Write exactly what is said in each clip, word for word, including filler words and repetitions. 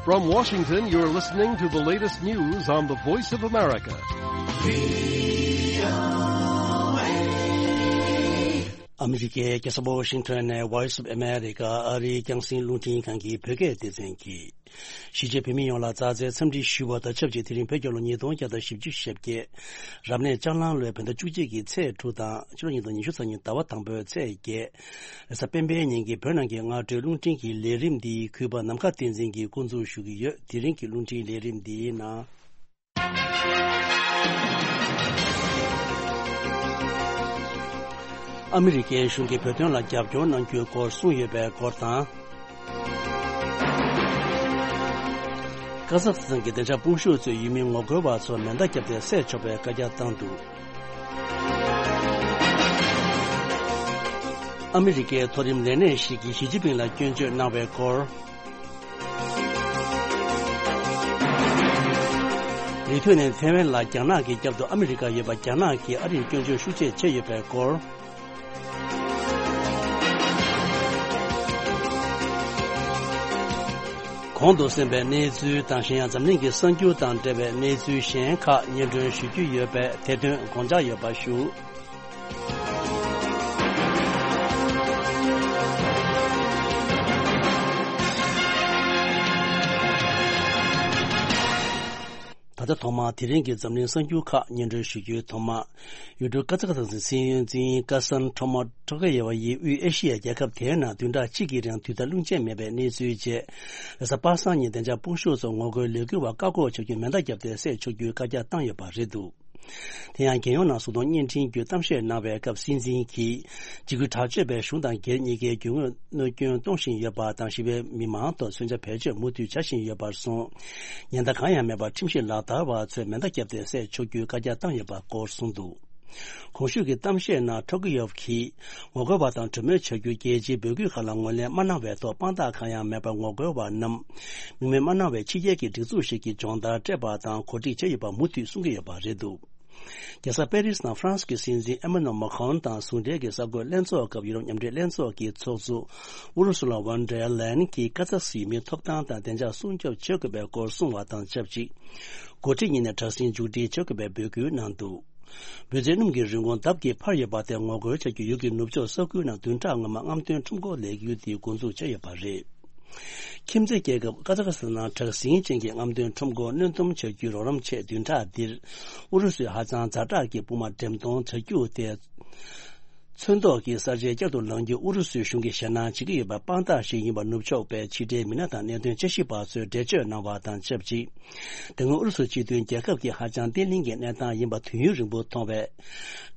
From Washington, you're listening to the latest news on the Voice of America. ཨ་མི་རི་ཀའི་རྒྱལ་ས་ཝ་ཤིང་ཊོན་ནས་Voice of America ཨ་རིའི་རྒྱང་སྲིང་རླུང་འཕྲིན་ཁང་གི་བོད་སྐད་སྡེ་ཚན་གྱིས། གཞིས་བྱེས་བོད་མི་ཡོངས་ལ་མཛའ་བརྩེའི་འཚམས་འདྲི་ཞུ་བ་དང་ཆབས་ཅིག་དེ་རིང་བོད་རྒྱལ་ལོ་ཉིས་སྟོང་བརྒྱ་དང་བཞི་བཅུ་ཞེ་བརྒྱད། རབ་གནས་ལྕགས་གླང་ལོའི་བོད་ཟླ་བཅུ་གཅིག་གི་ཚེས་དྲུག་དང་ཕྱི་ལོ་ཉིས་སྟོང་ཉི་ཤུ་རྩ་གཉིས་ཟླ་བ་དང་པོའི་ཚེས་བརྒྱད། རེས་གཟའ་སྤེན་པའི་ཉིན་གྱི་བོད་ནང་གི་སྔ་དྲོའི་རླུང་འཕྲིན་གྱི་ལས་རིམ་འདི་གུས་པ་ནམ་མཁའ་བསྟན་འཛིན་གྱིས་འགོ་འཛུགས་ཞུ་གི་ཡོད། དེ་རིང་གི་རླུང་འཕྲིན་ལས་རིམ་འདིའི་ནང་། ཨ་མི་རི་ཀའི་གཞུང་གིས་བོད་དོན་ལ་རྒྱབ་སྐྱོར་གནང་རྒྱུའི་སྐོར་གསུངས་ཡོད་པའི་སྐོར་དང་། ཀ་ཟག་སི་ཐན་གྱི་བདེ་འཇགས་དཔུང་ཤུགས་ཚོས་ཡུལ་མི་ངོ་རྒོལ་བ་ཚོར་མེ་མདའ་བརྒྱབ་སྟེ་བསད་ཆོག་པའི་བཀའ་རྒྱ་བཏང་འདུག་ཨ་མི་རི་ཀའི་མཐོ་རིམ་ལས་སྣེ་ཞིག་གིས་ཞི་ཅིན་ཕིང་ལ་སྐྱོན་བརྗོད་གནང་བའི་སྐོར། ལི་ཐུ་ནན་ཐེ་ཝན་ལ་རྒྱ་ནག་གི་རྒྱབ་ཏུ་ཨ་མི་རི་ཀ་ཡོད་པ་རྒྱ་ནག་གིས་ཨ་རིར་སྐྱོན་བརྗོད་ཤུགས་ཆེ་བྱས་ཡོད་པའི་སྐོར། གོང་དུ་གསན་པའི་གནས་ཚུལ་དང་གཞན་ཡང་འཛམ་གླིང་གི་གསར་འགྱུར་དང་འབྲེལ་བའི་གནས་ཚུལ་གཞན་ཁག་སྙན་སྒྲོན་ཞུ་རྒྱུ་ཡོད་པས་དེ་དོན་དགོངས་འཇགས་ཡོད་པ་ཞུ། ད་ལྟ་ཐོག་མར་དེ་རིང་གི་འཛམ་གླིང་གསར་འགྱུར་ཁག་སྙན་སྒྲོན་ཞུ་རྒྱུའི་ཐོག་མར། ཡུལ་གྲུ་ཀ་ཛ་ཁ་སི་ཐན་གྱི་སྲིད་བློན་འཛིན་ཀ་སན་ཁྲོ་མོ་ཁྲོ་ཁེ་ཡེ་ཝ་ཡིས་དབུས་ཨེ་ཤི་ཡའི་རྒྱལ་ཁབ་དེའི་ནང་བདུན་ཕྲག་གཅིག་གི་རིང་དུས་བདའ་རླུང་ཆེན་མེད་པའི་གནས་ཚུལ་རྗེས། རེས་གཟའ་པ་སངས་ཉིན་བདེ་འཇགས་དཔུང་ཤུགས་ཚོ་ངོ་རྒོལ་ལས་འགུལ་བ་བཀག་འགོག་བྱ་རྒྱུའི་མེ་མདའ་བརྒྱབ་སྟེ་བསད་ཆོག་རྒྱུའི་བཀའ་རྒྱ་བཏང་ཡོད་པ་རེད་འདུག་དེ་ཡང་རྒྱལ་ཡོངས་ནང་གཟུགས་མཐོང་བརྙན་འཕྲིན་བརྒྱུད་གཏམ་བཤད་གནང་བའི་སྐབས་སྲིད་འཛིན་གྱིས། འཇིགས་སྐུལ་དྲག་སྤྱོད་པས་གཞུང་དང་སྒེར་གཉིས་ཀའི་རྒྱུ་དངོས་གནོད་སྐྱོན་གཏོང་བཞིན་ཡོད་པ་དང་། ཞི་བའི་མི་མང་ཐོག་མཚོན་ཆ་བེད་སྤྱོད་མུ་མཐུད་བྱ་བཞིན་ཡོད་པར་སོང་། ཉེན་བརྡ་གང་ཡང་མེད་པར་ཁྲིམས་ཞིབ་ལག་བསྟར་བ་ཚོས་མེ་མདའ་བརྒྱབ་སྟེ་བསད་ཆོག་རྒྱུའི་བཀའ་རྒྱ་བཏང་ཡོད་པ་སྐོར་གསུངས་འདུག་གོང་ཞུས་ཀྱི་གཏམ་བཤད་ནང་ཁྲོ་ཀི་ཡོབ་ཀྱིས། ངོ་རྒོལ་བ་དང་གྲོས་མོལ་བྱ་རྒྱུའི་རྒྱལ་སྤྱིའི་འབོད་སྐུལ་ཁག་ལ་ངོས་ལེན་མ་གནང་བའི་ཐོག་དཔང་རྟགས་གང་ཡང་མེད་པར་ངོ་རྒོལ་བ་རྣམས། མིང་མེད་མ་གནང་བའི་ཕྱི་རྒྱལ་གྱི་སྒྲིག་འཛུགས་ཤིག་གིས་སྦྱོང་བརྡར་སྤྲད་པ་དང་གོ་སྒྲིག་བྱས་ཡོད་པ་མུ་མཐུད་གསུང་གི་ཡོད་པ་རེད་འདུག་རྒྱལ་ས་པེ་རིས་ནང་ཧྥ་རན་སི་གི་སྲིད་འཛིན་ཨེ་མ་ནུ་ཨེལ་མ་ཁོན་དང་ཟུང་འབྲེལ་གྱི་གསར་འགོད་ལྷན་ཚོགས་སྐབས་ཡུ་རོབ་མཉམ་འབྲེལ་ལྷན་ཚོགས་ཀྱི་ཚོགས་གཙོ་ཨུ་རུ་སུ་ལ་ཝོན་ཌེར་ལེན་གྱིས་ཀ་ཛག་སི་ཡུལ་མིའི་ཐོབ་ཐང་དང་བདེ་འཇགས་སྲུང་སྐྱོབ་བྱེད་དགོས་པའི་སྐོར་གསུངས་བ་དང་ཆབས་ཅིག་འགོ་ཁྲིད་གཉིས་ནས་དྲག་ཟིང་མཇུག་སྒྲིལ་བྱེད་དགོས་པའི་འབོད་སྐུལ་གནང་འདུག་འབོད་ཚིག་སྣུམ་གྱི་རིན་གོང་ལྡབ་ཀྱིས་འཕར་ཡོད་པ་དེ་ངོ་རྒོལ་བྱ་རྒྱུ་ཡུལ་གྱི་ནུབ་ཕྱོགས་ས་ཁུལ་ནང་བདུན་ཕྲག་སྔོན་མ་རྔམ་སྟོན་ཁྲོམ་སྐོར་ལས་འགུལ་དེ་འགོ་འཛུགས་བྱས་ཡོད་པ་རེད། ཁྱིམ་མཚེས་རྒྱལ་ཁབ་ཀ་ཛ་ཁ་སི་ཐན་ནང་དྲག་ཟིང་ཅན་གྱི་རྔམ་སྟོན་ཁྲོམ་སྐོར་གནོན་སྡོམ་བྱ་རྒྱུའི་རོགས་རམ་ཆེད་བདུན་ཕྲག་འདིར། ཨུ་རུ་སུས་ཧ་ཅང་ཛ་དྲག་གི་དཔུང་དམག་འགྲེམས་གཏོང་བྱ་རྒྱུ་དེ། ཚོན་མདོག་གི་གསར་བརྗེ་བསྐྱར་དུ་ལངས་རྒྱུ་ཨུ་རུ་སུའི་གཞུང་གིས་ཞེད་སྣང་བྱེད་ཀྱི་ཡོད་པའི་དཔང་རྟགས་ཤིག་ཡིན་པ་ནུབ་ཕྱོགས་པའི་ཕྱི་འབྲེལ་མི་སྣ་དང་གནད་དོན་དཔྱད་ཞིབ་པ་ཚོས་འགྲེལ་བརྗོད་གནང་བ་དང་ཆབས་ཅིག་དེ་སྔོན་ཨུ་རུ་སུ་སྤྱི་མཐུན་རྒྱལ་ཁབ་ཀྱི་ཧ་ཅང་བརྟན་ལྷིང་གི་གནས་སྟངས་ཡིན་པ་དུས་ཡུན་རིང་པོ་མཐོང་བས།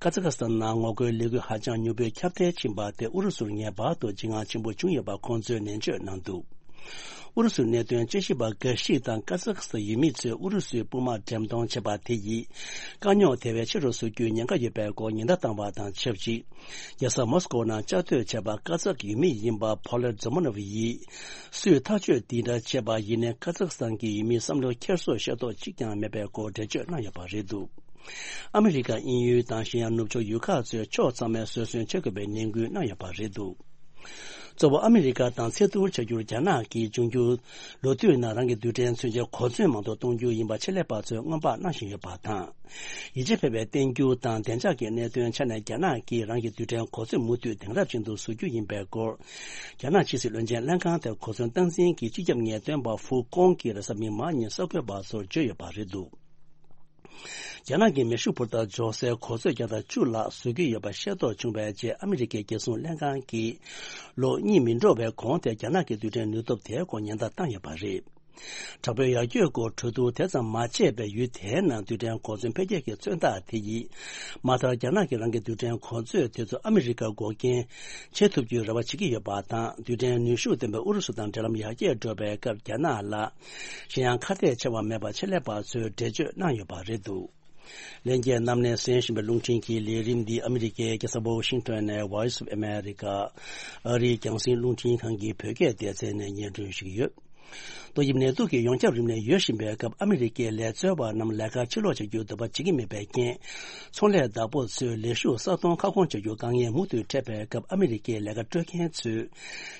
ཀ་ཛ་ཁ་སི་ཐན་ནང་ངོ་རྒོལ་ལས་འགུལ་ཧ་ཅང་མྱུར་པོས་ཁྱབ་གདལ་ཕྱིན་པ་དེ་ཨུ་རུ་སུར་ངེས་པར་དུ་འཇིགས་སྣང་ཆེན་པོ་བྱུང་ཡོད་པ་ཁོང་ཚོས་ནན་བརྗོད་གནང་འདུག་ཨུ་རུ་སུའི་གནད་དོན་དཔྱད་ཞིབ་པ་འགའ་ཞིག་དང་ཀ་ཛག་སི་ཐན་ཡུལ་མི་ཚོས་ཨུ་རུ་སུའི་དཔུང་དམག་འགྲེམས་གཏོང་བྱས་པ་དེ་ཡིས། དཀའ་རྙོག་དེ་བས་ཆེ་རུ་བཟོ་རྒྱུའི་ཉེན་ཁ་ཡོད་པའི་སྐོར་ཉེན་བརྡ་བཏང་བ་དང་ཆབས་ཅིག་རྒྱལ་ས་མོ་སི་ཀོ་ནང་བཅའ་སྡོད་བྱས་པ་ཀ་ཛག་ཡུལ་མི་ཡིན་པ་ཕོ་ལེ་ཛོ་མོ་ནོ་ཝ་ཡིས། སུས་ཐག་གཅོད་འདི་འདྲ་བྱས་པ་ཡིན་ནའི་ཀ་ཛག་སི་ཐན་གྱི་ཡུལ་མིའི་བསམ་བློ་འཁྱེར་སོ་ཤེས་རྟོགས་གཅིག་ཀྱང་མེད་པའི་སྐོར་འགྲེལ་བརྗོད་གནང་ཡོད་པ་རེད་འདུག་ཨ་མི་རི་ཀ་དབྱིན་ཡུལ་དང་གཞན་ཡང་ནུབ་ཕྱོགས་ཡུལ་ཁག་ཚོས་ཕྱོགས་ཚང་མས་བཟོད་བསྲན་བྱེད་དགོས་པའི་ནན་སྐུལ་གནང་ཡོད་པ་རེད་འདུག་གཙོ་བོ་ཨ་མི་རི་ཀ་དང་ཚད་ཐུར་བྱ་རྒྱུར་རྒྱ་ནག་གིས་འབྱུང་འགྱུར་ལོ་དུས་ནང་རང་གི་རྡུལ་ཕྲན་མཚོན་ཆའི་གོ་མཚོན་མང་དུ་གཏོང་རྒྱུ་ཡིན་པ་ཆེད་ལས་པ་ཚོས་སྔོན་དཔག་གནང་བཞིན་ཡོད་པ་དང་། ཡིད་ཆེས་འཕེར་བའི་བརྟན་འགྱུར་དང་བདེ་འཇགས་ཀྱི་གནད་དོན་ཆ་ནས་རྒྱ་ནག་གིས་རང་གི་རྡུལ་ཕྲན་གོ་མཚོན་མུ་མཐུད་དེང་རབས་ཅན་དུ་བཟོ་རྒྱུ་ཡིན་པའི་སྐོར། རྒྱ་ནག་ཕྱི་སྲིད་བློན་ཆེན་ལྷན་ཁང་དེར་གོ་མཚོན་སྟངས་འཛིན་གྱི་སྤྱི་ཁྱབ་ངེས་སྟོན་པ་ཧྥུ་ཀོང་གིས་རེས་གཟའ་མིག་དམར་ཉིན་གསར་འགོད་པ་ཚོར་བརྗོད་ཡོད་པ་རེད་འདུག་རྒྱ་ནག་གིས་མེ་ཤུགས་འཕུར་མདའ་འཇོག་སའི་གོ་མཚོན་བརྒྱ་དང་བཅུ་ལྷག་བཟོ་རྒྱུ་ཡོད་པ་ཤེས་རྟོགས་བྱུང་བའི་རྗེས་ཨ་མི་རི་ཀའི་རྒྱལ་སྲུང་ལྷན་ཁང་གིས་ལོ་གཉིས་མི་འགྲོ་བའི་གོང་དེར་རྒྱ་ནག་གི་རྡུལ་ཕྲན་ནུས་སྟོབས་དེའི་སྐོར་ཉེན་བརྡ་བཏང་ཡོད་པ་རེད། དྲག་པོའི་ཡར་རྒྱས་སྐོར་གྲོས་བསྡུར་དེ་ཙམ་མ་བྱས་པའི་ཡུལ་དེའི་ནང་རྡུལ་ཕྲན་གོ་མཚོན་འཕེལ་རྒྱས་ཀྱི་མཚོན་རྟགས་དེ་ཡིས། མ་མཐར་རྒྱ་ནག་གིས་རང་གི་རྡུལ་ཕྲན་གོ་མཚོན་དེ་ཚོ་ཨ་མི་རི་ཀར་འགོག་རྐྱེན་བྱེད་ཐུབ་རྒྱུའི་རེ་བ་བྱེད་ཀྱི་ཡོད་པ་དང་། རྡུལ་ཕྲན་ནུས་ཤུགས་ལྡན་པའི་ཨུ་རུ་སུ་དང་འབྲེལ་ལམ་ཡར་རྒྱས་འགྲོ་བའི་སྐབས་རྒྱ་ནག་ལ་གཞན་ཡང་ཁ་གཏད་ཆེ་བ་མེད་པ་ཆེད་ལས་པ་ཚོས་འགྲེལ་བརྗོད་གནང་ཡོད་པ་རེད་འདུག་ལྷན་རྒྱས་རྣམས་ནས་གསན་བཞིན་པའི་རླུང་འཕྲིན་གྱི་ལས་རིམ་འདི་ཨ་མི་རི་ཀའི་རྒྱལ་ས་ཝོ་ཤིང་ཊོན་ནས་Voice of America ཨ་རིའི་རྒྱང་སྲིང་རླུང་འཕྲིན་ཁང་གི་བོད་སྐད་སྡེ་ཚན་ནས་སྙན་སྒྲོན་ཞུ་གི་ཡོད། ཏོག་དབྱིབས་ནད་དུག་གིས་ཡོངས་ཁྱབ་རིམས་ནད་ཡོད་བཞིན་པའི་སྐབས། ཨ་མི་རི་ཀའི་ལས་བཙོན་པ་རྣམས་ལས་ཀ་ཕྱིར་ལོག་བྱ་རྒྱུའི་འདོད་པ་བྱེད་ཀྱི་མེད་པའི་རྐྱེན། ཚོང་ལས་བདག་པོ་ཚོས་ལས་ཞུགས་ས་སྟོང་ཁ་སྐོང་བྱ་རྒྱུའི་དཀའ་ངལ་མུ་མཐུད་འཕྲད་པའི་སྐབས། ཨ་མི་རི་ཀའི་ལས་ཀ་སྤྲོད་མཁན་ཚོས་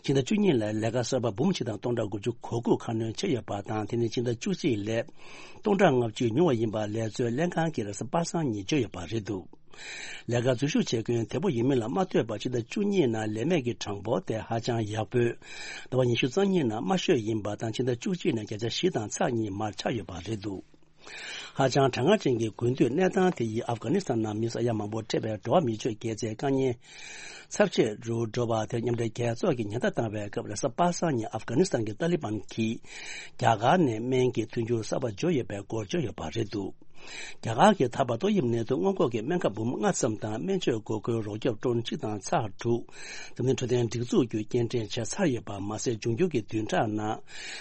ཕྱི་ཟླ་བཅུ་གཉིས་ལ་ལས་ཀ་གསར་པ་འབུམ་གཅིག་དང་སྟོང་ཕྲག་དགུ་བཅུ་གོ་དགུ་ཁ་སྣོན་བྱས་ཡོད་པ་དང་། དེ་ནི་ཕྱི་ཟླ་བཅུ་གཅིག་ལས་སྟོང་ཕྲག་ལྔ་བཅུ་ཉུང་བ་ཡིན་པ་ལས་བཙོན་ལྷན་ཁང་གི་རེས་གཟའ་པ་སངས་ཉིན་བརྗོད་ཡོད་པ་རེད་འདུག་ལས་ཀར་འཛུལ་ཞུགས་བྱེད་མཁན་དེ་པོ་ཡིན་མིན་ལ་མ་ལྟོས་པར། ཕྱི་ཟླ་བཅུ་གཉིས་ནང་ལས་མེད་ཀྱི་གྲངས་འབོར་དེ་ཧ་ཅང་ཡག་པོས། ཟླ་བ་ཉི་ཤུ་རྩ་གཉིས་ནང་དམའ་ཤོས་ཡིན་པ་དང་། ཕྱི་ཟླ་བཅུ་གཅིག་ནས་བརྒྱ་ཆ་བཞི་དང་ཚེག་གཉིས་མར་ཆག་ཡོད་པ་རེད་འདུག་ཧ་ཅང་གྲང་ངར་ཅན་གྱི་དགུན་དུས་གནས་སྟངས་དེ་ཡིས་ཨབ་གྷ་ནི་སི་ཐན་ནང་མི་ས་ཡ་མང་པོ་འཕྲད་པའི་འགྲོ་བ་མིའི་ཆོས་དགེ་རྩའི་དཀའ་ངལ་ཚབས་ཆེ་རུ་འགྲོ་བ་དེར། མཉམ་འབྲེལ་རྒྱལ་ཚོགས་ཀྱིས་ཉེན་བརྡ་བཏང་བའི་སྐབས། རེས་གཟའ་པ་སངས་ཉིན་ཨབ་གྷ་ནི་སི་ཐན་གྱི་ཏཱ་ལི་བན་གྱིས་རྒྱ་གར་ནས་སྨན་གྱི་མཐུན་འགྱུར་གསར་པ་འབྱོར་ཡོད་པའི་སྐོར་བརྗོད་ཡོད་པ་རེད་འདུག་རྒྱ་གར་གྱིས་ད་བར་ཏོག་དབྱིབས་ནད་དུག་སྔོན་འགོག་གི་སྨན་ཁབ་འབུམ་ལྔ་ཙམ་དང་། སྨན་བཅོས་འགོག་རྒོལ་རོགས་སྐྱོབ་ཊོན་གཅིག་དང་ཚེག་དྲུག་འཛམ་གླིང་འཕྲོད་བསྟེན་སྒྲིག་འཛུགས་བརྒྱུད་སྐྱེལ་འདྲེན་བྱས་ཚར་ཡོད་པ་མ་ཟད། འབྱུང་འགྱུར་གྱི་བདུན་ཕྲག་ནང་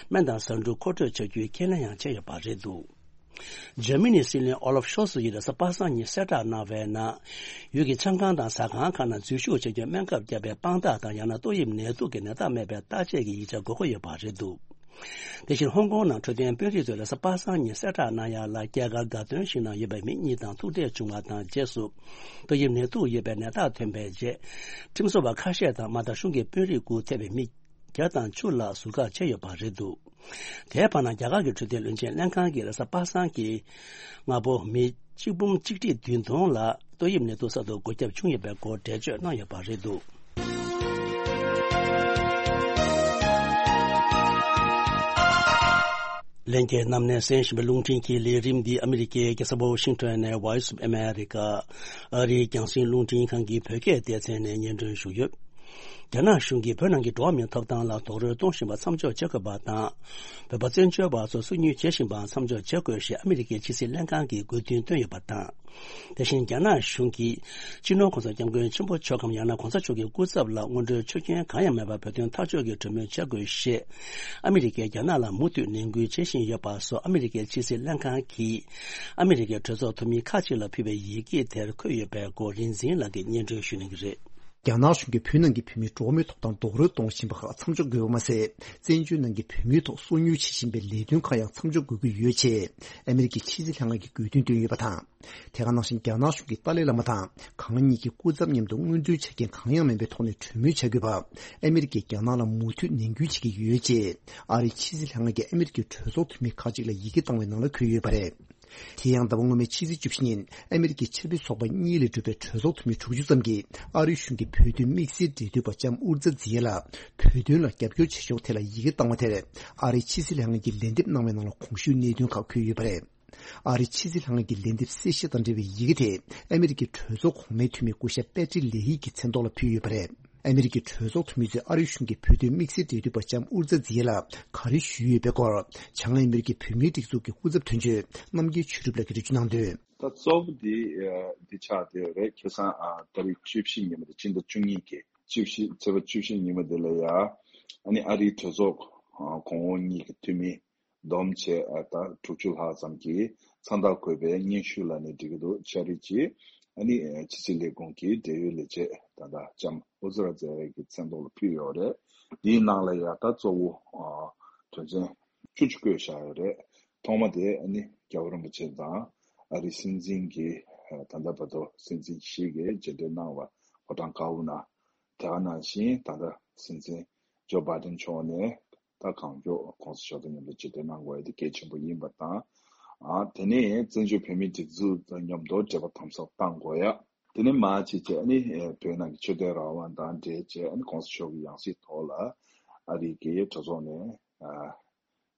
སྨན་དང་ཟ་འབྲུ་མཁོ་སྤྲོད་བྱ་རྒྱུའི་ཁས་ལེན་ཡང་བྱས་ཡོད་པ་རེད་འདུག་འཇར་མ་ནིའི་སྲིད་བློན་ཨོ་ལབ་ཤོལ་ཚ་ཡིས་རེས་གཟའ་པ་སངས་ཉིན་གསལ་བསྒྲགས་གནང་བའི་ནང་། ཡུལ་གྱི་ཆང་ཁང་དང་ཟ་ཁང་ཁག་ནང་འཛུལ་ཞུགས་བྱ་རྒྱུའི་སྨན་ཁབ་བརྒྱབ་པའི་དཔང་རྟགས་དང་། ཡང་ན་ཏོག་དབྱིབས་ནད་དུག་གི་ནད་རྟགས་མེད་པའི་བརྟག་དཔྱད་ཀྱི་ཡིག་ཆ་དགོས་མཁོ་ཡོད་པ་རེད་འདུག་དེ་བཞིན་ཧོང་ཀོང་ནང་འཕྲོད་བསྟེན་དཔོན་རིགས་ཚོས་རེས་གཟའ་པ་སངས་ཉིན་གསལ་བསྒྲགས་གནང་ཡག་ལ། རྒྱ་གར་དགའ་སྟོན་ཞིག་ནང་ཡོད་པའི་མི་གཉིས་དང་ཐུག་འཕྲད་བྱུང་བ་དང་། རྗེས་སུ་ཏོག་དབྱིབས་ནད་དུག་ཡོད་པའི་ནད་རྟགས་ཐོན་པའི་རྗེས། ཁྲིམས་བཟོ་བ་ཁ་ཤས་དང་། མ་མཐའ་གཞུང་གི་དཔོན་རིགས་སྒུག་ཐེབས་པའི་མི་བརྒྱ་དང་བཅུ་ལ་ཟུར་བཀག་བྱས་ཡོད་པ་རེད་འདུག་དེའི་བར་ན། རྒྱ་གར་གྱི་འཕྲོད་བསྟེན་བློན་ཆེན་ལྷན་ཁང་གིས་རེས་གཟའ་པ་སངས་ཀྱི་སྔ་པོ་མི་གཅིག་འབུམ་གཅིག་ཁྲི་བདུན་སྟོང་ལ་ཏོག་དབྱིབས་ནད་དུག་གསར་དུ་འགོས་ཁྱབ་བྱུང་ཡོད་པའི་སྐོར་འགྲེལ་བརྗོད་གནང་ཡོད་པ་རེད་འདུག་ལྷན་རྒྱས་རྣམས་ནས་གསན་བཞིན་པའི་རླུང་འཕྲིན་གྱི་ལས་རིམ་འདི་ཨ་མི་རི་ཀའི་རྒྱལ་ས་ཝ་ཤིང་ཊོན་ནས་Voice of America ཨ་རིའི་རྒྱང་སྲིང་རླུང་འཕྲིན་ཁང་གི་བོད་སྐད་སྡེ་ཚན་ནས་སྙན་སྒྲོན་ཞུས་ཡོད། རྒྱ་ནག་གཞུང་གིས་བོད་ནང་གི་འགྲོ་བ་མིའི་ཐོབ་ཐང་ལ་རྡོག་རོལ་གཏོང་བཞིན་པ་མཚམས་འཇོག་བྱེད་དགོས་པ་དང་། བོད་པ་བཙན་བྱོལ་བ་ཚོ་སོ་ཉུལ་བྱེད་བཞིན་པ་མཚམས་འཇོག་བྱེད་དགོས་ཞེས་ཨ་མི་རི་ཀའི་ཕྱི་སྲིད་ལྷན་ཁང་གིས་དགོས་འདུན་བཏོན་ཡོད་པ་དང་། དེ་བཞིན་རྒྱ་ནག་གཞུང་གིས་སྤྱི་ནོར་༸གོང་ས་༸སྐྱབས་མགོན་ཆེན་པོ་མཆོག་གམ། ཡང་ན་༸གོང་ས་མཆོག་གི་སྐུ་ཚབ་ལ་སྔོན་འགྲོའི་ཆོས་རྒྱུན་གང་ཡང་མེད་པར་བོད་དོན་ཐག་གཅོད་ཀྱི་གྲོས་མོལ་བྱ་དགོས་ཞེས་ཨ་མི་རི་ཀས་རྒྱ་ནག་ལ་མུ་མཐུད་ནན་སྐུལ་བྱེད་བཞིན་ཡོད་པ་སོགས། ཨ་མི་རི་ཀའི་ཕྱི་སྲིད་ལྷན་ཁང་གིས་ཨ་མི་རི་ཀའི་གྲོས་ཚོགས་འཐུས་མི་ཁག་ཅིག་ལ་ཕུལ་བའི་ཡི་གེ་དེར་འཁོད་ཡོད་པའི་སྐོར་རིག་འཛིན་ལགས་ཀྱིས་སྙན་སྒྲོན་ཞུ་གནང་གི་རེད། རྒྱ་ནག་གཞུང་གིས་བོད་ནང་གི་བོད་མིའི་འགྲོ་བ་མིའི་ཐོབ་ཐང་རྡོག་རོལ་གཏོང་བཞིན་པ་ཁག་མཚམས་འཇོག་དགོས་པ་མ་ཟད། བཙན་བྱོལ་ནང་གི་བོད་མིའི་ཐོག་སོ་ཉུལ་བྱེད་བཞིན་པའི་ལས་དོན་ཁག་ཡང་མཚམས་འཇོག་དགོས་ཀྱི་ཡོད་ཅེས་ཨ་མི་རི་ཀའི་ཕྱི་སྲིད་ལྷན་ཁང་གིས་དགོས་འདུན་བཏོན་ཡོད་པ་དང་། དེ་ག་ནང་བཞིན་རྒྱ་ནག་གཞུང་གིས་ཏཱ་ལའི་བླ་མ་དང་གང་ཉིད་ཀྱི་སྐུ་ཚབ་མཉམ་དུ་སྔོན་འགྲོའི་ཆ་རྐྱེན་གང་ཡང་མེད་པའི་ཐོག་ནས་གྲོས་མོལ་བྱ་དགོས་པ། ཨ་མི་རི་ཀས་རྒྱ་ནག་ལ་མུ་མཐུད་ནན་སྐུལ་བྱེད་ཀྱི་ཡོད་ཅེས་ཨ་རིའི་ཕྱི་སྲིད་ལྷན་ཁང་གིས་ཨ་མི་རི་ཀའི་གྲོས་ཚོགས་འཐུས་མི་ཁག་ཅིག་ལ་ཡི་གེ་བཏང་བའི་ནང་ལ་འཁོད་ཡོད་པ་རེད། དེ་ཡང་ཟླ་བ་སྔོན་མའི་ཕྱི་ཚེས་བཅུ་བཞི་ཉིན་ཨ་མི་རི་ཀའི་ཆབ་སྲིད་ཚོགས་པ་གཉིས་ལས་གྲུབ་པའི་གྲོས་ཚོགས་འཐུས་མི་དྲུག་ཅུ་ཙམ་གྱིས་ཨ་རིའི་གཞུང་གིས་བོད་དོན་དམིགས་བསལ་འབྲེལ་མཐུད་པ་ལྕམ་ཨུར་ཛ་ཛི་ཡེ་ལ་བོད་དོན་ལ་རྒྱབ་སྐྱོར་བྱེད་ཕྱོགས་ཐད་ལ་ཡི་གེ་བཏང་བ་དེར། ཨ་རིའི་ཕྱི་སྲིད་ལྷན་ཁང་གིས་ལན་འདེབས་གནང་བའི་ནང་ལ་གོང་ཞུས་གནད་དོན་ཁག་འཁོད་ཡོད་པ་རེད། ཨ་རིའི་ཕྱི་སྲིད་ལྷན་ཁང་གི་ལན་འདེབས་གསལ་བཤད་དང་འབྲེལ་བའི་ཡི་གེ་དེ་ཨ་མི་རི་ཀའི་གྲོས་ཚོགས་གོང་མའི་འཐུས་མི་སྐུ་ཞབས་པེ་ཏྲི་ལེ་ཧི་གི་མཚན་ཐོག་ལ་ཕུལ་ཡོད་པ་རེད། ཨ་མི་རི་ཀའི་གྲོས་ཚོགས་འཐུས་མི་ཚོས་ཨ་རིའི་གཞུང་གིས་བོད་དོན་དམིགས་བསལ་འབྲེལ་མཐུད་པ་ལྕམ་ཨུར་ཛ་ཛི་ཡེ་ལ་ག་རེ་ཞུས་ཡོད་པའི་སྐོར། བྱང་ཨ་མི་རི་ཀའི་བོད་མིའི་སྒྲིག་འཛུགས་ཀྱི་སྐུ་ཚབ་དོན་གཅོད་རྣམ་རྒྱལ་ཆོས་གྲུབ་ལགས་ཀྱིས་འགྲེལ་བརྗོད་གནང་དོན། ད་གཙོ་བོ་འདི་འདི་ཆགས་བསྡད་ཡོད་རེད། ཁ་སང་ཨ་ཏ་རིག་བཅུ་བཞི་ཉིན་མོ་དེ་སྤྱི་ཟླ་བཅུ་གཉིས་ཀྱི་བཅུ་བཞི་ཚེས་པ་བཅུ་བཞི་ཉིན་མོ་དེ་ལ་ཡ་ཨ་ནི་ཨ་རིའི་གྲོས་ཚོགས་ཨ་གོང་འོག་གཉིས་ཀྱི་འཐུས་མི་བསྡོམས་བྱས་ཨ་ད་དྲུག་ཅུ་ལྷག་ཙམ་གྱིས་མཚན་རྟགས་བཀོད་པའི་སྙན་ཞུ་ལབ་ནས་འགྲིག་གི་འདུག་ཆ་རིག་ཅིག་ཨ་ནི་ཕྱི་སྲིད་ལས་ཁུངས་ཀྱི་འབྲེལ་ཡོད་ལས་བྱེད་ད་ལྟ་ལྕམ་ཨུ་ཛི་ར་ཛེ་ཡེ་གི་མཚན་ཐོག་ལ་ཕུལ་ཡོད་རེད། འདིའི་ནང་ལ་ཡ་ད་གཙོ་བོ་ཨ་དོན་ཚན་བཅུ་གཅིག་བཀོད་བཞག་ཡོད་རེད། ཐོག་མ་དེ་ཨ་ནི་རྒྱལ་བ་རིན་པོ་ཆེ་དང་ཨ་རིའི་སྲིད་འཛིན་གྱི་ད་ལྟ་བར་དུ་སྲིད་འཛིན་བཞི་གིས་མཇལ་འཕྲད་གནང་བ་ཕོ་བྲང་དཀར་པོ་ནང་། དེ་ག་ནང་བཞིན་ད་ལྟ་སྲིད་འཛིན་ཇོ་བྷའི་ཌེན་མཆོག་ནས་ད་གང་མགྱོགས་གོང་ས་མཆོག་དང་མཉམ་དུ་མཇལ་འཕྲད་གནང་དགོས་ཡ་དེ་གལ་ཆེན་པོ་ཡིན་པ་དང་། ཨ་དེ་ནས་བཙན་བྱོལ་བོད་མིའི་སྒྲིག་འཛུགས་དང་མཉམ་དུ་འབྲེལ་བ་དམ་ཟབ་གཏང་དགོས་ཡ། དེ་ནས་མ་ཅིག་བྱས་ཨ་ནི་བོད་ནང་གི་ཆོས་དད་རང་དབང་དང་འབྲེལ་བྱས་ཨ་ནི་གོང་ས་མཆོག་གི་ཡང་སྲིད་ཐོག་ལ་ཨ་རིའི་གི་གྲོས་ཚོགས་ནས་ཨ་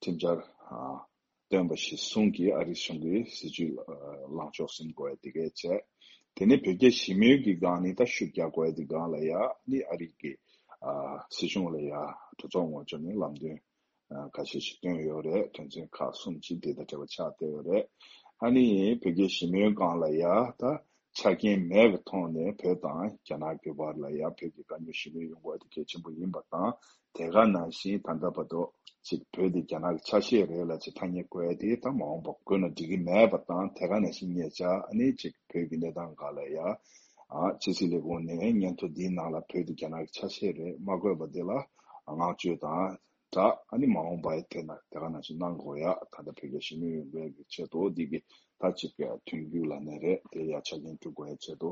ཁྲིམས་འཆར་ཨ་བཏོན་པ་གཞིར་བཟུང་གིས་ཨ་རིའི་གཞུང་གིས་སྲིད་བྱུས་ལངས་ཕྱོགས་ཟིན་དགོས་ཡ་དེ་གས་བྱས། དེ་ནས་བོད་རྒྱ་ཞི་མོལ་གྱི་སྒང་ནས་ད་ཤུགས་རྒྱག་དགོས་ཡ་དེ་སྒང་ལ་ཡ་ནི་ཨ་རིའི་གི་ཨ་སྲིད་གཞུང་ལ་ཡ་གྲོས་ཚོགས་ངོས་ཕྱོགས་ནས་ལམ་སྟོན་ཨ་ཁ་ཤས་ཤིག་བཏོན་ཡོད་རེད། དོན་ཚན་ཁག་གསུམ་ཅིག་དེ་དང་འབྲེལ་བ་ཆགས་བསྡད་ཡོད་རེད། ཨ་ནི་བོད་རྒྱ་ཞི་མོལ་སྒང་ལ་ཡ་ད་ཆ་རྐྱེན་མེད་པའི་ཐོག་ནས་བོད་དང་རྒྱ་ནག་གི་བར་ལ་ཡ་བོད་ཀྱི་དཀའ་རྙོག་ཞི་མོལ་ཡོང་དགོས་དེ་གལ་ཆེན་པོ་ཡིན་པ་དང་། དེ་ག་ནང་བཞིན་ད་ལྟ་བར་དུ་ཅིག་བོད་དེ་རྒྱ་ནག་གི་ཆ་ཤས་རེད་ལབ་ཅིག་ཐ་སྙད་བཀོད་ཡ་དེ་ད་མ་འོངས་པ་བཀོད་ན་འགྲིག་གི་མེད་པ་དང་། དེ་ག་ནང་བཞིན་ཉེ་ཆར་ཨ་ནི་ཅིག་བོད་ཀྱི་གནས་སྟངས་སྒང་ལ་ཡ་ཨ་ཕྱི་སྲིད་ལས་ཁུངས་ནས་སྙན་ཐོ་འདིའི་ནང་ལ་བོད་དེ་རྒྱ་ནག་གི་ཆ་ཤས་རེད་མ་བཀོད་པ་དེ་ལ་བསྔགས་བརྗོད་དང་ འདྲ་ཨ་ནི་མ་འོངས་པའི་ཐད་ན་དེ་ག་ནང་བཞིན་གནང་དགོས་ཡ། ད་ལྟ་བོད་རྒྱ་ཞི་མོལ་ཡོང་བའི་གི་ཆེད་དུ་འདི་གི་ད་ཅིག་གི་མཐུན་འགྱུར་ལ་ནས་རེད་དེ་ཡ་ཆ་རྐྱེན་སྒྲུབ་དགོས་ཡ་ཆེད་དུ་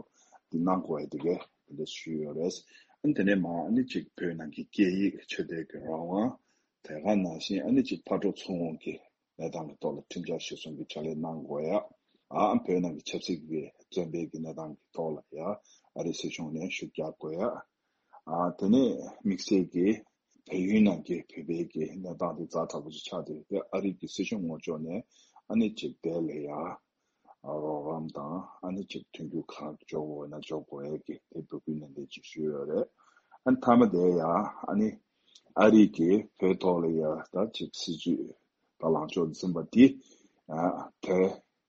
འདི་གནང་དགོས་ཡ་འདི་གས་དེ་འདྲ་ཞུས་ཡོད་རེད། ཨ་ནི་དེ་ནས་མ་ཨ་ནི་ཅིག་བོད་ནང་གི་སྐད་ཡིག་ཆོས་དད་ཀྱི་རང་དབང་དེ་ག་ནང་བཞིན་ཨ་ནི་ཅིག་ཕར་འགྲོ་ཚུར་འོང་གི་གནས་སྟངས་ཀྱི་ཐོག་ལ་ཁྲིམས་འཆར་གཞིར་བཟུང་གི་ཕྱག་ལས་གནང་དགོས་ཡ། ཨ་བོད་ནང་གི་ཆབ་སྲིད་ཀྱི་བཙོན་པའི་གི་གནས་སྟངས་ཀྱི་ཐོག་ལ་ཡ་ཨ་རི་སྲིད་གཞུང་ནས་ཤུགས་རྒྱག་དགོས་ཡ། ཨ་དེ་ནས་དམིགས་བསལ་གྱི་བལ་ཡུལ་ནང་གི་བོད་པའི་གི་གནས་སྟངས་དེ་ཛ་དྲག་པོ་ཅིག་ཆགས་བསྡད་ཡོད་དེ་ཨ་རི་གི་སྲིད་གཞུང་ངོས་ཕྱོགས་ནས་ཨ་ནི་ཅིག་དེ་ལ་ཡ་ཨ་རོགས་རམ་དང་ཨ་ནི་ཅིག་མཐུན་འགྱུར་གང་འཇོག་དགོས་ན་འཇོག་དགོས་ཡ་གི་དེ་འབོད་སྐུལ་ནན་ཏན་ཅིག་ཞུས་ཡོད་རེད། ཨ་ནི་མཐའ་མ་དེ་ཡ་ཨ་ནི་ཨ་རི་གི་བོད་ཐོག་ལ་ཡ་ད་ཅིག་སྲིད་ཇུས་དང་ལངས་ཕྱོགས་འཛིན་པ་དེ་ཨ་དེ་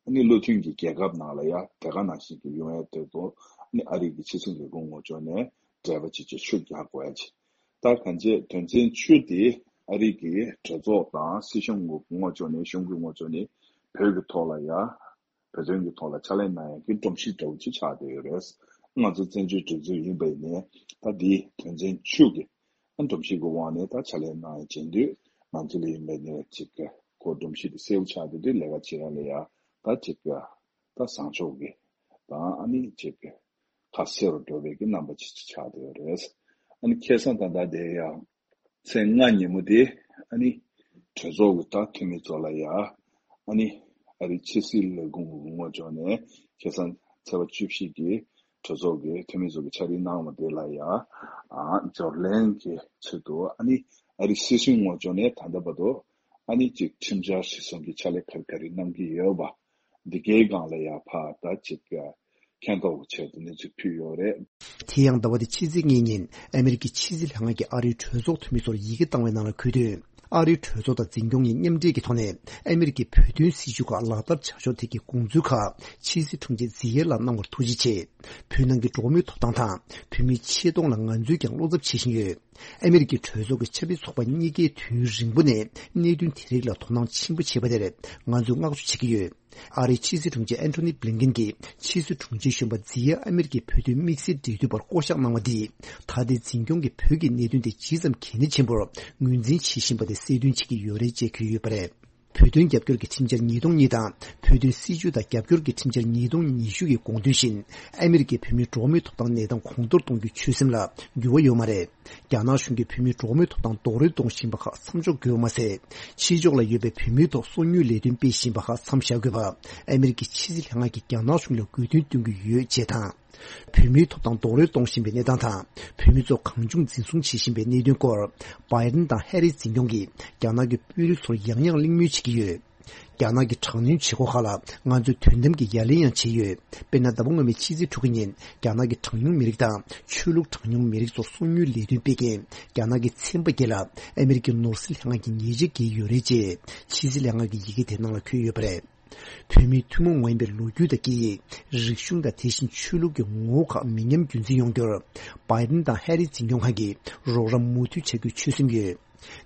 ཨ་ནི་བློ་མཐུན་གྱི་རྒྱལ་ཁབ་ནང་ལ་ཡ་དེ་ག་ནང་བཞིན་གྱི་ཡོང་ཡ་དེ་ཚོ་ཨ་ནི་ཨ་རི་གི་ཕྱི་སྲིད་ལས་ཁུངས་ངོས་ཕྱོགས་ནས་འབྲེལ་བ་བྱེད་ཆེད་ཤུགས་རྒྱག་དགོས་ཡ་ཆེ། ད་གང་ཅི་དོན་ཚན་བཅུ་དེ་ཨ་རི་གི་གྲོས་ཚོགས་དང་སྲིད་གཞུང་ངོས་ཕྱོགས་ནས་གཞུང་གི་ངོས་ཕྱོགས་ནས་བོད་ཀྱི་ཐོག་ལ་ཡ་བོད་དོན་གྱི་ཐོག་ལ་ཕྱག་ལས་གནང་ཡ་གི་སྒྲོམ་གཞི་འདྲ་བོ་ཅིག་ཆགས་བསྡད་ཡོད་རེད། ང་ཚོ་བཙན་བྱོལ་གྲོས་ཚོགས་ཡིན་པ་ཡིན་ནའི་ད་འདི་དོན་ཚན་བཅུ་གི་ཨ་སྒྲོམ་གཞི་གི་དབང་ནས་ད་ཕྱག་ལས་གནང་ཡ་བྱེད་དུས་ང་ཚོ་ལ་ཡིན་པ་ནས་ཅིག་གི་ཁོ་སྒྲོམ་གཞི་དེ་གསལ་པོ་ཆགས་བསྡད་དུས་ལས་ཀ་བྱེད་ཡ་ལ་ཡ་ད་ཅིག་གི་ད་བཟང་ཕྱོགས་ཀྱི་དང་ཨ་ནི་ཅིག་གི་ཁ་གསལ་རུ་འགྲོ་བའི་གི་རྣམ་པ་ཅིག་ཆགས་བསྡད་ཡོད་རེད། ཨ་ནི་ཁ་སང་ད་ལྟ་དེ་ཡང་ཚེས་ལྔ་ཉིན་མོ་དེ་ཨ་ནི་གྲོས་ཚོགས་ཀྱི་ད་འཐུས་མི་ཚོ་ལ་ཡ་ཨ་ནི་ཨ་རི་ཕྱི་སྲིད་ལས་ཁུངས་ངོས་ཕྱོགས་ནས་ཁ་སང་ཚེས་པ་བཅུ་བཞི་གི་གྲོས་ཚོགས་ཀྱི་འཐུས་མི་ཚོ་གི་ཕྱག་བྲིས་གནང་བ་དེ་ལ་ཡ་ཨ་འབྱོར་ལེན་གྱི་ཆེད་དུ་ཨ་ནི་ཨ་རི་སྲིད་གཞུང་ངོས་ཕྱོགས་ནས་ད་ལྟ་བར་དུ་ཨ་ནི་ཅིག་ཁྲིམས་འཆར་གཞིར་བཟུང་གི་ཕྱག་ལས་ག་རེ་ག་རེ་གནང་གི་ཡོད་པ་འདི་གའི་སྒང་ལ་ཡ་ཕ་ད་ཅིག་མཁྱེན་རྟོགས་ཀྱི་ཆེད་དུ་གནས་ཚུལ་ཕུལ་ཡོད་རེད། དེ་ཡང་ཟླ་བ་འདི་ཕྱི་ཚེས་གཉིས་ཉིན་ཨ་མེ་རི་ཀའི་ཕྱི་སྲིད་ལྷན་ཁང་གིས་ཨ་རིའི་གྲོས་ཚོགས་འཐུས་མི་ཚོར་ཡི་གེ་བཏང་བའི་ནང་ལ་འཁོད་དོན། ཨ་རིའི་གྲོས་ཚོགས་དང་འཛིན་སྐྱོང་གཉིས་མཉམ་འབྲེལ་གྱི་ཐོག་ནས་ཨ་མེ་རི་ཀའི་བོད་དོན་སྲིད་བྱུས་ཁག་ལག་བསྟར་བྱ་ཕྱོགས་ཐད་ཀྱི་དགོངས་ཚུལ་ཁག་ཕྱི་སྲིད་དྲུང་ཆེ་ཛི་ཡེ་ལ་གནང་བར་ཐུགས་རྗེ་ཆེ། བོད་ནང་གི་འགྲོ་བ་མིའི་ཐོབ་ཐང་དང་བོད་མིའི་ཆེ་མཐོང་ལ་ང་ཚོས་ཀྱང་བློ་འཚབ་བྱེད་བཞིན་ཡོད། ཨ་མེ་རི་ཀའི་གྲོས་ཚོགས་ཀྱི་ཆབ་སྲིད་ཚོགས་པ་གཉིས་ཀས་དུས་རིང་པོ་ནས་གནད་དོན་དེ་རིགས་ལ་དོ་སྣང་ཆེན་པོ་བྱས་པ་དེར་ང་ཚོས་བསྔགས་བརྗོད་བྱེད་ཀྱི་ཡོད། ཨ་རིའི་ཕྱི་སྲིད་དྲུང་ཆེ་ཨན་ཐོ་ནི་བྷི་ལིན་ཀེན་གྱིས་ཕྱི་སྲིད་དྲུང་ཆེ་གཞོན་པ་ཛི་ཡ་ཨ་མེ་རི་ཀའི་བོད་དོན་དམིགས་བསལ་འབྲེལ་མཐུད་པར་བསྐོ་གཞག་གནང་བ་འདིས་ད་ལྟའི་འཛིན་སྐྱོང་གིས་བོད་ཀྱི་གནད་དོན་དེ་ཇི་ཙམ་གལ་གནད་ཆེན་པོར་ངོས་འཛིན་བྱེད་བཞིན་པ་དེ་གསལ་སྟོན་བྱེད་ཀྱི་ཡོད་རེད་ཅེས་འཁོད་ཡོད་པ་རེད། བོད་དོན་རྒྱབ་སྐྱོར་གྱི་ཁྲིམས་འཆར་ཉིས་སྟོང་གཉིས་དང་བོད་དོན་སྲིད་བྱུས་དང་རྒྱབ་སྐྱོར་གྱི་ཁྲིམས་འཆར་ཉིས་སྟོང་ཉི་ཤུ་ཡི་དགོངས་དོན་བཞིན་ཨ་མེ་རི་ཀའི་བོད་མིའི་འགྲོ་བ་མིའི་ཐོབ་ཐང་གནས་སྟངས་གོང་མཐོར་གཏོང་རྒྱུའི་ཆོད་སེམས་ལ་འགྱུར་བ་ཡོད་མ་རེད། རྒྱ་ནག་གཞུང་གིས་བོད་མིའི་འགྲོ་བ་མིའི་ཐོབ་ཐང་རྡོག་རོལ་གཏོང་བཞིན་པ་ཁག་མཚམས་འཇོག་དགོས་པ་མ་ཟད། ཕྱི་ཕྱོགས་ལ་ཡོད་པའི་བོད་མིའི་ཐོག་སོ་ཉུལ་ལས་དོན་སྤེལ་བཞིན་པ་ཁག་མཚམས་བཞག་དགོས་པ་ཨ་མེ་རི་ཀའི་ཕྱི་སྲིད་ལྷན་ཁང་གིས་རྒྱ་ནག་གཞུང་ལ་དགོས་འདུན་བཏོན་གྱི་ཡོད་ཅེས་དང་། བོད་མིའི་ཐོབ་ཐང་རྡོག་རོལ་གཏོང་བཞིན་པའི་གནས་སྟངས་དང་བོད་མི་ཚོ་གང་བྱུང་འཛིན་བཟུང་བྱེད་བཞིན་པའི་གནད་དོན་སྐོར་བྷའི་ཏིན་དང་ཧེ་རིས་འཛིན་སྐྱོང་གིས་རྒྱ་ནག་གི་དཔོན་རིགས་ཚོར་ཡང་ཡང་གླེང་མོལ་བྱེད་ཀྱི་ཡོད། རྒྱ་ནག་གི་དྲག་གནོན་བྱེད་སྒོ་ཁག་ལ་ང་ཚོས་དོན་དམ་གྱི་ཡ་ལན་ཡང་བྱས་ཡོད། དཔེར་ན་ཟླ་བ་སྔོན་མའི་ཕྱི་ཚེས་དྲུག་གི་ཉིན་རྒྱ་ནག་གི་གྲངས་ཉུང་མི་རིགས་དང་ཆོས་ལུགས་གྲངས་ཉུང་མི་རིགས་ཚོར་སོ་ཉུལ་ལས་དོན་སྤེལ་མཁན་རྒྱ་ནག་གི་ཚན་པ་བརྒྱད་ལ་ཨ་མེ་རི་ཀའི་ནོར་སྲིད་ལྷན་ཁང་གིས་ཉེས་ཆད་བཀལ་ཡོད་རེད་ཅེས་ཕྱི་སྲིད་ལྷན་ཁང་གི་ཡི་གེ་དེ་ནང་ལ་འཁོད་ཡོད་པ་རེད། བོད་མིའི་ཐུན་མོང་མ་ཡིན་པའི་ལོ་རྒྱུས་དང་སྐད་ཡིག་རིག་གཞུང་དང་དེ་བཞིན་ཆོས་ལུགས་ཀྱི་ངོ་བོ་ཁག་མི་ཉམས་རྒྱུན་འཛིན་ཡོང་རྒྱུར་བྷའི་ཏིན་དང་ཧེ་རིས་འཛིན་སྐྱོང་ཁང་གིས་རོགས་རམ་མུ་མཐུད་བྱ་རྒྱུའི་ཆོད་སེམས་ཡོད།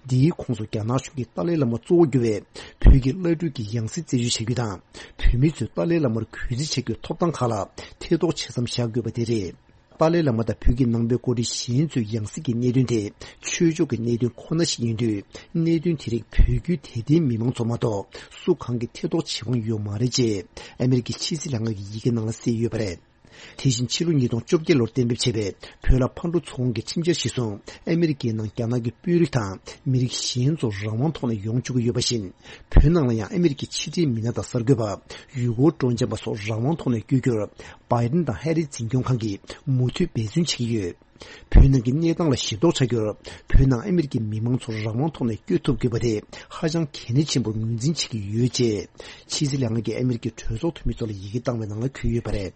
འདིའི་ཁོངས་སུ་རྒྱ་ནག་གཞུང་གིས་ཏཱ་ལའི་བླ་མ་གཙོ་བོ་གྱུར་བའི་བོད་ཀྱི་བླ་སྤྲུལ་གྱི་ཡང་སྲིད་རྩད་གཅོད་བྱ་རྒྱུ་དང་། བོད་མི་ཚོས་ཏཱ་ལའི་བླ་མར་གུས་བརྩི་བྱ་རྒྱུའི་ཐོབ་ཐང་ཁག་ལ་ཐེ་གཏོགས་བྱེད་མཚམས་བཞག་དགོས་པ་དེ་རེད། ཏཱ་ལའི་བླ་མ་དང་བོད་ཀྱི་ནང་པའི་འགོ་ཁྲིད་གཞན་ཚོའི་ཡང་སྲིད་ཀྱི་གནད་དོན་དེ་ཆོས་ཕྱོགས་ཀྱི་གནད་དོན་ཁོ་ན་ཞིག་ཡིན་དུས། གནད་དོན་དེ་རིགས་བོད་བརྒྱུད་དད་ལྡན་མི་མང་ཚོ་མ་གཏོགས་སུ་གང་གིས་ཐེ་གཏོགས་བྱེད་དབང་ཡོད་མ་རེད་ཅེས་ཨ་མེ་རི་ཀའི་ཕྱི་སྲིད་ལྷན་ཁང་གི་ཡི་གེ་ནང་ལ་གསལ་ཡོད་པ་རེད། དེ་བཞིན་ཕྱི་ལོ་ཉིས་སྟོང་བཅོ་བརྒྱད་ལོར་གཏན་འབེབས་བྱས་པའི་བོད་ལ་ཕར་འགྲོ་ཚུར་འོང་གི་ཁྲིམས་འཆར་གཞིར་བཟུང་ཨ་མེ་རི་ཀའི་ནང་རྒྱ་ནག་གི་དཔོན་རིགས་དང་མི་རིགས་གཞན་ཚོ་རང་དབང་ཐོག་ནས་ཡོང་བཅུག་གི་ཡོད་པ་བཞིན། བོད་ནང་ལ་ཡང་ཨ་མེ་རི་ཀའི་ཕྱི་འབྲེལ་མི་སྣ་དང་གསར་འགོད་པ། ཡུལ་སྐོར་སྤྲོ་འཆམ་པ་སོགས་རང་དབང་ཐོག་ནས་བསྐྱོད་རྒྱུར་བྷའི་ཏིན་དང་ཧེ་རིས་འཛིན་སྐྱོང་ཁང་གིས་མུ་མཐུད་འབད་བརྩོན་བྱེད་ཀྱི་ཡོད། བོད་ནང་གི་གནས་སྟངས་ལ་ཞིབ་རྟོག་བྱ་རྒྱུར་བོད་ནང་ཨ་མེ་རི་ཀའི་མི་མང་ཚོ་རང་དབང་ཐོག་ནས་བསྐྱོད་ཐུབ་དགོས་པ་དེ་ཧ་ཅང་གལ་གནད་ཆེན་པོར་ངོས་འཛིན་བྱེད་ཀྱི་ཡོད་ཅེས་ཕྱི་སྲིད་ལྷན་ཁང་གིས་ཨ་མེ་རི་ཀའི་གྲོས་ཚོགས་འཐུས་མི་ཚོ་ལ་ཡི་གེ་བཏང་བའི་ནང་ལ་འཁོད་ཡོད་པ་རེད།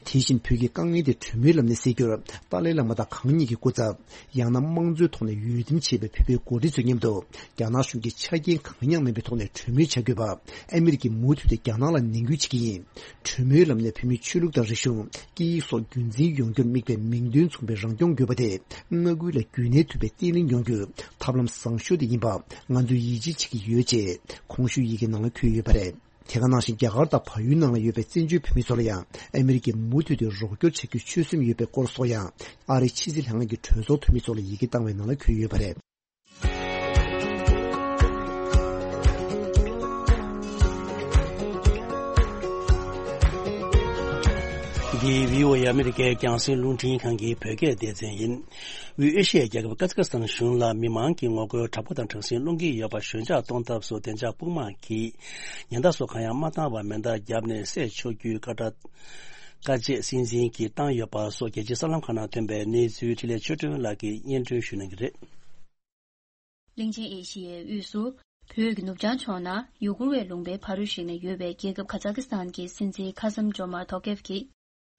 དེ་བཞིན་བོད་ཀྱི་དཀའ་ངལ་དེ་གྲོས་མོལ་ལམ་ནས་སེལ་རྒྱུར་ཏཱ་ལའི་བླ་མ་དང་གང་ཉིད་ཀྱི་སྐུ་ཚབ། ཡང་ན་དམངས་གཙོའི་ཐོག་ནས་འོས་འདེམས་བྱས་པའི་བོད་པའི་འགོ་ཁྲིད་ཚོའི་མཉམ་དུ་རྒྱ་ནག་གཞུང་གིས་ཆ་རྐྱེན་གང་ཡང་མེད་པའི་ཐོག་ནས་གྲོས་མོལ་བྱ་དགོས་པ་ཨ་མེ་རི་ཀས་མུ་མཐུད་དེ་རྒྱ་ནག་ལ་ནན་སྐུལ་བྱེད་ཀྱི་ཡིན། གྲོས་མོལ་ལམ་ནས་བོད་མིའི་ཆོས་ལུགས་དང་རིག་གཞུང་། སྐད་ཡིག་སོགས་རྒྱུན་འཛིན་ཡོང་རྒྱུར་དམིགས་པའི་མིང་དོན་མཚུངས་པའི་རང་སྐྱོང་དགོས་པ་དེ་མངའ་ཁུལ་ལ་རྒྱུན་གནས་ཐུབ་པའི་བརྟན་ལྷིང་ཡོང་རྒྱུའི་ཐབས་ལམ་བཟང་ཤོས་དེ་ཡིན་པ་ང་ཚོས་ཡིད་ཆེས་བྱེད་ཀྱི་ཡོད་ཅེས་གོང་ཞུས་ཡི་གེ་ནང་ལ་འཁོད་ཡོད་པ་རེད། དེ་ག་ནང་བཞིན་རྒྱ་གར་དང་བལ་ཡུལ་ནང་ལ་ཡོད་པའི་བཙན་བྱོལ་བོད་མི་ཚོ་ལ་ཡང་ཨ་མེ་རི་ཀས་མུ་མཐུད་དུ་རོགས་སྐྱོར་བྱ་རྒྱུའི་ཆོད་སེམས་ཡོད་པའི་སྐོར་སོགས་ཡང་ཨ་རིའི་ཕྱི་སྲིད་ལྷན་ཁང་གི་གྲོས་ཚོགས་འཐུས་མི་ཚོ་ལ་ཡི་གེ་བཏང་བའི་ནང་ལ་འཁོད་ཡོད་པ་རེད། འདི་བྷི་ཨོ་ཨེ་ཨ་མི་རི་ཀའི་རྒྱང་སྲིང་རླུང་འཕྲིན་ཁང་གི་བོད་སྐད་སྡེ་ཚན་ཡིན། དབུས་ཨེ་ཤི་ཡའི་རྒྱལ་ཁབ་ཀ་ཛ་ཀི་སི་ཐན་གཞུང་ལ་མི་མང་གི་ངོ་རྒོལ་དྲག་པོ་དང་དྲག་ཟིང་སློང་གི་ཡོད་པ་ཞོད་འཇགས་གཏོང་ཐབས་སུ་བདེ་འཇགས་དཔུང་དམག་གིས་ཉེན་བརྡ་སོགས་གང་ཡང་མ་བཏང་བར་མེ་མདའ་བརྒྱབ་ནས་བསད་ཆོག་རྒྱུའི་བཀའ་ཁྲ་བཀའ་ཆད་སྲིད་འཛིན་གྱིས་བཏང་ཡོད་པ་སོགས་རྒྱལ་སྤྱིའི་གསར་ལམ་ཁག་ནང་ཐོན་པའི་གནས་ཚུལ་འཕྲིན་ལས་ཆོས་སྒྲོན་ལགས་ཀྱིས་སྙན་སྒྲོན་ཞུ་གནང་གི་རེད། གླིང་ཆེན་ཨེ་ཤི་ཡའི་དབུས་སུ། བོད་ཀྱི་ནུབ་བྱང་ཕྱོགས་ན་ཡུ་གུར་བའི་ལུང་པའི་ཕ་རོལ་ཞིག་ན་ཡོད་པའི་རྒྱལ་ཁབ་ཁ་ཛ་ཀི་སི་ཐན་གྱི་སྲིད་འཛིན་ཁ་སམ་ཇོ་མར་ཐོ་ཀེབ་ཀྱིས།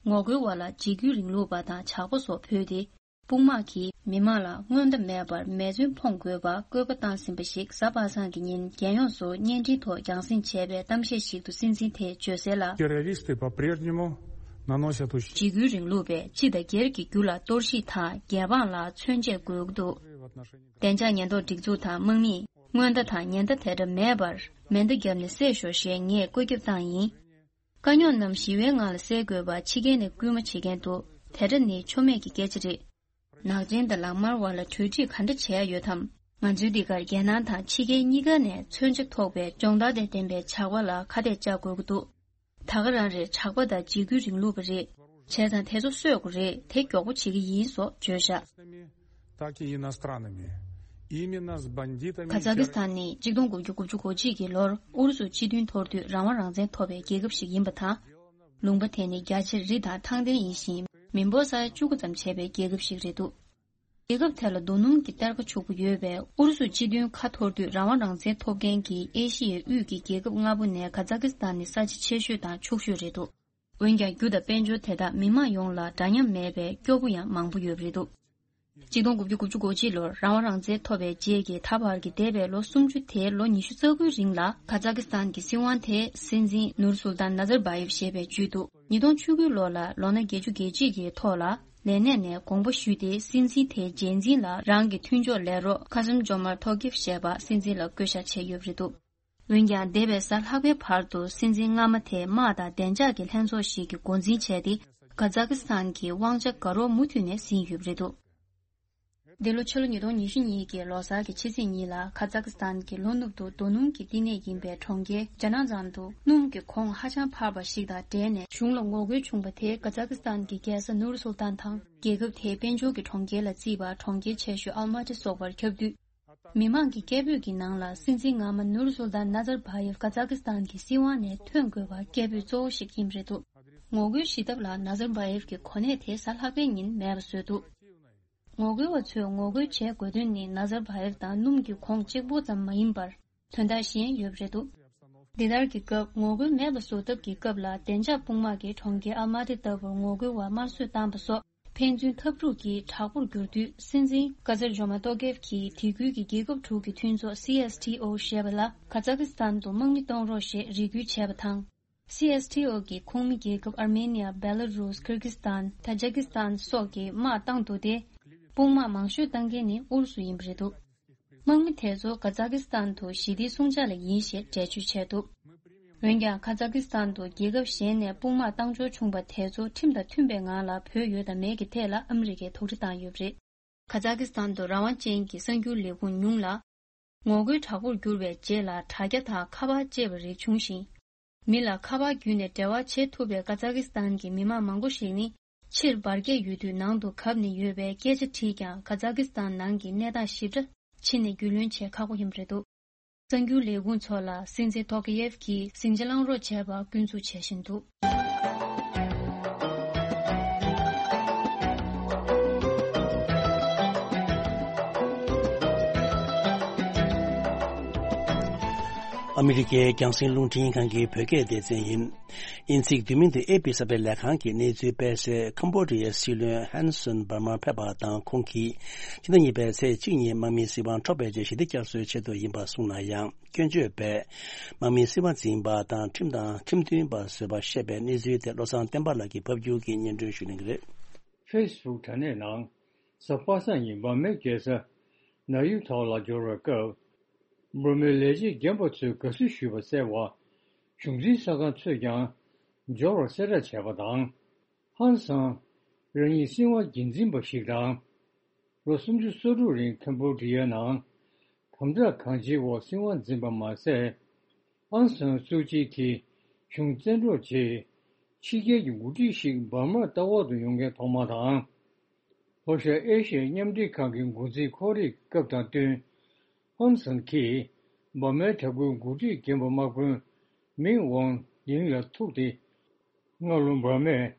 ངོ་རྒོལ་བ་ལ་འཇིགས་སྐུལ་རིང་ལུགས་པ་དང་ཇག་པ་སོགས་བོས་ཏེ། དཔུང་དམག་གིས་མི་མང་ལ་སྔོན་བརྡ་མེད་པར་མེ་མཚོན་འཕོངས་དགོས་པ་བཀོད་པ་བཏང་ཟིན་པ་ཞིག་གཟའ་པ་སངས་ཀྱི་ཉིན་རྒྱལ་ཡོངས་སུ་བརྙན་འཕྲིན་ཐོག་རྒྱང་སྲིང་བྱས་པའི་གཏམ་བཤད་ཞིག་ཏུ་སྲིད་འཛིན་དེས་བརྗོད་གསལ་ལ། Террористы по-прежнему наносят ущерб. འཇིགས་སྐུལ་རིང་ལུགས་པས་སྤྱི་དང་སྒེར་གྱི་རྒྱུ་ལ་གཏོར་བཤིག་དང་རྒྱལ་འབངས་ལ་མཚོན་ཆས་དགོས་ཀྱི་འདུག་བདེ་འཇགས་ཉེན་རྟོག་སྒྲིག་འཛུགས་དང་དམག་མིས་སྔོན་བརྡ་དང་ཉེན་བརྡ་དེ་འདྲ་མེད་པར་མེ་མདའ་བརྒྱབ་ནས་བསད་ཤོག་ཞེས་ངས་བཀོད་ཁྱབ་བཏང་ཡིན། དཀའ་རྙོག་རྣམས་ཞི་བའི་ངང་ལ་སེལ་དགོས་པ་ཕྱི་རྒྱལ་ནས་སྐུལ་མ་བྱེད་མཁན་འདུག་དེ་འདྲ་ནི་ཆོ་མེད་ཀྱི་སྐད་ཆ་རེད། ནག་ཅན་དང་ལག་དམར་བར་ལ་གྲོས་འགྲིག་ག་འདྲ་བྱས་ཡོད་དམ། ང་ཚོའི་འདི་གར་རྒྱལ་ནང་དང་ཕྱི་རྒྱལ་གཉིས་ཀ་ནས་མཚོན་ཆ་ཐོགས་པའི་སྦྱོང་བརྡར་དང་ལྡན་པའི་ཇག་པ་ལ་ཁ་གཏད་བཅག་དགོས་ཀྱི་འདུག་ད་ག་རང་རེད། ཇག་པ་དང་འཇིགས་སྐུལ་རིང་ལུགས་པ་རེད། བྱས་ཙང་དེ་ཚོ་གསོད་དགོས་རེད། དེ་མགྱོགས་པོ་བྱེད་ཀྱི་ཡིན་སོགས་བརྗོད་བཞག Такими иностранными. Именно с бандитами. ཁ་ཛ་ཀི་སི་ཐན་ནི་གཅིག་སྟོང་དགུ་བརྒྱ་དགུ་བཅུ་གོ་གཅིག་གི་ལོར་ཨུ་རུ་སུ་སྤྱི་མཐུན་འཐོར་དུས་རང་དབང་རང་བཙན་ཐོབ་པའི་རྒྱལ་ཁབ་ཞིག་ཡིན་པ་དང་། ལུང་པ་དེ་ནི་རྒྱ་ཆེར་རི་དང་ཐང་ལྡན་ཡིན་ཞིང་མི་འབོར་ས་ཡ་བཅུ་དགུ་ཙམ་བྱས་པའི་རྒྱལ་ཁབ་ཞིག་རེད་འདུག་རྒྱལ་ཁབ་དེ་ལ་རྡོ་སྣུམ་གྱི་གཏེར་ཁ་ཕྱུག་པོ་ཡོད་པས་ཨུ་རུ་སུ་སྤྱི་མཐུན་ཁ་འཐོར་དུས་རང་དབང་རང་བཙན་ཐོབ་མཁན་གྱི་ཨེ་ཤི་ཡའི་དབུས་ཀྱི་རྒྱལ་ཁབ་ལྔ་པོ་ནས་ཁ་ཛ་ཀི་སི་ཐན་ནི་ས་ཆ་ཆེ་ཤོས་དང་ཕྱུག་ཤོས་རེད་འདུག་འོན་ཀྱང་རྒྱུ་དང་དཔལ་འབྱོར་དེ་དག་མི་མང་ཡོངས་ལ་འདྲ་མཉམ་མེད་པས་སྐྱོ་པོ་ཡང་མང་པོ་ཡོད་པ་རེད་འདུག་གཅིག་སྟོང་དགུ་བརྒྱ་དགུ་བཅུ་གོ་གཅིག་ལོར་རང་དབང་རང་བཙན་ཐོབ་པའི་རྗེས་ཀྱི་ད་བར་གྱི་འདས་པའི་ལོ་སུམ་ཅུ་དེའི་ལོ་ཉི་ཤུ་རྩ་དགུའི་རིང་ལ་ཁ་ཛ་ཀི་སི་ཐན་གྱི་སྲིད་དབང་དེ་སྲིད་འཛིན་ནུར་སུལ་ཏན་ནཱ་ཛར་བྷ་ཡེབ་ཞེས་པས་བརྒྱུད་འདུག་ཉིས་སྟོང་བཅུ་དགུ་ལོ་ལ་ལོ་ན་བརྒྱད་ཅུ་གྱ་གཅིག་གི་ཐོག་ལ་ལས་གནས་ནས་དགོངས་པ་ཞུས་ཏེ་སྲིད་འཛིན་དེའི་རྗེས་འཛིན་ལ་རང་གི་མཐུན་ཕྱོགས་ལས་རོགས་ཁ་སམ་ཇོ་མར་ཐོ་ཀེབ་ཞེས་པ་སྲིད་འཛིན་ལ་བསྐོ་བཞག་བྱས་ཡོད་པ་རེད་འདུག་འོན་ཀྱང་འདས་པའི་གཟའ་ལྷག་པའི་བར་དུ་སྲིད་འཛིན་སྔ་མ་དེས་དམག་དང་བདེ་འཇགས་ཀྱི་ལྷན་ཚོགས་ཤིག་གི་འགོ་འཛིན་བྱས་ཏེ་ཁ་ཛ་ཀི་སི་ཐན་གྱི་དབང་ཆ་དགའ་རོགས་མུ་མཐུད་ནས་ཟིན་ཡོད་པ་རེད་འདུག་འདི་ལོ་ཕྱི་ལོ་ཉིས་སྟོང་ཉི་ཤུ་གཉིས་ཀྱི་ལོ་གསར་གྱི་ཕྱི་ཚེས་གཉིས་ལ་ཁ་ཛ་ཀི་སི་ཐན་གྱི་ལྷོ་ནུབ་ཏུ་རྡོ་སྣུམ་གྱི་བསྟི་གནས་ཡིན་པའི་གྲོང་ཁྱེར་ཇ་ན་ཛན་དུ་སྣུམ་གྱི་གོང་ཧ་ཅང་འཕར་བ་ཞིག་དང་འབྲེལ་ནས་གཞུང་ལ་ངོ་རྒོལ་བྱུང་བ་དེས་ཁ་ཛ་ཀི་སི་ཐན་གྱི་རྒྱལ་ས་ནུར་སུལ་ཏན་དང་རྒྱལ་ཁབ་དེའི་དཔལ་འབྱོར་གྱི་གྲོང་ཁྱེར་ལ་བརྩིས་པ་གྲོང་ཁྱེར་ཆེ་ཤོས་ཨལ་མ་ཏི་སོགས་པར་ཁྱབ་དུས། མི་མང་གི་སྐད་འབོད་ཀྱི་ནང་ལ་སྲིད་འཛིན་སྔ་མ་ནུར་སུལ་ཏན་ནཱ་ཛར་བྷ་ཡེབ་ཁ་ཛ་ཀི་སི་ཐན་གྱི་སྲིད་དབང་ནས་ཐོན་དགོས་པ་སྐད་འབོད་གཙོ་བོ་ཞིག་ཡིན་པ་རེད་འདུག་ངོ་རྒོལ་ཞི་ཐབས་ལ་ནཱ་ཛར་བྷ་ཡེབ་ཀྱི་གོ་གནས་དེ་གཟའ་ལྷག་པའི་ཉིན་མེད་པ་བཟོས་འདུག་ངོ་རྒོལ་བ་ཚོས་ངོ་རྒོལ་བྱེད་དགོས་དོན་ནི་ནཱ་ཛར་བྷ་ཡེབ་དང་སྣུམ་གྱི་གོང་གཅིག་པོ་ཙམ་མ་ཡིན་པར་དོན་དག་གཞན་ཡོད་པ་རེད་འདུག་འདི་ལྟར་གྱི་སྐབས་ངོ་རྒོལ་མེད་པ་བཟོ་ཐབས་ཀྱི་སྐབས་ལ་བདེ་འཇགས་དཔུང་དམག་གིས་གྲོང་ཁྱེར་ཨལ་མ་ཏི་ལྟ་བུར་ངོ་རྒོལ་བ་དམར་གསོད་བཏང་པ་སོགས། ཕན་ཚུན་འཐབ་འཁྲུག་གིས་དྲག་པོར་གྱུར་དུས་སྲིད་འཛིན་ཀ་ཛར་ཇོ་མ་ཏོ་ཀེབ་ཀྱིས་དེ་ཁུལ་གྱི་རྒྱལ་ཁབ་དྲུག་གི་མཐུན་ཚོགས་སི་ཨེས་ཐི་ཨོ་ཞེས་པ་ལ་ཁ་ཛ་ཀི་སི་ཐན་དུ་དམག་མི་གཏོང་རོགས་ཞེས་རེ་སྐུལ་བྱས་པ་དང་། སི་ཨེས་ཐི་ཨོ་གི་ཁོངས་མི་རྒྱལ་ཁབ་ཨར་མེ་ནི་ཡ། བེ་ལ་རུས། ཀིར་གིས་ཐན། ཏ་ཇི་ཀིས་ཐན་སོགས་ཀྱིས་དམག་བཏང་འདུག་སྟེ། དཔུང་དམག་མང་ཤོས་བཏང་མཁན་ནི་ཨུ་རུ་སུ་ཡིན་པ་རེད་འདུག་དམག་མི་དེ་ཚོ་ཁ་ཛ་ཀི་སི་ཐན་དུ་ཞི་བདེའི་སྲུང་བྱ་ལ་ཡིན་ཞེས་འགྲེལ་བརྗོད་བྱས་འདུག་འོན་ཀྱང་ཁ་ཛ་ཀི་སི་ཐན་དུ་རྒྱལ་ཁབ་གཞན་ནས་དཔུང་དམག་བཏང་འབྱོར་བྱུང་བ་དེ་ཚོ་ཁྲིམས་དང་མཐུན་པའི་ངང་ལ་བུད་ཡོད་དམ་མེད་ཀྱི་ཐད་ལ་ཨ་མི་རི་ཀས་དོགས་འདྲི་བཏང་ཡོད་པ་རེད། ཁ་ཛ་ཀི་སི་ཐན་དུ་རང་དབང་ཅན་གྱི་གསར་འགྱུར་ལས་ཁུངས་ཉུང་ལ། ངོ་རྒོལ་དྲག་པོར་གྱུར་བའི་རྗེས་ལ་དྲ་རྒྱ་དང་ཁ་པར་བཅས་པ་རིགས་བྱུང་ཞིང་། མི་ལ་ཁ་པར་བརྒྱུད་ནས་འབྲེལ་བ་བྱེད་ཐུབ་པའི་ཁ་ཛ་ཀི་སི་ཐན་གྱི་མི་མང་མང་པོ་ཞིག་ནི། ཕྱིར་འབར་གས་ཡོད་དུས་ནང་དུ་གབ་ནས་ཡོད་པའི་སྐད་ཆ་དྲིས་ཀྱང་ཁ་ཛ་ཀི་སི་ཐན་ནང་གི་གནས་སྟངས་ཞིབ་ཕྲ་ཕྱི་ནས་རྒྱུས་ལོན་བྱེད་ཁག་པོ་ཡིན་པ་རེད་འདུག་གསར་འགྱུར་ལས་ཁུངས་ཚོ་ལ་སྲིད་འཛིན་ཐོ་ཀེ་ཡེབ་ཀྱིས་ཟིང་ཆ་བསླང་རོགས་བྱས་པ་སྐྱོན་འཛུགས་བྱེད་བཞིན་འདུག་ཨ་མི་རི་ཀའི་རྒྱང་སྲིང་རླུང་འཕྲིན་ཁང་གི་བོད་སྐད་སྡེ་ཚན་ཡིན། དབྱིན་ཚིག་བསྡུས་མིང་དུ་ཨེ་པི་གསར་སྤེལ་ལས་ཁང་གིས་གནས་ཚུལ་སྤེལ་གསལ། ཁམ་བྷོ་ཌི་ཡའི་སྲིད་བློན་ཧན་སོན་འབར་མར་ཕེབས་པ་དང་ཁོང་གིས་ཕྱི་ཟླ་གཉིས་པའི་ཚེས་གཅིག་ཉིན་དམག་མིའི་སྲིད་དབང་འཕྲོག་པའི་རྗེས་ཞི་བདེ་བསྐྱར་གསོའི་ཆེད་དུ་ཡིན་པ་གསུངས་ན་ཡང་། སྐྱོན་བརྗོད་པས་དམག་མིའི་སྲིད་དབང་འཛིན་པ་དང་ཁྲིམས་དང་ཁྲིམས་མཐུན་པ་བཟོས་པ་བཤད་པའི་གནས་ཚུལ་དེ་བློ་བཟང་བསྟན་པ་ལགས་ཀྱིས་ཕབ་སྒྱུར་གྱིས་སྙན་སྒྲོན་ཞུ་གནང་གི་རེད། ཕེ་སི་བུག་དྲ་གནས་ནང་གཟའ་པ་སངས་ཉིན་འབར་མའི་རྒྱལ་ས་ནཱ་ཡུ་ཐོག་ལ་འབྱོར་བའི་སྐབས། འབར་མའི་ལས་བྱེད་རྒན་པ་ཚོས་དགའ་བསུ་ཞུས་པ་གསལ་བ། གཞུང་འཛིན་གསར་ཁང་ཚོས་ཀྱང་འབྱོར་བར་གསལ་བསྒྲགས་བྱས་པ་དང་། ཧན་སང་རང་ཉིད་སྲིད་དབང་སྒེར་འཛིན་པ་ཞིག་དང་། ལོ་སུམ་ཅུ་སོ་དྲུག་རིང་ཁམ་བྷོ་ཌི་ཡའི་ནང་དམ་དྲག་གང་ཅིའི་འོག་སྲིད་དབང་འཛིན་པ་མ་ཟད། ཨང་སང་སུའུ་ཅི་གིས་གཞུང་བཙན་འཕྲོག་རྗེས། ཕྱི་རྒྱལ་གྱི་འགོ་ཁྲིད་ཞིག་འབར་མར་ལྟ་སྐོར་དུ་ཡོང་མཁན་ཐོག་མ་དང་། ལྷོ་ཤར་ཨེ་ཤི་ཡའི་མཉམ་འབྲེལ་ཁང་གི་འགོ་འཛིན་ཁོ་རེའི་སྐབས་དང་བསྟུན། ཧོན་སན་གྱིས་འབར་མའི་དྲག་པོའི་འགོ་ཁྲིད་རྒན་པོ་དམག་དཔོན་མིང་ཝང་ལིང་ལ་ཐུག་སྟེ། སྔ་ལོ་འབར་མས་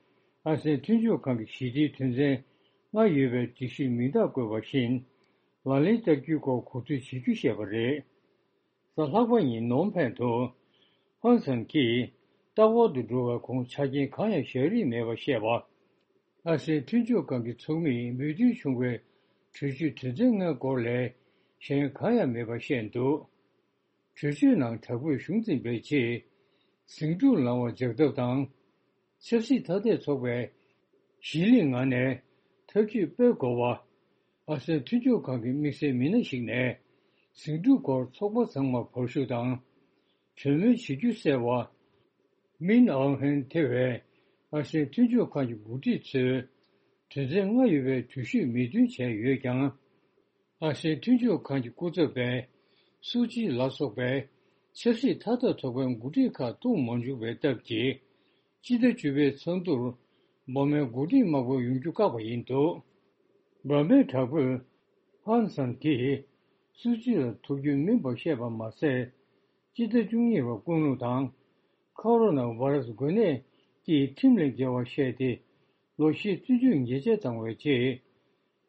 ཨ་སེའན་མཐུན་ཕྱོགས་ཁང་གི་ཞི་བདེའི་དོན་ཚན་ལྔ་ཡོད་པའི་སྒྲིག་གཞི་མིང་རྟགས་བཀོད་པ་བཞིན་ལག་ལེན་བསྟར་རྒྱུའི་སྐོར་གོ་ཚུལ་བྱེད་རྒྱུ་བཤད་པ་རེད། གཟའ་ལྷག་པ་ཉིན་ནོམ་ཕན་དུ་ཧོན་སན་གྱིས་ལྟ་སྐོར་དུ་འགྲོ་བའི་གོང་ཆ་རྐྱེན་གང་ཡང་བཞག་རིན་མེད་པ་བཤད་པ། ཨ་སེའི་མཐུན་ཕྱོགས་ཁང་གི་ཚོགས་མིས་མོས་མཐུན་བྱུང་བའི་གྲོས་ཆོད་དོན་ཚན་ལྔའི་སྐོར་ལས་གཞན་གང་ཡང་མེད་པ་བཤད་འདུག་གྲོས་ཆོད་ནང་དྲག་པོས་གཞུང་འཛིན་པའི་ཆེད་ཟིང་འཁྲུག་ལངས་པ་འཇགས་ཐབས་དང་། ཆབ་སྲིད་ཐ་དད་ཚོགས་པས་གཞིས་ལུས་ངང་ནས་ཐབས་ཇུས་སྤེལ་དགོས་པ། ཨ་སེའི་མཐུན་ཕྱོགས་ཁང་གི་དམིགས་བསལ་མི་སྣ་ཞིག་ནས་ཟིང་འཁྲུག་སྐོར་ཚོགས་པ་ཚང་མར་བར་ཞུ་དང་། གྲོས་མོལ་བྱེད་རྒྱུ་གསལ་བ། མིན་ཨང་ཧན་ཐེ་བའི་ཨ་སེའི་མཐུན་ཕྱོགས་ཁང་གི་འགོ་ཁྲིད་ཚོས་དོན་ཚན་ལྔ་ཡོད་པའི་གྲོས་གཞི་མོས་མཐུན་བྱས་ཡོད་ཀྱང་། ཨ་སེའི་མཐུན་ཕྱོགས་ཁང་གི་སྐུ་ཚབ་པས་སུའུ་ཅི་ལ་སོགས་པའི་ཆབ་སྲིད་ཐ་དད་ཚོགས་པའི་འགོ་ཁྲིད་ཁག་གཏོང་མ་བཅུག་པའི་སྟབས་ཀྱིས། སྤྱི་ཟླ་བཅུ་པའི་ཚང་དུར་འབར་མའི་འགོ་ཁྲིད་དམག་དཔོན་ཡོང་རྒྱུ་བཀག་པ་ཡིན་འདུག་འབར་མའི་དྲག་པོས་ཧོན་སན་གྱིས་སུའུ་ཅི་ལ་ཐུག་རྒྱུ་མིན་པ་བཤད་པ་མ་ཟད། སྤྱི་ཟླ་བཅུ་གཉིས་པར་ཀུན་སློང་དང་ཁོ་རོ་ན་བྷ་ར་སི་འགོས་ནད་ཀྱིས་ཁྲིམས་ལས་འགལ་བ་བཤད་དེ། ལོ་བཞི་བཙོན་འཇུག་ཉེས་ཆད་བཏང་བའི་རྗེས།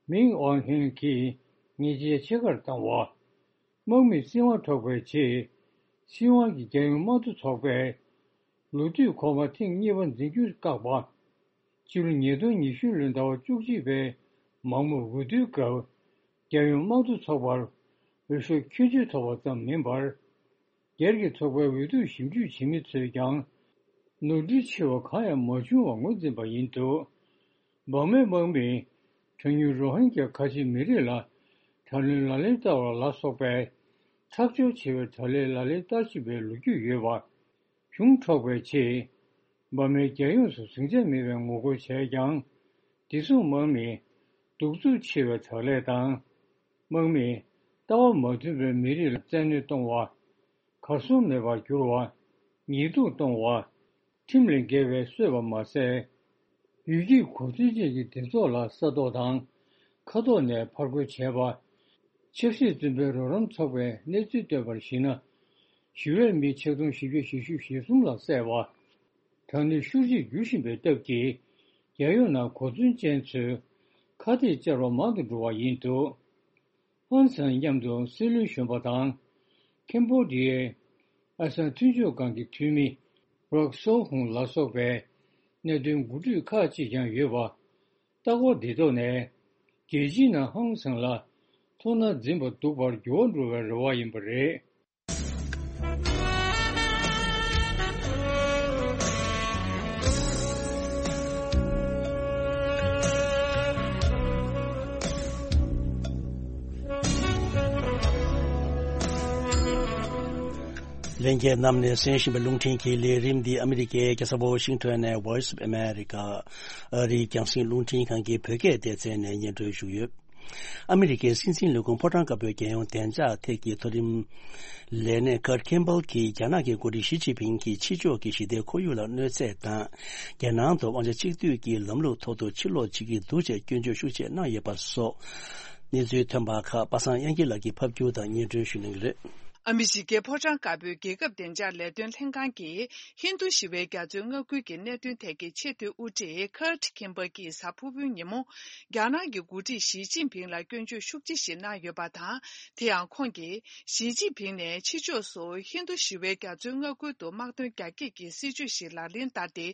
མིང་ཨོན་ཧེན་གྱིས་ཉེས་ཆད་ཆེ་ཁར་བཏང་བ། དམག་མིས་བཙན་དབང་འཕྲོག་པའི་རྗེས། སྲིད་དབང་གི་རྒྱལ་ཡོངས་དམངས་གཙོ་ཚོགས་པས་ལོ་དུས་གོང་མ་ཐེངས་གཉིས་པ་འཛིན་རྒྱུ་བཀག་པ། ཕྱི་ལོ་ཉིས་སྟོང་ཉི་ཤུ་ལོའི་ཟླ་བ་བཅུ་གཅིག་པའི་མང་མོས་འོས་བསྡུའི་སྐབས། རྒྱལ་ཡོངས་དམངས་གཙོ་ཚོགས་པར་འོས་ཤོག་ཁྱད་ཆོས་ཐོབ་པ་ཙམ་མིན་པར། སྒེར་གྱི་ཚོགས་པའི་འོས་བསྡུར་ཞིབ་འཇུག་བྱེད་མི་ཚོས་ཀྱང་ནོར་འཁྲུལ་ཆེ་བ་གང་ཡང་མ་བྱུང་བ་ངོས་འཛིན་པ་ཡིན་འདུག་འབར་མའི་དམག་མིས་གྲངས་ཉུང་རོ་ཧིན་གྱ་ཁ་ཆེ་མི་རིགས་ལ་དྲག་གནོན་ལག་ལེན་བསྟར་བ་ལ་སོགས་པའི་ཁྲག་སྦྱོར་ཆེ་བའི་དྲག་ལས་ལག་ལེན་བསྟར་བཞིན་པའི་ལོ་རྒྱུས་ཡོད་པ། གཞུང་འཕྲོག་པའི་ཆེད། འབར་མའི་རྒྱལ་ཡོངས་སུ་ཟིང་ཆ་མེད་པའི་ངོ་རྒོལ་བྱས་ཀྱང་། བདེ་སྲུང་དམག་མིས་གདུག་རྩུབ་ཆེ་བའི་དྲག་ལས་དང་། དམག་མིས་ལྟ་བ་མ་མཐུན་པའི་མི་རིགས་ལ་བཙན་གནོན་གཏོང་བ། གར་སོང་མེད་པར་བསྒྱུར་བ། ཉེས་རྡུང་གཏོང་བ། ཁྲིམས་ལས་འགལ་བའི་གསོད་པ་མ་ཟད། ཡུལ་གྱི་གོ་མཚོན་ཅན་གྱི་སྡེ་ཚོགས་ལ་ས་ཐོག་དང་མཁའ་ཐོག་ནས་ཕར་རྒོལ་བྱས་པ། ཆབ་སྲིད་བཙོན་པའི་རོགས་རམ་ཚོགས་པས་གནས་ཚུལ་བཏོན་པར་གཞིགས་ན། ཞི་བའི་མི་ཆིག་སྟོང་བཞི་བརྒྱ་བཞི་བཅུ་ཞེ་གསུམ་ལ་བསད་པ། དྲག་གནོན་ཤུགས་ཆེར་འགྱུར་བཞིན་པའི་སྟབས་ཀྱིས། རྒྱལ་ཡོངས་ནང་གོ་མཚོན་ཅན་ཚོས་ཁ་གཏད་བཅར་བ་མང་དུ་འགྲོ་བ་ཡིན་འདུག་ཧོན་སན་མཉམ་དུ་སྲིད་བློན་གཞོན་པ་དང་། ཁེམ་བྷོ་ཌི་ཡའི་ཨ་སེའན་མཐུན་ཕྱོགས་ཁང་གི་འཐུས་མི་རོག་སོ་ཧུང་ལ་སོགས་པའི་གནད་དོན་འགོ་ཁྲིད་ཁག་ཅིག་ཀྱང་ཡོད་པ། ལྟ་སྐོར་འདི་ཐོག་ནས་རྒྱལ་སྤྱིའི་ནང་ཧོན་སན་ལ་ཐུགས་སྣང་འཛིན་པ་སྡུག་པར་འགྱུར་བ་འགྲོ་བའི་རེ་བ་ཡིན་པ་རེད། ལྷན་རྒྱས་རྣམས་ནས་གསན་བཞིན་པའི་རླུང་འཕྲིན་གྱི་ལས་རིམ་འདི་ཨ་མི་རི་ཀའི་རྒྱལ་ས་ཝོ་ཤིང་ཊོན་ནས་Voice of America ཨ་རིའི་རྒྱང་སྲིང་རླུང་འཕྲིན་ཁང་གི་བོད་སྐད་སྡེ་ཚན་ནས་སྙན་སྒྲོན་ཞུས་ཡོད། ཨ་མི་རི་ཀའི་སྲིད་འཛིན་ལས་ཁུངས་ཕོ་བྲང་དཀར་པོའི་རྒྱལ་ཡོངས་བདེ་འཇགས་ཐད་ཀྱི་མཐོ་རིམ་ལས་སྣེ་Kurt Campbell གྱིས་རྒྱ་ནག་གི་འགོ་ཁྲིད་ཞི་ཅིན་ཕིང་གིས་ཕྱི་ཕྱོགས་ཀྱི་ཞི་བདེའི་ཁོར་ཡུག་ལ་གནོད་འཚེ་དང་། རྒྱལ་ནང་དུ་དབང་ཆ་གཅིག་སྡུད་ཀྱི་ལམ་ལུགས་ཐོག་ཏུ་ཕྱིར་ལོག་བྱེད་ཀྱི་འདུག་ཅེས་སྐྱོན་བརྗོད་ཤུགས་ཆེ་གནང་ཡོད་པ་སོགས། གནས་ཚུལ་ཐོན་པ་ཁག་པ་སངས་དབྱངས་སྐྱིད་ལགས་ཀྱིས་ཕབ་སྒྱུར་དང་སྙན་སྒྲོན་ཞུ་གནང་གི་རེད། ཨ་མི་རི་ཀའི་ཕོ་བྲང་དཀར་པོའི་རྒྱལ་ཁབ་བདེ་འཇགས་ལས་དོན་ལྷན་ཁང་གིས་ཧིན་རྡུ་ཞི་བའི་རྒྱ་མཚོའི་མངའ་ཁུལ་གྱི་གནད་དོན་ཐད་ཀྱི་ཆེས་མཐོའི་དབུ་ཁྲིད་Kurt Campbell གྱིས་གཟའ་ཕུར་བུའི་ཉིན་མོ། རྒྱ་ནག་གི་འགོ་ཁྲིད་ཞི་ཅིན་ཕིང་ལ་སྐྱོན་བརྗོད་ཤུགས་ཆེ་ཞིག་གནང་ཡོད་པ་དང་། དེ་ཡང་ཁོང་གིས་ཞི་ཅིན་ཕིང་ནས་ཕྱི་ཕྱོགས་སུ་ཧིན་རྡུ་ཞི་བའི་རྒྱ་མཚོའི་མངའ་ཁུལ་དུ་དམག་དོན་རྒྱ་སྐྱེད་ཀྱི་སྲིད་བྱུས་ཤིག་ལག་ལེན་བསྟར་ཏེ།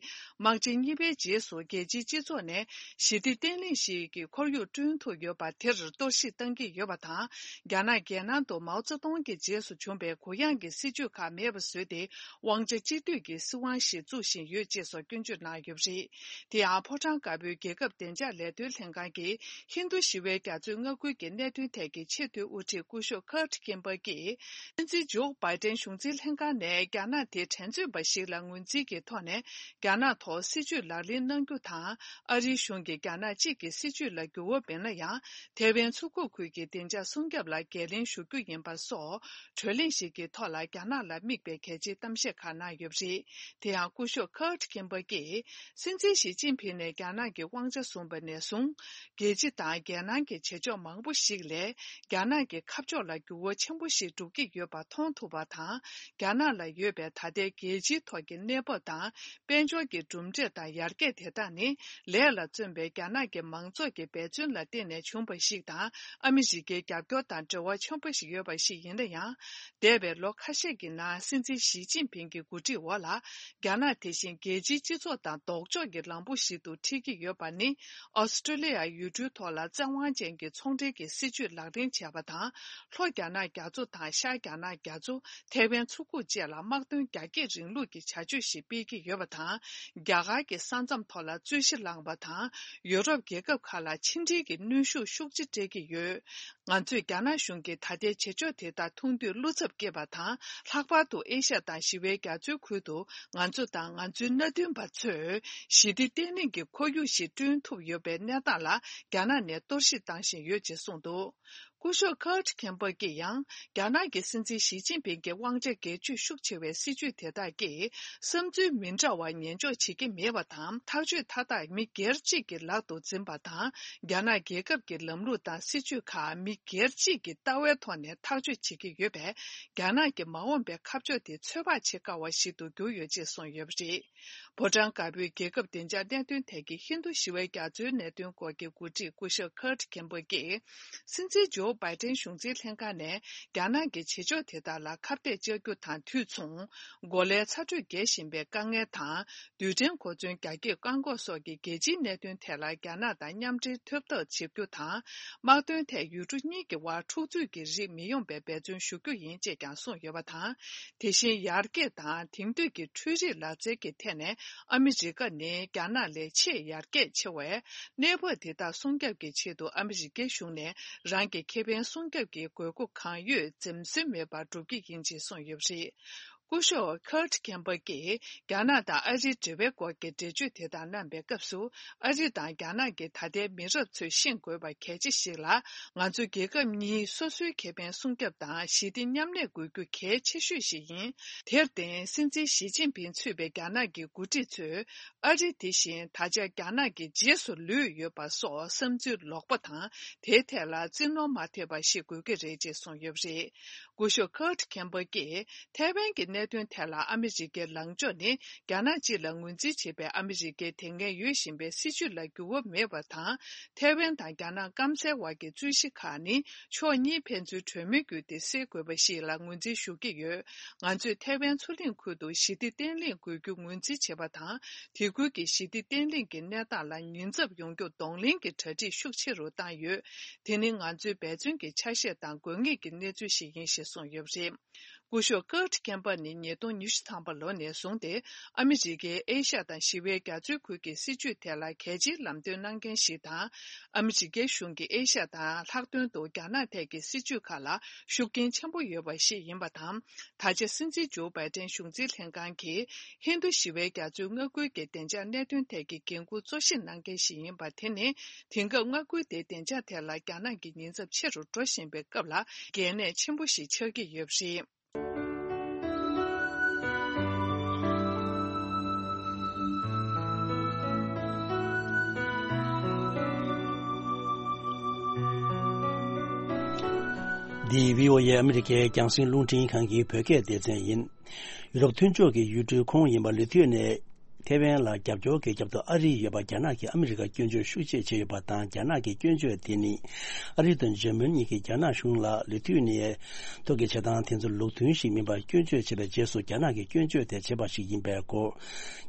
དམག་ཆེན་གཉིས་པའི་རྗེས་སུ་རྒྱལ་སྤྱིའི་སྤྱི་ཚོགས་ནས་ཞི་བདེ་བརྟན་ལྷིང་ཞིག་གི་ཁོར་ཡུག་བསྐྲུན་ཐུབ་ཡོད་པ་དེར་གཏོར་བཤིག་བཏང་གི་ཡོད་པ་དང་། རྒྱ་ནག་རྒྱལ་ནང་དུ་མའོ་ཙེ་ཏུང་གི་རྗེས་སུ་བྱུང་བའི་གུ་ཡངས་ཀྱི་སྲིད་བྱུས་ཁག་མེད་པ་བཟོས་ཏེ། དབང་ཆ་གཅིག་སྡུད་ཀྱི་སྲིད་དབང་ཞིག་བཙུགས་བཞིན་ཡོད་ཅེས་སོགས་སྐྱོན་བརྗོད་གནང་ཡོད་པ་རེད། དེ་ཡང་ཕོ་བྲང་དཀར་པོའི་རྒྱལ་ཁབ་བདེ་འཇགས་ལས་དོན་ལྷན་ཁང་གིས་ཧིན་རྡུ་ཞི་བའི་རྒྱ་མཚོའི་མངའ་ཁུལ་གྱི་གནད་དོན་ཐད་ཀྱི་ཆེས་མཐོའི་དབུ་ཁྲིད་སྐུ་ཞབས་Kurt Campbell གྱིས། སྲིད་འཛིན་ཇོ་བྷའི་ཏན་གཞུང་འཛིན་ལྷན་ཁང་ནས་རྒྱ་ནག་དེ་འགྲན་རྩོད་པ་ཞིག་ལ་ངོས་འཛིན་གྱི་ཐོག་ནས་རྒྱ་ནག་ཐོག་སྲིད་བྱུས་ལག་ལེན་གནང་རྒྱུ་དང་། ཨ་རིའི་གཞུང་གིས་རྒྱ་ནག་གཅིག་གི་སྲིད་བྱུས་ལ་འགྱུར་བ་མེད་ན་ཡང་། ཐའེ་ཝན་མཚོ་ཁུག་ཁུལ་གྱི་བདེ་འཇགས་སྲུང་སྐྱོབ་ལ་འགན་ལེན་ཞུ་རྒྱུ་ཡིན་པ་སོགས། གྲོས་གླེང་ཞིག་གི་ཐོག་ལ་རྒྱ་ནག་ལ་དམིགས་པའི་གལ་ཆེའི་གཏམ་བཤད་ཁག་གནང་ཡོད་པ་རེད། དེ་ཡང་སྐུ་ཞབས་ཁར་ཁེམ་པ་ཀྱིས། སྲིད་འཛིན་ཞི་ཅིན་ཕིང་ནས་རྒྱ་ནག་གི་དབང་ཆ་བཟུང་བ་ནས་བཟུང་། རྒྱལ་སྤྱི་དང་རྒྱལ་ནང་གི་བྱེད་ཕྱོགས་མང་པོ་ཞིག་ལས། རྒྱ་ནག་གི་ཁ་ཕྱོགས་ལ་འགྱུར་བ་ཆེན་པོ་ཞིག་འགྲོ་གི་ཡོད་པ་མཐོང་ཐུབ་པ་དང་། རྒྱ་ནག་ལ་ཡོད་པའི་ད་ལྟའི་རྒྱལ་སྤྱིའི་ཐོག་གི་གནས་བབ་དང་། དཔལ་འབྱོར་གྱི་གྲུབ་འབྲས་དང་ཡར་རྒྱས་དེ་དག་ནི། ལས་ལ་བརྩོན་པའི་རྒྱ་ནག་གི་མང་ཚོགས་ཀྱི་འབད་བརྩོན་ལ་བརྟེན་ནས་བྱུང་བ་ཞིག་དང་། ཨ་མི་རི་ཀའི་རྒྱབ་སྐྱོར་དང་འབྲེལ་བ་ཆེན་པོ་ཞིག་ཡོད་པ་ཞིག་ཡིན་ན་ཡང་། འདས་པའི་ལོ་ཁ་ཤས་ཀྱི་ནང་། སྲིད་འཛིན་ཞི་ཅིན་ཕིང་གི་འགོ་ཁྲིད་འོག་ལ། རྒྱ་ནག་དེ་བཞིན་རྒྱལ་སྤྱིའི་སྤྱི་ཚོགས་དང་ལྡོག་ཕྱོགས་ཀྱི་ལམ་བུ་ཞིག་ཏུ་ཁྲིད་ཀྱི་ཡོད་པ་ནི། ཨོ་སི་ཀྲོ་ལི་ཡ་ཡུལ་གྲུའི་ཐོག་ལ་བཙན་དབང་ཅན་གྱི་ཚོང་འབྲེལ་གྱི་སྲིད་བྱུས་ལག་ལེན་བྱས་པ་དང་། ལྷོ་རྒྱ་ནག་རྒྱ་མཚོ་དང་ཤར་རྒྱ་ནག་རྒྱ་མཚོ། ཐའེ་ཝན་མཚོ་ཁུག་བཅས་ལ་དམག་དོན་རྒྱ་སྐྱེད་རིང་ལུགས་ཀྱི་བྱ་སྤྱོད་ཞིག་སྤེལ་གྱི་ཡོད་པ་དང་། རྒྱ་གར་གྱི་ས་མཚམས་ཐོག་ལ་རྩོད་གཞི་བསླངས་པ་དང་། ཡོ་རོབ་རྒྱལ་ཁབ་ཁག་ལ་ཕྱི་འབྲེལ་གྱི་གནོན་ཤུགས་ཤུགས་ཆེ་སྤྲད་ཀྱི་ཡོད། ང་ཚོས་རྒྱ་ནག་གཞུང་གི་ད་ལྟའི་བྱེད་ཕྱོགས་དེ་དག་མཐོང་དུས་བློ་འཚབ་སྐྱེས་པ་དང་། ལྷག་པར་དུ་ཨེ་ཤ་ཡ་དང་ཞི་བའི་རྒྱ་མཚོའི་ཁུལ་དུ་ང་ཚོ་དང་ང་ཚོའི་མནའ་མཐུན་པ་ཚོས་ཞི་བདེ་བརྟན་ལྷིང་གི་ཁོར་ཡུག་ཞིག་བསྐྲུན་ཐུབ་ཡོད་པའི་གནས་སྟངས་ལ་རྒྱ་ནག་ནས་གཏོར་བཤིག་བཏང་བཞིན་ཡོད་ཅེས་གསུངས་འདུག་སྐུ་ཞབས་ཁར་ཁེམ་པ་ཀྱིས་ཡང་། རྒྱ་ནག་གི་སྲིད་འཛིན་ཞི་ཅིན་ཕིང་གི་དབང་ཆ་སྒེར་གཅོད་ཤུགས་ཆེ་བའི་སྲིད་བྱུས་དེ་དག་གིས། བསམ་ཚུལ་མི་འདྲ་བ་ཉན་འཇོག་བྱེད་ཀྱི་མེད་པ་དང་། ཐག་གཅོད་མཐའ་དག་མི་སྒེར་གཅིག་གི་ལག་ཏུ་འཛིན་པ་དང་། རྒྱ་ནག་རྒྱལ་ཁབ་ཀྱི་ལམ་ལུགས་དང་སྲིད་བྱུས་ཁག་མི་སྒེར་གཅིག་གི་ལྟ་བའི་ཐོག་ནས་ཐག་གཅོད་བྱེད་ཀྱི་ཡོད་པས། རྒྱ་ནག་གི་མ་འོངས་པའི་ཁ་ཕྱོགས་དེ་ཚོད་དཔག་བྱེད་དཀའ་བ་ཞིག་ཏུ་གྱུར་ཡོད་ཅེས་གསུངས་ཡོད་པ་རེད། ཕོ་བྲང་དཀར་པོའི་རྒྱལ་ཁབ་བདེ་འཇགས་གནད་དོན་ཐད་ཀྱི་ཧིན་རྡུ་ཞི་བའི་རྒྱ་མཚོའི་གནད་དོན་སྐོར་གྱི་འགོ་ཁྲིད་སྐུ་ཞབས་ཁར་ཁེམ་པ་ཀྱིས། སྲིད་འཛིན་ཇོ་བྷའི་ཏན་གཞུང་འཛིན་ལྷན་ཁང་ནས་རྒྱ་ནག་གི་བྱེད་ཕྱོགས་དེ་དག་ལ་ཁ་གཏད་གཅོག་རྒྱུ་དང་དུས་མཚུངས། གོ་ལའི་ཚ་དྲོད་རྒྱས་བཞིན་པའི་དཀའ་ངལ་དང་། རྡུལ་ཕྲན་གོ་མཚོན་རྒྱ་སྐྱེད་བཀག་འགོག་སོགས་ཀྱི་རྒྱལ་སྤྱིའི་གནད་དོན་ཐད་ལ་རྒྱ་ནག་དང་མཉམ་འབྲེལ་ཐོབ་ཐབས་བྱེད་རྒྱུ་དང་། དམག་དོན་ཐད་ཡུལ་གྲུ་གཉིས་ཀྱི་དབར་འཁྲུག་རྩོད་ཀྱི་རིགས་མི་ཡོང་བའི་འབད་བརྩོན་ཞུ་རྒྱུ་ཡིན་ཅེས་ཀྱང་གསུངས་ཡོད་པ་དང་། དེ་བཞིན་ཡར་རྒྱས་དང་དེང་དུས་ཀྱི་འཕྲུལ་རིག་ལག་རྩལ་གྱི་ཐད་ནས་ཨ་མི་རི་ཀ་ནི་རྒྱ་ནག་ལས་ཆེས་ཡར་རྒྱས་ཆེ་བས། གནས་བབ་དེ་དག་སྲུང་སྐྱོབ་ཀྱི་ཆེད་དུ་ཨ་མི་རི་ཀའི་གཞུང་ནས་རང་གི་ཁེ་ཕན་སྲུང་སྐྱོབ་ཀྱི་དགོས་མཁོ་གང་ཡོད་འཛེམ་ཟོན་མེད་པར་སྒྲུབ་ཀྱི་ཡིན་ཅེས་གསུངས་ཡོད་པ་རེད། སྐུ་ཞབས་ཁར་ཁེམ་པ་ཀྱིས་རྒྱ་ནག་དང་ཨ་རིའི་འབྲེལ་བའི་སྐོར་གྱི་འགྲེལ་བརྗོད་དེ་དག་གནང་པའི་སྐབས་སུ། ཨ་རི་དང་རྒྱ་ནག་གི་ད་ལྟའི་མི་རབས་ཚོས་ཤེས་དགོས་པ་གལ་ཆེ་ཞིག་ལ། ང་ཚོ་རྒྱལ་ཁབ་གཉིས་སོ་སོའི་ཁེ་ཕན་སྲུང་སྐྱོབ་དང་ཞི་བདེ་མཉམ་གནས་དགོས་རྒྱུ་གལ་ཆེ་ཤོས་ཤིག་ཡིན། དེར་བརྟེན། སྲིད་འཛིན་ཞི་ཅིན་ཕིང་གཙོས་པའི་རྒྱ་ནག་གི་འགོ་ཁྲིད་ཚོས། ཨ་རི་དེ་བཞིན་ད་ཆ་རྒྱ་ནག་གི་རྗེས་སུ་ལུས་ཡོད་པ་སོགས་བསམ་ཚུལ་ལོག་པ་དང་། དེའི་ཐད་ལ་བཙན་གནོན་མ་ཐེབས་པ་ཞིག་དགོས་ཀྱི་རེད་ཅེས་གསུངས་ཡོད་པ་རེད། སྐུ་ཞབས་ཁར་ཁེམ་པ་ཀྱིས། ཐའེ་ཝན་གྱི་གནད་དོན་ཐད་ལ་ཨ་མི་རི་ཀའི་ལངས་ཕྱོགས་ནི། རྒྱ་ནག་སྤྱི་ལ་ངོས་འཛིན་བྱེད་པའི་ཨ་མི་རི་ཀའི་དེ་སྔའི་ཡོད་བཞིན་པའི་སྲིད་བྱུས་ལ་འགྱུར་བ་མེད་པ་དང་། ཐའེ་ཝན་དང་རྒྱ་ནག་སྐམ་སའི་བར་གྱི་རྩོད་གཞི་ཁག་ནི། ཕྱོགས་གཉིས་ཕན་ཚུན་གྲོས་མོལ་བརྒྱུད་དེ་སེལ་དགོས་པ་ཞིག་ལ་ངོས་འཛིན་ཞུ་གི་ཡོད། ང་ཚོས་ཐའེ་ཝན་མཚོ་གླིང་ཁུལ་དུ་ཞི་བདེ་བརྟན་ལྷིང་དགོས་རྒྱུ་ངོས་འཛིན་བྱེད་པ་དང་། དེ་ཁུལ་གྱི་ཞི་བདེ་བརྟན་ལྷིང་གི་གནས་སྟངས་ལ་ཉེན་ཚབས་ཡོང་རྒྱུ་གདོང་ལེན་གྱི་གྲ་སྒྲིག་ཤུགས་ཆེ་རུ་བཏང་ཡོད། དེ་ནི་ང་ཚོའི་འབད་བརྩོན་གྱི་ཆ་ཤས་དང་དགོས་ངེས་ཀྱི་གནས་ཚུལ་ཞིག་ཡིན་ཞེས་གསུངས་ཡོད་པ་རེད། སྐུ་ཞབས་ཀར་ཁེམ་པ་ནི་ཉིས་སྟོང་ཉི་ཤུ་ཐམ་པ་ལོ་ནས་བཟུང་སྟེ་ཨ་མི་རི་ཀའི་ཨེ་ཤ་ཡ་དང་ཞི་བའི་རྒྱ་མཚོའི་ཁུལ་གྱི་སྲིད་བྱུས་ཐད་ལ་གལ་ཆེའི་ལམ་སྟོན་གནང་མཁན་ཞིག་དང་། ཨ་མི་རི་ཀའི་གཞུང་གིས་ཨེ་ཤ་ཡ་དང་ལྷག་དོན་དུ་རྒྱ་ནག་ཐད་ཀྱི་སྲིད་བྱུས་ཁག་ལ་ཤུགས་རྐྱེན་ཆེན་པོ་ཡོད་པ་ཞིག་ཡིན་པ་དང་། ད་ཆ་སྲིད་འཛིན་ཇོ་བྷའི་ཏན་གཞུང་འཛིན་ལྷན་ཁང་གིས་ཧིན་རྡུ་ཞི་བའི་རྒྱ་མཚོའི་མངའ་ཁུལ་གྱི་བདེ་འཇགས་གནད་དོན་ཐད་ཀྱི་འགན་འཁུར་གཙོ་བཞེས་གནང་མཁན་ཞིག་ཡིན་པ་དེ་ནི། དེང་སྐབས་མངའ་ཁུལ་དེའི་བདེ་འཇགས་ཐད་ལ་རྒྱ་ནག་གི་ཉེན་ཚབས་ཆེ་རུ་འགྲོ་བཞིན་པའི་སྐབས་ལ་གལ་གནད་ཆེན་པོ་ཞིག་ཆགས་ཀྱི་ཡོད་པ་རེད། འདི་བྷི་ཨོ་ཨེ་ཨ་མི་རི་ཀའི་རྒྱང་སྲིང་རླུང་འཕྲིན་ཁང་གི་བོད་སྐད་སྡེ་ཚན་ཡིན། ཡུ་རོབ་མཐུན་ཕྱོགས་ཀྱི་ཡུལ་གྲུའི་ཁོངས་ཡིན་པ་ལུས་མཐུད་ནས། ཐེ་ཝན་ལ་རྒྱབ་སྐྱོར་གྱི་རྒྱབ་ཏུ་ཨ་རི་ཡོད་པ་རྒྱ་ནག་གིས་ཨ་མི་རི་ཀར་སྐྱོན་བརྗོད་ཤུགས་ཆེ་བྱས་ཡོད་པ་དང་། རྒྱ་ནག་གི་སྐྱོན་བརྗོད་དེ་ནི། ཨ་རི་དང་འཇར་མན་གཉིས་ཀྱིས་རྒྱ་ནག་གཞུང་ལ་ལུས་མཐུད་ནས་ཐོག་གི་བྱེད་སྟངས་དེ་ཚོ་ལུགས་མཐུན་ཞིག་མིན་པར་སྐྱོན་བརྗོད་བྱས་པའི་རྗེས་སུ་རྒྱ་ནག་གིས་སྐྱོན་བརྗོད་དེ་བྱས་པ་ཞིག་ཡིན་པའི་སྐོར།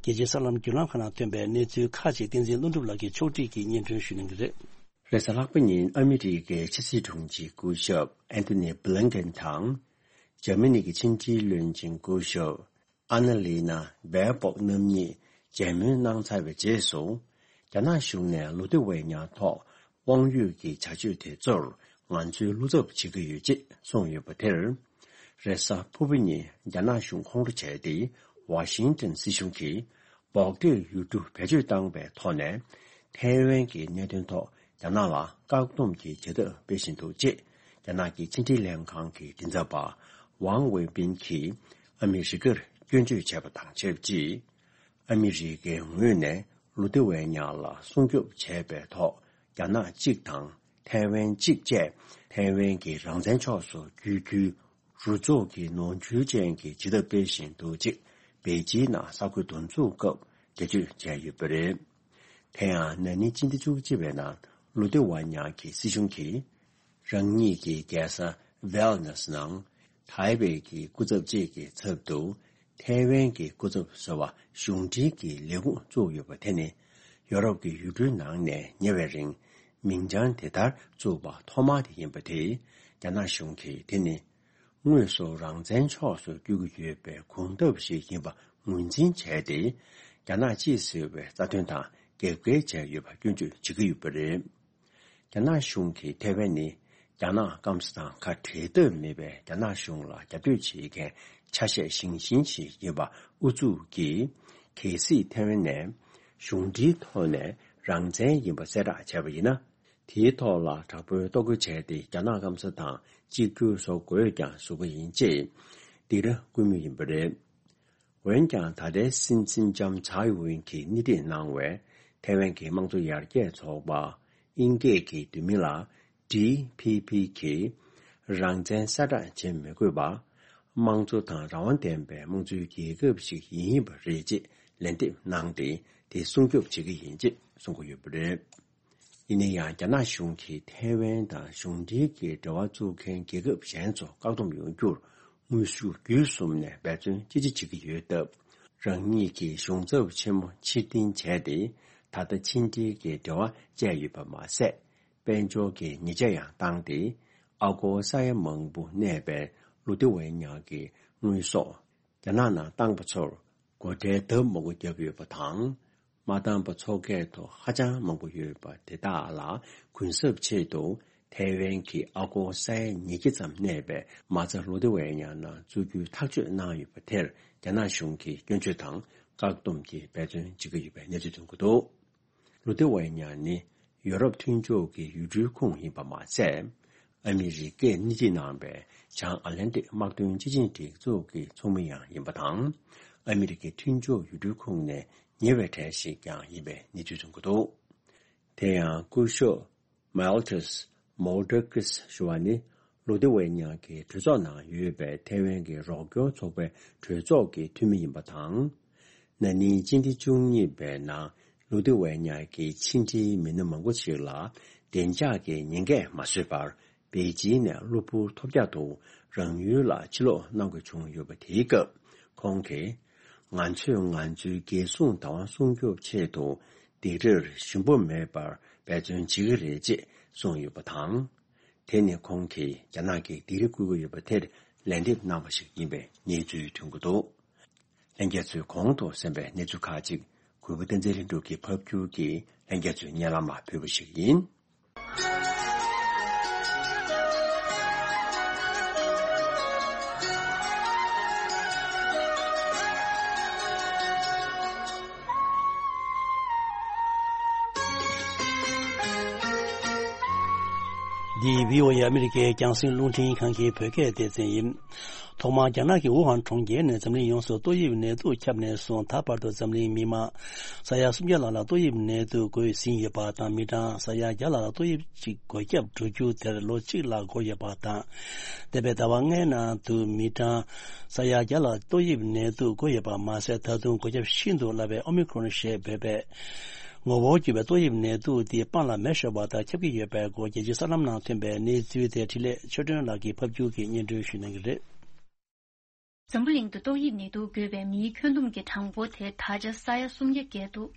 རྒྱལ་སྤྱིའི་གསར་ལམ་བརྒྱུད་ལམ་ཁག་ནང་ཐོན་པའི་གནས་ཚུལ་ཁག་ཅིག་བསྟན་འཛིན་ལྷུན་གྲུབ་ལགས་ཀྱིས་ཕྱོགས་སྒྲིག་གིས་སྙན་སྒྲོན་ཞུ་གནང་གི་རེད། རེས་གཟའ་ལྷག་པ་ཉིན་ཨ་མི་རི་ཀའི་ཕྱི་སྲིད་དྲུང་ཆེ་སྐུ་ཞབས་ཨན་ཐོ་ནི་བྷི་ལིན་ཀེན་དང་། འཇར་མ་ནི་གི་ཕྱི་འབྲེལ་བློན་ཆེན་སྐུ་ཞབས་ཨ་ན་ལི་ན་བྷེར་བོག་རྣམ་གཉིས་མཇལ་མོལ་གནང་ཚར་བའི་རྗེས་སུ། རྒྱ་ནག་གཞུང་ནས་ལོ་དུ་ཝེ་ཉག་ཐོག་དབང་ཡོད་ཀྱི་བྱ་སྤྱོད་དེ་ཚོར་ང་ཚོས་བློ་འཚབ་བྱེད་ཀྱི་ཡོད་ཅེས་གསུངས་ཡོད་པ་དེར། རེས་གཟའ་ཕུར་བུ་ཉིན་རྒྱ་ནག་གཞུང་ཁོང་ཁྲོ་བྱས་ཏེ། ཝ་ཤིང་ཏན་སྲིད་གཞུང་གིས་བོག་ཏེ་ཡུལ་གྲུ་བེད་སྤྱོད་བཏང་བའི་ཐོག་ནས། ཐའེ་ཝན་གྱི་གནད་དོན་ཐོག་རྒྱ་ནག་ལ་བཀག་སྡོམ་གྱི་བྱེད་ཐབས་སྤེལ་བཞིན་འདུག་ཅེས། རྒྱ་ནག་གི་ཕྱི་འབྲེལ་ལྷན་ཁང་གི་མགྲིན་ཚབ་པ་ ཝང་ཝེ་པིན་གྱིས་ཨ་མི་རི་ཀར་སྐྱོན་བརྗོད་བྱས་པ་དང་ཆབས་ཅིག་ཨ་མི་རི་ཀའི་ངོས་ནས་ལུ་ཏེ་ཝེ་ཉ་ལ་སྲུང་སྐྱོབ་བྱས་པའི་ཐོག་རྒྱ་ནག་གཅིག་དང་ཐའེ་ཝན་གཅིག་བཅས་ཐའེ་ཝན་གྱི་རང་བཙན་ཕྱོགས་སུ་བསྒྱུར་རྒྱུའི་རུ་ཚོགས་ཀྱི་ནོར་འཁྲུལ་ཅན་གྱི་བྱེད་ཐབས་སྤེལ་བཞིན་འདུག་ཅེས་པེ་ཅིན་ནང་གསར་འགོད་འདུ་འཛོམས་སྐབས་འགྲེལ་བརྗོད་བྱས་ཡོད་པ་རེད། དེ་ཡང་ན་ནིང་སྤྱི་ཟླ་བཅུ་གཅིག་པའི་ནང་ལུ་ཏེ་ཝ་ཉག་གི་སྲིད་གཞུང་གིས་རང་ཉིད་ཀྱི་རྒྱལ་ས་ཝེལ་ནེ་སི་ནང་ཐའེ་ཝན་གྱི་སྐུ་ཚབ་ཅིག་གི་ཚབ་ཏུ་ཐའེ་ཝན་གྱི་སྐུ་ཚབ་ཟུར་པ་གཞུང་འབྲེལ་གྱི་ལས་ཁུངས་བཙུགས་ཡོད་པ་དེ་ནི་ཡོ་རོབ་ཀྱི་ཡུལ་གྲུའི་ནང་ནས་ཉེ་བའི་རིང་མིང་བྱང་དེ་ལྟར་བཙུགས་པ་ཐོག་མ་དེ་ཡིན་པ་དེས་རྒྱ་ནག་གཞུང་གིས་དེ་ནི་དངོས་སུ་རང་བཙན་ཕྱོགས་སུ་བསྒྱུར་གྱི་ཡོད་པའི་གོམ་སྟབས་ཤིག་ཡིན་པ་ངོས་འཛིན་བྱས་ཏེ། རྒྱ་ནག་གཅེས་ཟེར་བའི་རྩ་དོན་དང་རྒྱབ་འགལ་བྱས་ཡོད་པ་སྐྱོན་བརྗོད་བྱེད་ཀྱི་ཡོད་པ་རེད། རྒྱ་ནག་གཞུང་གིས་ཐའེ་ཝན་ནི་རྒྱ་ནག་སྐམ་ས་དང་ཁ་བྲལ་ཐབས་མེད་པའི་རྒྱ་ནག་གཞུང་ལ་རྒྱབ་གཏོད་བྱེད་མཁན་ཆ་ཤས་ཞན་ཞན་ཞིག་ཡིན་པ་ཨུ་ཚུགས་ཀྱིས། གལ་སྲིད་ཐའེ་ཝན་ནས་གཞུང་འབྲེལ་ཐོག་ནས་རང་བཙན་ཡིན་པ་གསལ་བསྒྲགས་བྱས་པ་ཡིན་ན། དེའི་ཐོག་ལ་དྲག་པོའི་གཏོར་རྒོལ་བྱས་ཏེ་རྒྱ་ནག་སྐམ་ས་དང་གཅིག་གྱུར་བཟོ་དགོས་ཀྱང་བཟོ་གི་ཡིན་ཅེས་སྡིགས་ར་བསྐུལ་མུས་ཡིན་པ་རེད། འོན་ཀྱང་ད་ལྟའི་སྲིད་འཛིན་ལྕམ་ཚའེ་ཝེན་གྱིས་སྣེ་ཁྲིད་གནང་བའི་ཐའེ་ཝན་གྱི་དམངས་གཙོ་ཡར་རྒྱས་ཚོགས་པ། དབྱིན་སྐད་ཀྱི་བསྡུས་མིང་ལ་ཌི་ཕི་ཕི་གིས་རང་བཙན་གསལ་བསྒྲགས་བྱེད་མི་དགོས་པ། དམངས་གཙོ་དང་རང་དབང་ལྡན་པའི་དམངས་གཙོའི་རྒྱལ་ཁབ་ཞིག་ཡིན་པ་རེད་ཅེས་ལན་འདེབས་གནང་སྟེ། དེ་སྲུང་སྐྱོབ་བྱེད་ཀྱི་ཡིན་ཅེས་གསུང་གི་ཡོད་པ་རེད། ཡིན་ན་ཡང་རྒྱ་ནག་གཞུང་གིས་ཐའེ་ཝན་དང་གཞུང་འབྲེལ་གྱི་འབྲེལ་བ་བཙུགས་མཁན་རྒྱལ་ཁབ་གཞན་ཚོ་བཀག་སྡོམ་ཡོང་རྒྱུར་དངོས་ཤུགས་བརྒྱུད་གསུམ་ནས་འབད་བརྩོན་ཅི་ཆེ་བྱེད་ཀྱི་ཡོད་སྟབས། རང་ཉིད་ཀྱི་གཞུང་ཚབ་ཆེན་མོ་ཕྱིར་འཐེན་བྱས་ཏེ། ད་ལྟ་ཕྱི་འབྲེལ་གྱི་འབྲེལ་བ་བཅད་ཡོད་པ་མ་ཟད། དཔལ་འབྱོར་གྱི་ཉེས་ཆད་ཡང་བཏང་སྟེ། ཨ་སྒོར་ས་ཡ་མང་པོ་གནས་པའི་ལུ་ཏེ་ཝེ་ཉག་གི་དངོས་ཟོག་རྒྱ་ནག་ནང་བཏང་པ་ཚོར་སྒོ་ཁྲལ་ལྡབ་མང་པོ་བརྒྱབ་ཡོད་པ་དང་། མ་བཏང་པ་ཚོགས་སྐད་ཐོག་ཧ་ཅང་མང་པོ་ཡོད་པ་དེ་དག་ལ་གུན་གསབ་ཆེད་དུ་ཐའེ་ཝན་གྱི་ཨ་སྒོར་ས་ཡ་ཉིས་བརྒྱ་ཙམ་གནས་པའི་མ་རྩ་ལུ་ཏེ་ཝེ་ཉག་ནང་བཙུགས་རྒྱུའི་ཐག་གཅོད་གནང་ཡོད་པ་དེར་རྒྱ་ནག་གཞུང་གིས་སྐྱོན་བརྗོད་དང་བཀག་སྡོམ་གྱི་འབད་བརྩོན་བྱེད་ཀྱི་ཡོད་པའི་གནས་ཚུལ་ཐོན་གྱི་འདུག་ལུ་ཏེ་ཝེ་ཉ་ནི་ཡོ་རོབ་མཐུན་ཕྱོགས་ཀྱི་ཡུལ་གྲུའི་ཁོངས་ཡིན་པ་མ་ཟད། ཨ་མི་རི་ཀས་སྣེ་ཁྲིད་གནང་བའི་བྱང་ཨ་ལན་ཏིག་དམག་དོན་སྤྱི་ཆིངས་སྒྲིག་འཛུགས་ཀྱི་ཚོགས་མི་ཡང་ཡིན་པ་དང་། ཨ་མི་རི་ཀའི་མཐུན་ཕྱོགས་ཡུལ་གྲུའི་ཁོངས་ནས་ཉེ་བའི་གྲས་ཤིག་ཀྱང་ཡིན་པའི་གནས་ཚུལ་ཐོན་གྱི་འདུག་དེ་ཡང་སྐུ་ཞབས་མལ་ཏུས་མོ་ཌར་ཀིས་ཞུ་བ་ནི། ལུ་ཏེ་ཝེ་ཉག་གི་གྲོས་ཚོགས་ནང་ཡོད་པའི་ཐའེ་ཝན་གྱི་རོགས་སྐྱོར་ཚོགས་པའི་གྲོས་ཚོགས་ཀྱི་འཐུས་མི་ཡིན་པ་དང་། ན་ནིང་སྤྱི་ཟླ་བཅུ་གཉིས་པའི་ནང་ལུ་ཏེ་ཝེ་ཉག་གི་ཕྱི་འབྲེལ་མི་སྣ་མང་པོ་ཞིག་ལ་བདེ་འཇགས་ཀྱི་ཉེན་ཁས་མ་བཟོད་པར་པེ་ཅིན་ནས་གློ་བུར་ཐོལ་རྒྱག་ཏུ་རང་ཡུལ་ལ་ཕྱིར་ལོག་གནང་དགོས་བྱུང་ཡོད་པ་དེའི་སྐབས་ཁོང་གིས། ང་ཚོས་ང་ཚོའི་རྒྱལ་སྲུང་བདག་དབང་སྲུང་སྐྱོབ་ཆེད་དུ་སྡིགས་རར་ཞུམ་པ་མེད་པར་འབད་བརྩོན་བྱེད་ཀྱི་རེད་ཅེས་གསུངས་ཡོད་པ་དང་། དེ་ནི་ཁོང་གིས་རྒྱ་ནག་གིས་སྡིགས་ར་བསྐུལ་གྱི་ཡོད་པ་དེར་ལན་འདེབས་གནང་བ་ཞིག་ཡིན་པའི་གནས་ཚུལ་ཐོན་གྱི་འདུག་ལྷན་རྒྱས་ཚོས་གོང་དུ་གསན་པའི་གནས་ཚུལ་ཁག་ཅིག་གུས་པ་བསྟན་འཛིན་ལྷུན་གྲུབ་ཀྱིས་ཕབ་བསྒྱུར་གྱིས་ལྷན་རྒྱས་ཚོའི་སྙན་ལམ་ལ་ཕུལ་བ་ཞིག་ཡིན། འདི་བྷི་ཨོ་ཨེ་ཨ་མི་རི་ཀའི་རྒྱང་སྲིང་རླུང་འཕྲིན་ཁང་གི་བོད་སྐད་སྡེ་ཚན་ཡིན། ཐོག་མར་རྒྱ་ནག་གི་ཝུ་ཧན་གྲོང་ཁྱེར་ནས་འཛམ་གླིང་ཡོངས་སུ་ཏོག་དབྱིབས་ནད་དུག་ཁྱབ་ནས་བཟུང་ད་བར་དུ་འཛམ་གླིང་མི་མང་ས་ཡ་སུམ་བརྒྱ་ལྷག་ལ་ཏོག་དབྱིབས་ནད་དུག་འགོས་ཟིན་ཡོད་པ་དང་། མི་གྲངས་ས་ཡ་བརྒྱ་ལྷག་ལ་ཏོག་དབྱིབས་གཅིག་འགོས་ཁྱབ་འགྲོ་རྒྱུ་དེར་ལོ་གཅིག་ལྷག་འགོར་ཡོད་པ་དང་། འདས་པའི་ཟླ་བ་ལྔའི་ནང་དུ་མི་གྲངས་ས་ཡ་བརྒྱ་ལ་ཏོག་དབྱིབས་ནད་དུག་འགོས་ཡོད་པ་མ་ཟད། ད་དུང་འགོས་ཁྱབ་ཤིན་ཏུ་སླ་བའི་ཨོ་མི་ཁྲོན་ཞེས་འབོད་པའི་ངོ་བོ་འགྱུར་བའི་ཏོག་དབྱིབས་ནད་དུག་འདི་སྤང་ལ་མེ་ཤོར་བ་ལྟར་ཁྱབ་ཀྱི་ཡོད་པའི་སྐོར་རྒྱལ་སྤྱིའི་གསར་ལམ་ནང་ཐོན་པའི་གནས་ཚུལ་དེ་འཕྲིན་ལས་ཆོས་སྒྲོན་ལགས་ཀྱིས་ཕབ་བསྒྱུར་གྱིས་སྙན་སྒྲོན་ཞུ་གནང་གི་རེད། འཛམ་བུ་གླིང་དུ་ཏོག་དབྱིབས་ནད་དུག་འགོས་པའི་མིའི་ཁྱོན་བསྡོམས་ཀྱི་གྲངས་འབོར་དེ་ད་ཆ་ས་ཡ་སུམ་བརྒྱ་བརྒལ་འདུག་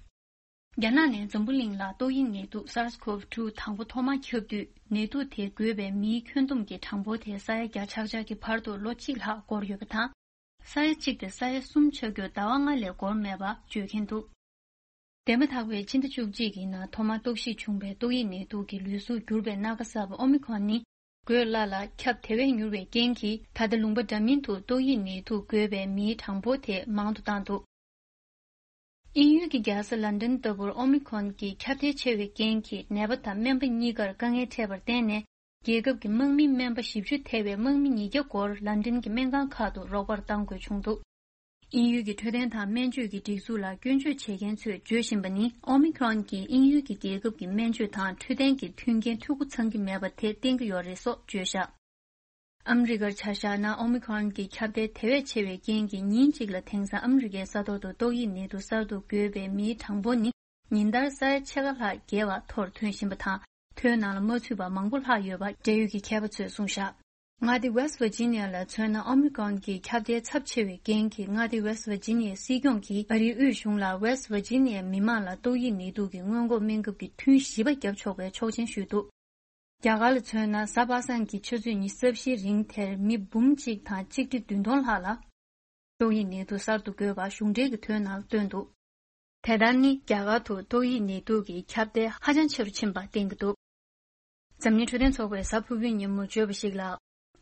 རྒྱ་ནག་ནས་འཛམ་བུ་གླིང་ལ་ཏོག་དབྱིབས་ནད་དུག་SARS-CoV two དང་པོ་ཐོག་མར་ཁྱབ་དུས། ནད་དུག་དེ་འགོས་པའི་མིའི་ཁྱོན་བསྡོམས་ཀྱི་གྲངས་འབོར་དེ་ས་ཡ་བརྒྱ་ཆག་ཆག་གི་བར་དུ་ལོ་གཅིག་ལྷག་འགོར་ཡོད་པ་དང་། ས་ཡ་གཅིག་དེ་ས་ཡ་གསུམ་ཆགས་རྒྱུར་ཟླ་བ་ལྔ་ལས་འགོར་མེད་པ་བརྗོད་མཁན་འདུག་འདས་མ་ཐག་པའི་ཕྱི་ཟླ་བཅུ་གཅིག་གི་ནང་ཐོག་མར་རྟོག་ཞིབ་བྱུང་བའི་ཏོག་དབྱིབས་ནད་དུག་གི་ལུས་གཟུགས་འགྱུར་བའི་སྣ་ཁ་གསར་པ་ཨོ་མི་ཁོན་ནི། འགོས་སླ་ལ་ཁྱབ་དེ་བས་མྱུར་བའི་རྐྱེན་གྱིས། ད་ལྟ་ལུང་པ་འདྲ་མིན་དུ་ཏོག་དབྱིབས་ནད་དུག་འགོས་པའི་མིའི་གྲངས་འབོར་དེ་མང་དུ་བཏང་འདུག་དབྱིན་ཡུལ་གྱི་རྒྱལ་ས་ལན་ཌན་ལྟ་བུར་ཨོ་མི་ཁོན་གྱི་ཁྱབ་གདལ་ཆེ་བའི་རྐྱེན་གྱིས། ནད་པ་དང་སྨན་པ་གཉིས་ཀར་དཀའ་ངལ་འཕྲད་པར་བརྟེན་ནས། རྒྱལ་ཁབ་ཀྱི་དམག་མི་སྨན་པ་བཞི་བཅུ་ཐེ་བའི་དམག་མི་ཉིས་བརྒྱ་སྐོར་ལན་ཀྲན་གྱི་སྨན་ཁང་ཁག་ཏུ་རོགས་པར་གཏང་དགོས་བྱུང་འདུག་དབྱིན་ཡུལ་གྱི་འཕྲོད་བསྟེན་དང་སྨན་བཅོས་ཀྱི་སྒྲིག་འཛུགས་ལ་སྐྱོན་བརྗོད་བྱེད་མཁན་ཚོས་བརྗོད་བཞིན་པ་ནི། ཨོ་མི་ཁྲོན་གྱིས་དབྱིན་ཡུལ་གྱི་རྒྱལ་ཁབ་ཀྱི་སྨན་བཅོས་དང་འཕྲོད་བསྟེན་གྱི་མཐུན་རྐྱེན་འཐུས་སྒོ་ཚང་གི་མེད་པ་དེ་བསྟན་གྱི་ཡོད་རེད་སོགས་བརྗོད་བཞག་ཨ་མི་རི་ཀར་ཆ་བཞག་ན། ཨོ་མི་ཁྲོན་གྱི་ཁྱབ་གདལ་དེ་བས་ཆེ་བའི་རྐྱེན་གྱིས། ཉིན་གཅིག་ལ་དེང་སང་ཨ་མི་རི་ཀའི་ས་ཐོག་ཏུ་ཏོག་དབྱིབས་ནད་དུག་གསར་དུ་འགོས་པའི་མིའི་གྲངས་འབོར་ནི། ཉིན་ལྟར་ས་ཡ་ཕྱེད་ཀ་ལྷག་བརྒལ་བ་མཐོར་ཐོན་བཞིན་པ་དང་། ཐོའི་ནང་ལ་མ་ཚུད་པ་མང་པོ་ལྷག་ཡོད་པ་འབྲེལ་ཡོད་ཀྱི་མཁས་པ་ཚོས་གསུངས་བཞག་མངའ་སྡེ་West Virginia ལ་མཚོན་ན། ཨོ་མི་ཁྲོན་གྱི་ཁྱབ་གདལ་ཚབས་ཆེ་བའི་རྐྱེན་གྱིས། མངའ་སྡེ་West Virginia སྲིད་སྐྱོང་གིས་ཨ་རིའི་དབུས་གཞུང་ལ་West Virginia མི་མང་ལ་ཏོག་དབྱིབས་ནད་དུག་གི་སྔོན་འགོག་སྨན་ཁབ་ཀྱི་ཐུན་བཞི་པ་བརྒྱབ་ཆོག་པའི་ཆོག་མཆན་ཞུས་འདུག་རྒྱ་གར་ལ་མཚོན་ན། གཟའ་པ་སངས་ཀྱི་ཆུ་ཚོད་ཉི་ཤུ་རྩ་བཞིའི་རིང་དེར་མི་འབུམ་གཅིག་དང་ཆིག་ཁྲི་བདུན་སྟོང་ལྷག་ལ་ཏོག་དབྱིབས་ནད་དུག་གསར་དུ་འགོས་པ་གཞུང་འབྲེལ་གྱི་ཐོའི་ནང་བཏོན་འདུག་དེ་ལྟར་ནི། རྒྱ་གར་དུ་ཏོག་དབྱིབས་ནད་དུག་གི་ཁྱབ་གདལ་ཧ་ཅང་ཆེ་རུ་ཕྱིན་པ་བསྟན་གྱི་འདུག་འཛམ་གླིང་འཕྲོད་བསྟེན་ཚོགས་པས་གཟའ་ཕུར་བུའི་ཉིན་མོ་བརྗོད་པ་ཞིག་ལ།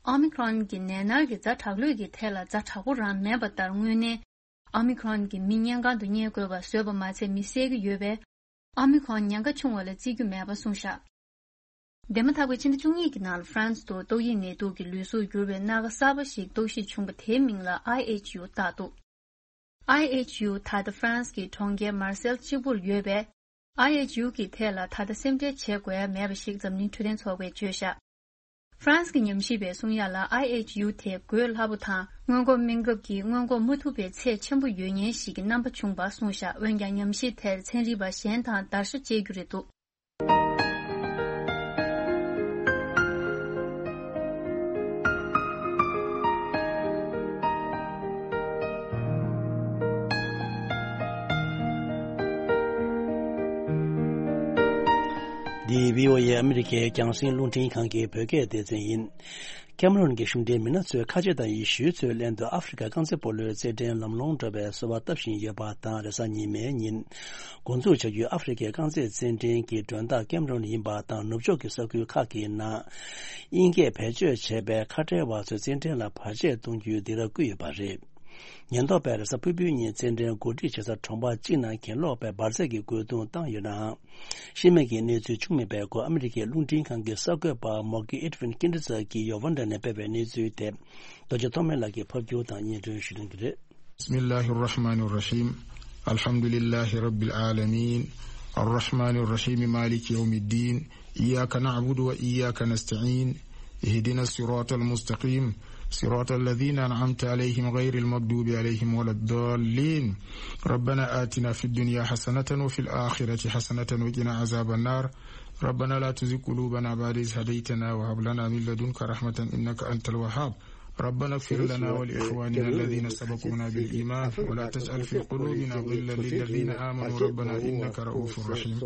ཨོ་མི་ཁྲོན་གྱི་ནད་མནར་གྱི་ཛ་དྲག་ལོས་ཀྱི་ཐད་ལ་ཛ་དྲག་པོ་རང་མེད་པ་ལྟར། དངོས་གནས་ཨོ་མི་ཁྲོན་གྱི་མི་སྨན་ཁང་དུ་བསྙལ་དགོས་པ་བཟོས་པ་མ་ཚད། མི་བསད་ཀྱི་ཡོད་པས། ཨོ་མི་ཁྲོན་ཉེན་ཁ་ཆུང་བ་ལ་བརྩི་རྒྱུ་མེད་པ་གསུངས་བཞག་འདས་མ་ཐག་པའི་ཕྱི་ཟླ་བཅུ་གཉིས་ཀྱི་ནང་ལ་ཧྥ་རན་སི་དུ་ཏོག་དབྱིབས་ནད་དུག་གི་ལུས་གཟུགས་འགྱུར་བའི་སྣ་ཁ་གསར་པ་ཞིག་རྟོག་ཞིབ་བྱུང་བ། དེའི་མིང་ལ་ཨའི་ཨེཆ་ཡུ་བཏགས་འདུག་ཨའི་ཨེཆ་ཡུ་ད་ལྟ་ཧྥ་རན་སི་གི་གྲོང་ཁྱེར་མར་སེལ་གཅིག་པུར་ཡོད་པས། ཨའི་ཨེཆ་ཡུ་གི་ཐད་ལ་ད་ལྟ་སེམས་ཁྲལ་བྱེད་དགོས་ཡ་མེད་པ་ཞིག་འཛམ་གླིང་འཕྲོད་བསྟེན་ཚོགས་པས་བརྗོད་བཞག་ཧྥ་རན་སི་གི་ཉམས་ཞིབ་པས་གསུང་ཡ་ལ། ཨའི་ཨེཆ་ཡུ་དེ་འགོས་སླ་པོ་དང་སྔོན་འགོག་སྨན་ཁབ་ཀྱིས་སྔོན་འགོག་མ་ཐུབ་པའི་ཚད་ཆེན་པོ་ཡོད་ཉེན་ཞིག་གི་རྣམ་པ་བྱུང་བ་གསུངས་བཞག་འོན་ཀྱང་ཉམས་ཞིབ་དེར་ཚན་རིག་པ་གཞན་དང་བརྡར་ཤ་བཅད་རྒྱུ་རེད་འདུག་འདི་བྷི་ཨོ་ཨེ་ཨ་མི་རི་ཀའི་རྒྱང་སྲིང་རླུང་འཕྲིན་ཁང་གི་བོད་སྐད་སྡེ་ཚན་ཡིན། ཀེམ་རོན་གྱི་གཞུང་འབྲེལ་མི་སྣ་ཚོས་ཁ་ཆེ་དང་ཡེ་ཤུའི་ཚོའི་ལན་དུ་ཨ་ཧྥེ་རི་ཁ་རྐང་རྩེད་སྤོ་ལོའི་རྩེད་འགྲན་ལམ་ལྷོང་འགྲོ་བའི་གསོལ་བ་བཏབ་བཞིན་ཡོད་པ་དང་། རེས་གཟའ་ཉི་མའི་ཉིན་འགོ་འཛུགས་བྱ་རྒྱུའི་ཨ་ཧྥེ་རི་ཁའི་རྐང་རྩེད་རྩེད་འགྲན་གྱི་མགྲོན་བདག་ཀེམ་རོན་ཡིན་པ་དང་། ནུབ་ཕྱོགས་ཀྱི་ས་ཁུལ་ཁག་གི་ནང་དབྱིན་སྐད་བེད་སྤྱོད་བྱས་པའི་ཁ་བྲལ་བ་ཚོས་རྩེད་འགྲན་ལ་བར་ཆད་གཏོང་རྒྱུའི་སྡིགས་ར་བསྐུལ་ཡོད་པ་རེད། ཉེན་རྟོག་པས་རེས་གཟའ་ཕུར་བུའི་ཉིན་རྩེད་འགྲན་གོ་སྒྲིག་བྱེད་ས་གྲོང་པ་གཅིག་ནང་གྱེན་ལོག་པའི་འབར་རྫས་ཀྱི་རྒོལ་རྡུང་བཏང་ཡོད་ནའང་། ཤི་རྨས་ཀྱི་གནས་ཚུལ་བྱུང་མེད་པའི་སྐོར་ཨ་མི་རི་ཀའི་རླུང་འཕྲིན་ཁང་གི་གསར་འགོད་པ་མོ་ཀི་ཨེ་ཌི་ཝིན་ཀིན་ཌི་ཙག་གིས་ཡོ་ཝན་ཌ་ནས་སྤེལ་བའི་གནས་ཚུལ་དེ། རྡོ་རྗེ་ཐོགས་མེད་ལགས་ཀྱིས་ཕབ་སྒྱུར་དང་སྙན་སྒྲོན་ཞུ་གནང་གི་རེད། بسم الله الرحمن الرحيم. الحمد لله رب العالمين. الرحمن الرحيم. مالك يوم الدين. إياك نعبد وإياك نستعين. اهدنا الصراط المستقيم. صراط الذين أنعمت عليهم غير المغضوب عليهم ولا الضالين. ربنا آتنا في الدنيا حسنة وفي الآخرة حسنة وقنا عذاب النار. ربنا لا تزغ قلوبنا بعد إذ هديتنا وهب لنا من لدنك رحمة إنك أنت الوهاب. ربنا اغفر لنا ولإخواننا الذين سبقونا بالإيمان ولا تجعل في قلوبنا غلا للذين آمنوا ربنا إنك رؤوف رحيم.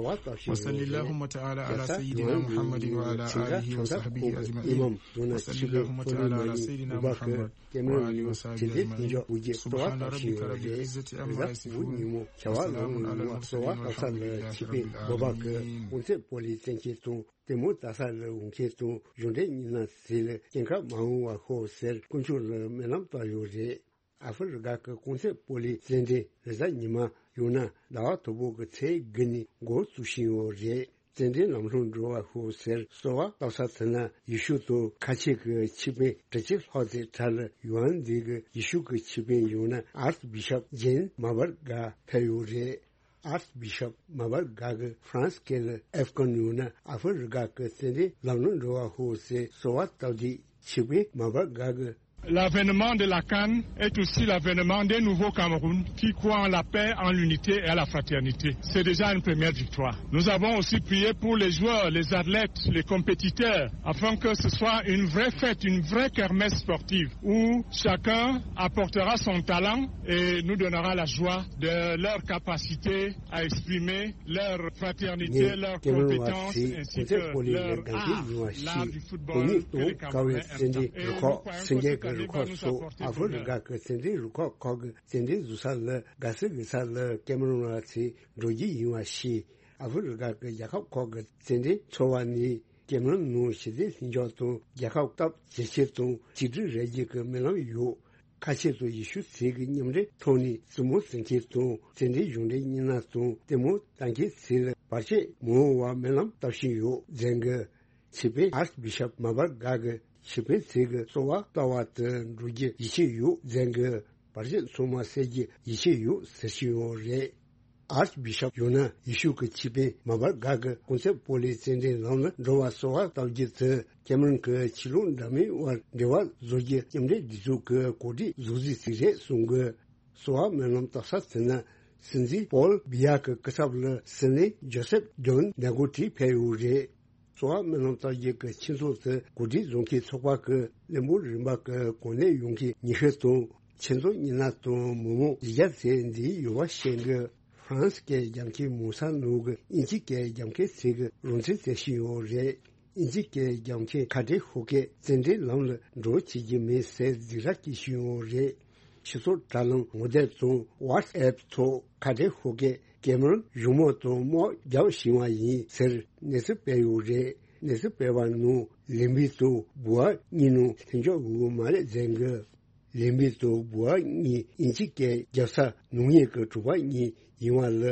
وصل اللهم تعالى على سيدنا محمد وعلى آله وصحبه أجمعين. وصل اللهم تعالى على سيدنا محمد وعلى آله وصحبه أجمعين. سبحان ربك رب العزة عما يصفون. وسلام على المرسلين والحمد لله رب العالمين. ལྟད་མོ་ལྟ་ས་ལ་འོང་མཁན་དང་གཞུང་འབྲེལ་མི་སྣ་ཚོས་སྐྱེངས་ཁ་མ་འོང་བ་ཤོག་ཟེར་དཀོན་མཆོག་ལ་སྨོན་ལམ་བཏབ་ཡོད་རེད། ཨ་ཧྥེ་རི་ཁ་གི་རྐང་རྩེད་སྤོ་ལོའི་རྩེད་འགྲན་རེས་གཟའ་ཉི་མ་ཡང་ན་ཟླ་བ་དང་པོ་གི་ཚེས་དགུ་ནས་འགོ་བཙུགས་བཞིན་ཡོད་རེད། རྩེད་འགྲན་ལམ་ལྷོང་འགྲོ་བ་ཤོག་ཟེར་གསོལ་བ་བཏབ་ས་དེ་ནི་ཡེ་ཤུ་དང་ཁ་ཆེ་གི་ཆིག་དཔོན་དྲུག་ཅུ་ལྷག་ཙམ་གྲས་ལ་ཡུའན་འདི་གི་ཡེ་ཤུ་གི་ཆིག་དཔོན་ཡང་ན་ཨར་སི་བི་ཤོབ་ཇེན་མ་བར་གྷ་ཕེབས་ཡོད་རེད། ཨར་སི་བི་ཤོབ་མ་བར་གྷ་གིས་ཧྥ་རན་སི་སྐད་ལ་ཨེབ་ཀོན་ཡང་ན་ཨ་ཧྥེ་རི་ཁ་གི་རྩེད་འགྲན་ལམ་ལྷོང་འགྲོ་བ་ཤོག་ཟེར་གསོལ་བ་བཏབ་དུས་ཆིག་དཔོན་མ་བར་གྷ་གིས། L'avènement de la CAN est aussi l'avènement d'un nouveau Cameroun qui croit en la paix, en l'unité et à la fraternité. C'est déjà une première victoire. Nous avons aussi prié pour les joueurs, les athlètes, les compétiteurs, afin que ce soit une vraie fête, une vraie kermesse sportive où chacun apportera son talent et nous donnera la joie de leur capacité à exprimer leur fraternité, leur compétence, ainsi que leur art, l'art du football que les Camerounais aiment tant. Et nous croyons que cette année va nous apporter bonheur. རྩེད་འགྲན་རུ་ཁག་ཁག་གི་རྩེད་འགྲན་འཛུགས་ས་ལ་དགའ་བསུ་དགོས་ས་ལ་ཀེམ་རོན་བ་ཚོས་འགྲོ་རྒྱུ་ཡིན་པ་ཤེས། ཨ་ཧྥེ་རི་ཁ་གི་རྒྱལ་ཁབ་ཁག་གི་རྩེད་འགྲན་ཚོགས་པ་ནས་ཀེམ་རོན་ནང་ཞི་བདེ་ལྷིང་འཇགས་དང་རྒྱལ་ཁབ་སྟོབས་ཇེ་ཆེར་དང་གཅིག་སྒྲིལ་རེ་རྒྱུ་གི་སྨོན་ལམ་ཡོད། ཁ་ཆེ་དང་ཡེ་ཤུ་ཚོས་ཀྱི་མཉམ་འབྲེལ་ཐོག་ནས་རྩེད་མོ་རྩེ་མཁན་དང་རྩེད་འགྲན་གཞུང་འབྲེལ་མི་སྣ་དང་ལྟད་མོ་ལྟ་མཁན་ཚོ་ལ་བར་ཆད་མི་འོང་བ་སྨོན་ལམ་བཏབ་བཞིན་ཡོད་ཟེར་གི། ཆེད་ཕེབས་ཨར་སི་བི་ཤོབ་མ་བར་གྷ་གི་ཆེད་ཕེབས་ཚིག་གི་གསོལ་བ་བཏབ་པ་དུ་འགྲོ་རྒྱུ་ཡིད་ཆེས་ཡོད་མཛད་གི། བར་ཆད་ཚང་མ་སེལ་རྒྱུ་ཡིད་ཆེས་ཡོད་ཟེར་བཞིན་ཡོད་རེད། ཨར་སི་བི་ཤོབ་ཡང་ན་ཡེ་ཤུ་གི་ཆེད་ཕེབས་མ་བར་གྷ་གི་ཀོན་ཚེ་པོ་ལི་རྩེད་འགྲན་ལམ་ལ་འགྲོ་བར་གསོལ་བ་བཏབ་རྒྱུ་དེ་ཁེ་མ་རོན་གྱི་ཆོས་ལུགས་འདྲ་མིན་དབར་འབྲེལ་བ་བཟོ་རྒྱུ་མཉམ་འབྲེལ་རྒྱལ་ཚོགས་ཀྱི་གོ་སྒྲིག་བཟོ་རྩིས་ཤིག་རེད་གསུང་གི། གསོལ་བ་སྨོན་ལམ་བཏབ་ས་དེ་ནི་སྲིད་འཛིན་པོལ་བི་ཡ་གི་སྐུ་ཚབ་ལ་སྲིད་བློན་ཇོ་སེབ་ཇོན་ནེ་གོ་ཊི་ཕེབས་ཡོད་རེད། གསོལ་བ་སྨོན་ལམ་བཏབ་རྒྱུ་གི་ཆེད་འཛོམས་དེ་གོ་སྒྲིག་བཟོ་མཁན་ཚོགས་པ་གི་བློན་པོ་རིམ་པ་གི་གོ་གནས་ཡོད་མཁན་ཉི་ཤུ་དང་ཆེད་འཛོམས་མི་སྣ་དང་མི་མང་བཞི་བརྒྱ་ཙམ་འདུས་ཡོད་པ་བཤད་གི། ཧྥ་རན་སི་སྐད་སྦྱང་མཁན་མང་ས་ནང་གི་དབྱིན་ཇི་སྐད་སྦྱང་མཁན་ཚོས་གི་རང་བཙན་རྩོད་བཞིན་ཡོད་རེད། དབྱིན་ཇི་སྐད་སྦྱང་མཁན་ཁ་བྲལ་ཤོག་གི་རྩེད་འགྲན་ལམ་ལ་འགྲོ་བྱེད་ཀྱི་མེད་ཟེར་སྡིགས་ར་སྐྱེ་བཞིན་ཡོད་རེད། སྤྱི་ཚོགས་དྲ་ལམ་ངོ་དེབ་དང་ཝ་ཊི་སི་ཨེབ་ཐོག་ཁ་བྲལ་ཤོག་གི་ཀེ་མ་རོན་གཞུང་མང་དང་དམག་རྒྱག་བཞིན་པ་ཡིན་ཟེར་གནས་ཚུལ་སྤེལ་ཡོད་རེད། གནས་ཚུལ་སྤེལ་བ་ནང་ལིམ་བི་དང་བུ་ཨ་གཉིས་ནང་ལྷན་འཇོག་ཡོད་མ་རེད་ཟེར་གི། ལིམ་བི་དང་བུ་ཨ་གཉིས་དབྱིན་ཇི་སྐད་རྒྱབ་ས་ནང་ཉིད་ཀྱི་གྲོགས་པོ་གཉིས་ཡིན་པ་ལ་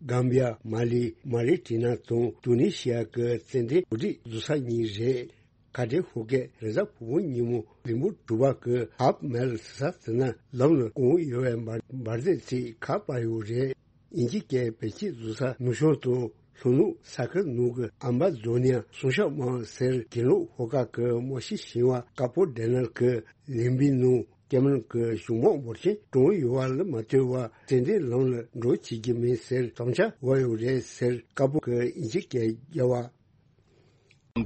གམ་བི་ཡ་མ་ལི་མ་རི་ཊི་ན་དང་ཏུ་ནི་ཤི་ཡ་གི་རྩེད་འགྲན་གོ་སྒྲིག་བཟོ་ས་གཉིས་རེད། ཁ་བྲལ་ཤོག་གི་རེས་གཟའ་ཕུར་བུ་ཉིན་མོ་ལིམ་བུ་གྲུ་པ་གི་ཧབ་མལ་ཟེར་ས་དེ་ན་ལམ་ལ་གང་ཡོད་པའི་འབར་འབར་རྫས་ཚིག་ཁ་པར་ཡོད་རེད། དབྱིན་ཇི་སྐད་བེད་སྤྱོད་བཟོ་ས་ནུབ་བྱང་དང་ལྷོ་ནུབ་ས་ཁུལ་ནང་གི་ཨམ་བ་ཛོ་ནི་ཡ་སུང་ཤག་དམག་ཟེར་གྱེན་ལོག་ཤོག་ཁག་གི་དམག་སྤྱི་ཞིང་བ་ཀ་པོ་ཌེ་ནལ་གི་ལིམ་བི་ནང་ཀེ་མ་རོན་གྱི་གཞུང་དམག་འབོར་ཆེན་གྲོངས་ཡོད་པ་ལ་མ་ལྟོས་པར་རྩེད་འགྲན་ལམ་ལ་འགྲོ་བྱེད་ཀྱི་མེད་ཟེར་དམ་བཅའ་བཞག་ཡོད་རེད་ཟེར་ཀ་པོ་གི་དབྱིན་ཇི་སྐད་རྒྱལ་བ།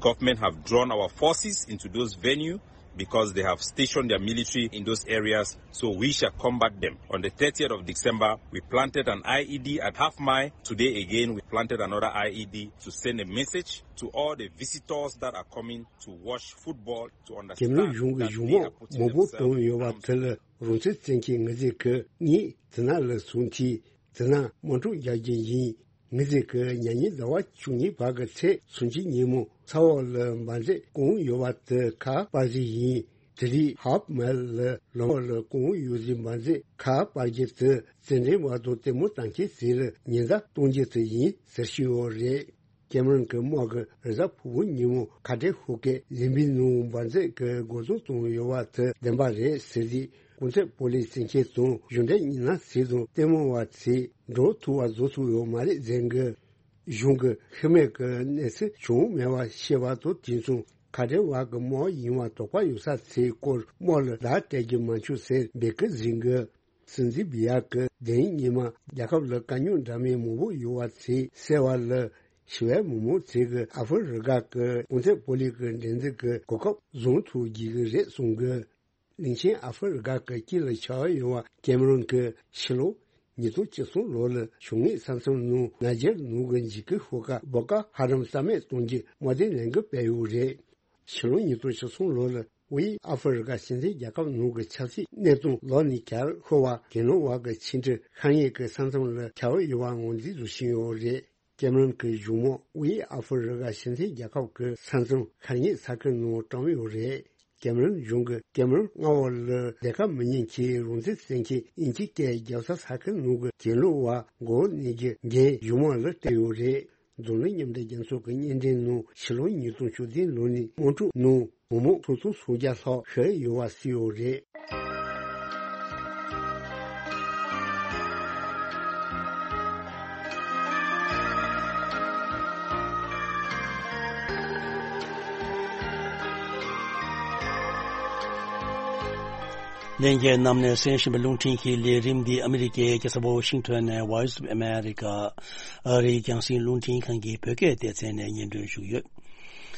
Government have drawn our forces into those venue because they have stationed their military in those areas, so we shall combat them. On the thirtieth of December, we planted an I E D at Half Mile. Today again, we planted another I E D to send a message to all the visitors that are coming to watch football to རྒྱ་མིའི་understand གཞུང་གི་that གཞུང་they are དམག་putting མང་པོ་themselves བཏང་in ཡོད་པ་harm's དེ་ལ་རང་བཙན་བཙན་གྱི་ངེས་ཚིག་གི་ངས་དེ་ན་ལ་སོང་ཐིས་དེ་ན་དམག་འཁྲུག་རྒྱག་རྒྱུ་ཡིན། ངེས་ཚིག་གི་ཉེ་ཉིན་ཟླ་བ་བཅུ་གཉིས་བར་གྱི་ཚེས་སུམ་ཅུ་ཉིན་མོ་ས་འོག་ལ་འབར་རྫས་གང་ཡོད་པ་དེ་ཁ་པར་ཞིག་ཡིན། དེ་རིང་ཧབ་མལ་ལ་ལམ་འོག་ལ་གང་ཡོད་ཟིན་འབར་རྫས་ཁ་པར་རྒྱུ་དེ་རྩེད་འགྲན་བར་དུ་ལྟད་མོ་ལྟ་མཁན་ཚོ་ལ་ཉེན་བརྡ་གཏོང་རྒྱུ་དེ་ཡིན་ཟེར་ཞུས་ཡོད་རེད། ཀེ་མ་རོན་གྱི་དམག་གིས་རེས་གཟའ་ཕུར་བུ་ཉིན་མོ་ཁ་བྲལ་ཤོག་གི་ལིམ་བི་ནང་འབར་རྫས་ཀྱི་འགོག་སྲུང་བཏང་ཡོད་པ་དེ་བདེན་པ་རེད་ཟེར་རྗེས་གོང་ཚད་པོ་ལིས་བཙན་ཁྱེར་དང་གཞུང་འབྲེལ་ཉི་ན་ཟེར་དང་ལྟད་མོ་བ་ཚོས་འགྲོ་ཐུབ་པ་བཟོ་ཐུབ་ཡོད་མ་རེད་ཟེར་གི། གཞུང་གི་ཤི་རྨས་ཀྱི་གནས་ཚུལ་བྱུང་མེད་པ་ཤེས་པ་དང་དེ་མཚུངས་ཁ་བྲལ་བ་གི་དམག་ཡིན་པ་དོགས་པ་ཡོད་ས་ཚོའི་སྐོར་དམག་ལ་བརྡ་སྤྲད་རྒྱུ་མ་བྱུང་ཟེར་འབོད་སྐུལ་ཟིན་གི། སྲིད་འཛིན་བི་ཡ་གི་དེ་རིང་ཉི་མ་རྒྱལ་ཁབ་ལ་དཀའ་རྙོག་འདྲ་མིན་མང་པོ་ཡོད་པ་ཚོས་སེལ་བ་ལ་ཞི་བའི་མི་མང་ཚོས་གི་ཨ་ཧྥེ་རི་ཁ་གི་གོང་ཚད་པོ་ལིས་གི་འགྲན་བསྡུར་གི་གོ་སྐབས་བཟུང་ཐུབ་རྒྱུ་གི་རེད་གསུང་གི། གླིང་ཆེན་ཨ་ཧྥེ་རི་ཁ་གི་དཀྱིལ་ལ་ཆགས་ཡོད་པ་ཀེ་མ་རོན་གི་ཕྱི་ལོ་ཉིས་སྟོང་བཅུ་གསུམ་ལོ་ལ་ཕྱུགས་ངོས་ས་མཚམས་ནང་ན་ཇར་ནང་གི་འཇིགས་སྐུལ་ཤོག་ཁག་བོ་ཀོ་ཧ་རམ་རྩ་མེད་གཏོང་རྒྱུ་དམག་དོན་ལས་འགུལ་སྤེལ་ཡོད་རེད། ཕྱི་ལོ་ཉིས་སྟོང་བཅུ་གསུམ་ལོ་ལ་དབུས་ཨ་ཧྥེ་རི་ཁ་སྤྱི་མཐུན་རྒྱལ་ཁབ་ནང་གི་ཆབ་སྲིད་གནས་སྟངས་ལོག་ནས་གྱར་ཤོར་བ་གྱེན་ལོག་བ་གི་ཕྱི་འབྲེལ་ཤར་ངོས་ཀྱི་ས་མཚམས་ལ་ཁྱབ་ཡོད་པ་ངོས་འཛིན་བཟོ་བཞིན་ཡོད་རེད། ཀེ་མ་རོན་གྱི་གཞུང་དམག་དབུས་ཨ་ཧྥེ་རི་ཁ་སྤྱི་མཐུན་རྒྱལ་ཁབ་ཀྱི་ས་མཚམས་ཤར་ངོས་ས་ཁུལ་ནང་བཀྲམ་ཡོད་རེད། ཀེ་མ་རོན་གཞུང་གིས་ཀེ་མ་རོན་མངའ་འོག་ལ་རྒྱལ་ཁབ་མི་ཉིད་ཀྱི་རང་བཙན་བཙན་གྱི་དབྱིན་ཇི་སྐད་རྒྱབ་ས་ས་ཁུལ་ནང་གི་གྱེན་ལོག་བ་མགོ་བོ་གནོན་རྒྱུ་འགན་གཞུང་དམག་ལ་སྤྲད་ཡོད་རེད། འཛམ་གླིང་མཉམ་འབྲེལ་རྒྱལ་ཚོགས་ཀྱི་སྙན་འགྲེལ་ནང་ཕྱི་ལོ་ཉིས་སྟོང་བཅུ་བདུན་ལོ་ནས་དམག་འཁྲུག་ནང་མི་མང་ཁྲི་སྟོང་སུམ་བརྒྱ་ལྷག་ཤི་ཡོད་པ་གསུངས་ཡོད་རེད། ལྷན་རྒྱས་རྣམས་ནས་གསན་བཞིན་པའི་རླུང་འཕྲིན་གྱི་ལས་རིམ་འདི་ཨ་མི་རི་ཀའི་རྒྱལ་ས་ཝ་ཤིང་ཊོན་ནས་Voice of America ཨ་རིའི་རྒྱང་སྲིང་རླུང་འཕྲིན་ཁང་གི་བོད་སྐད་སྡེ་ཚན་ནས་སྙན་སྒྲོན་ཞུས་ཡོད།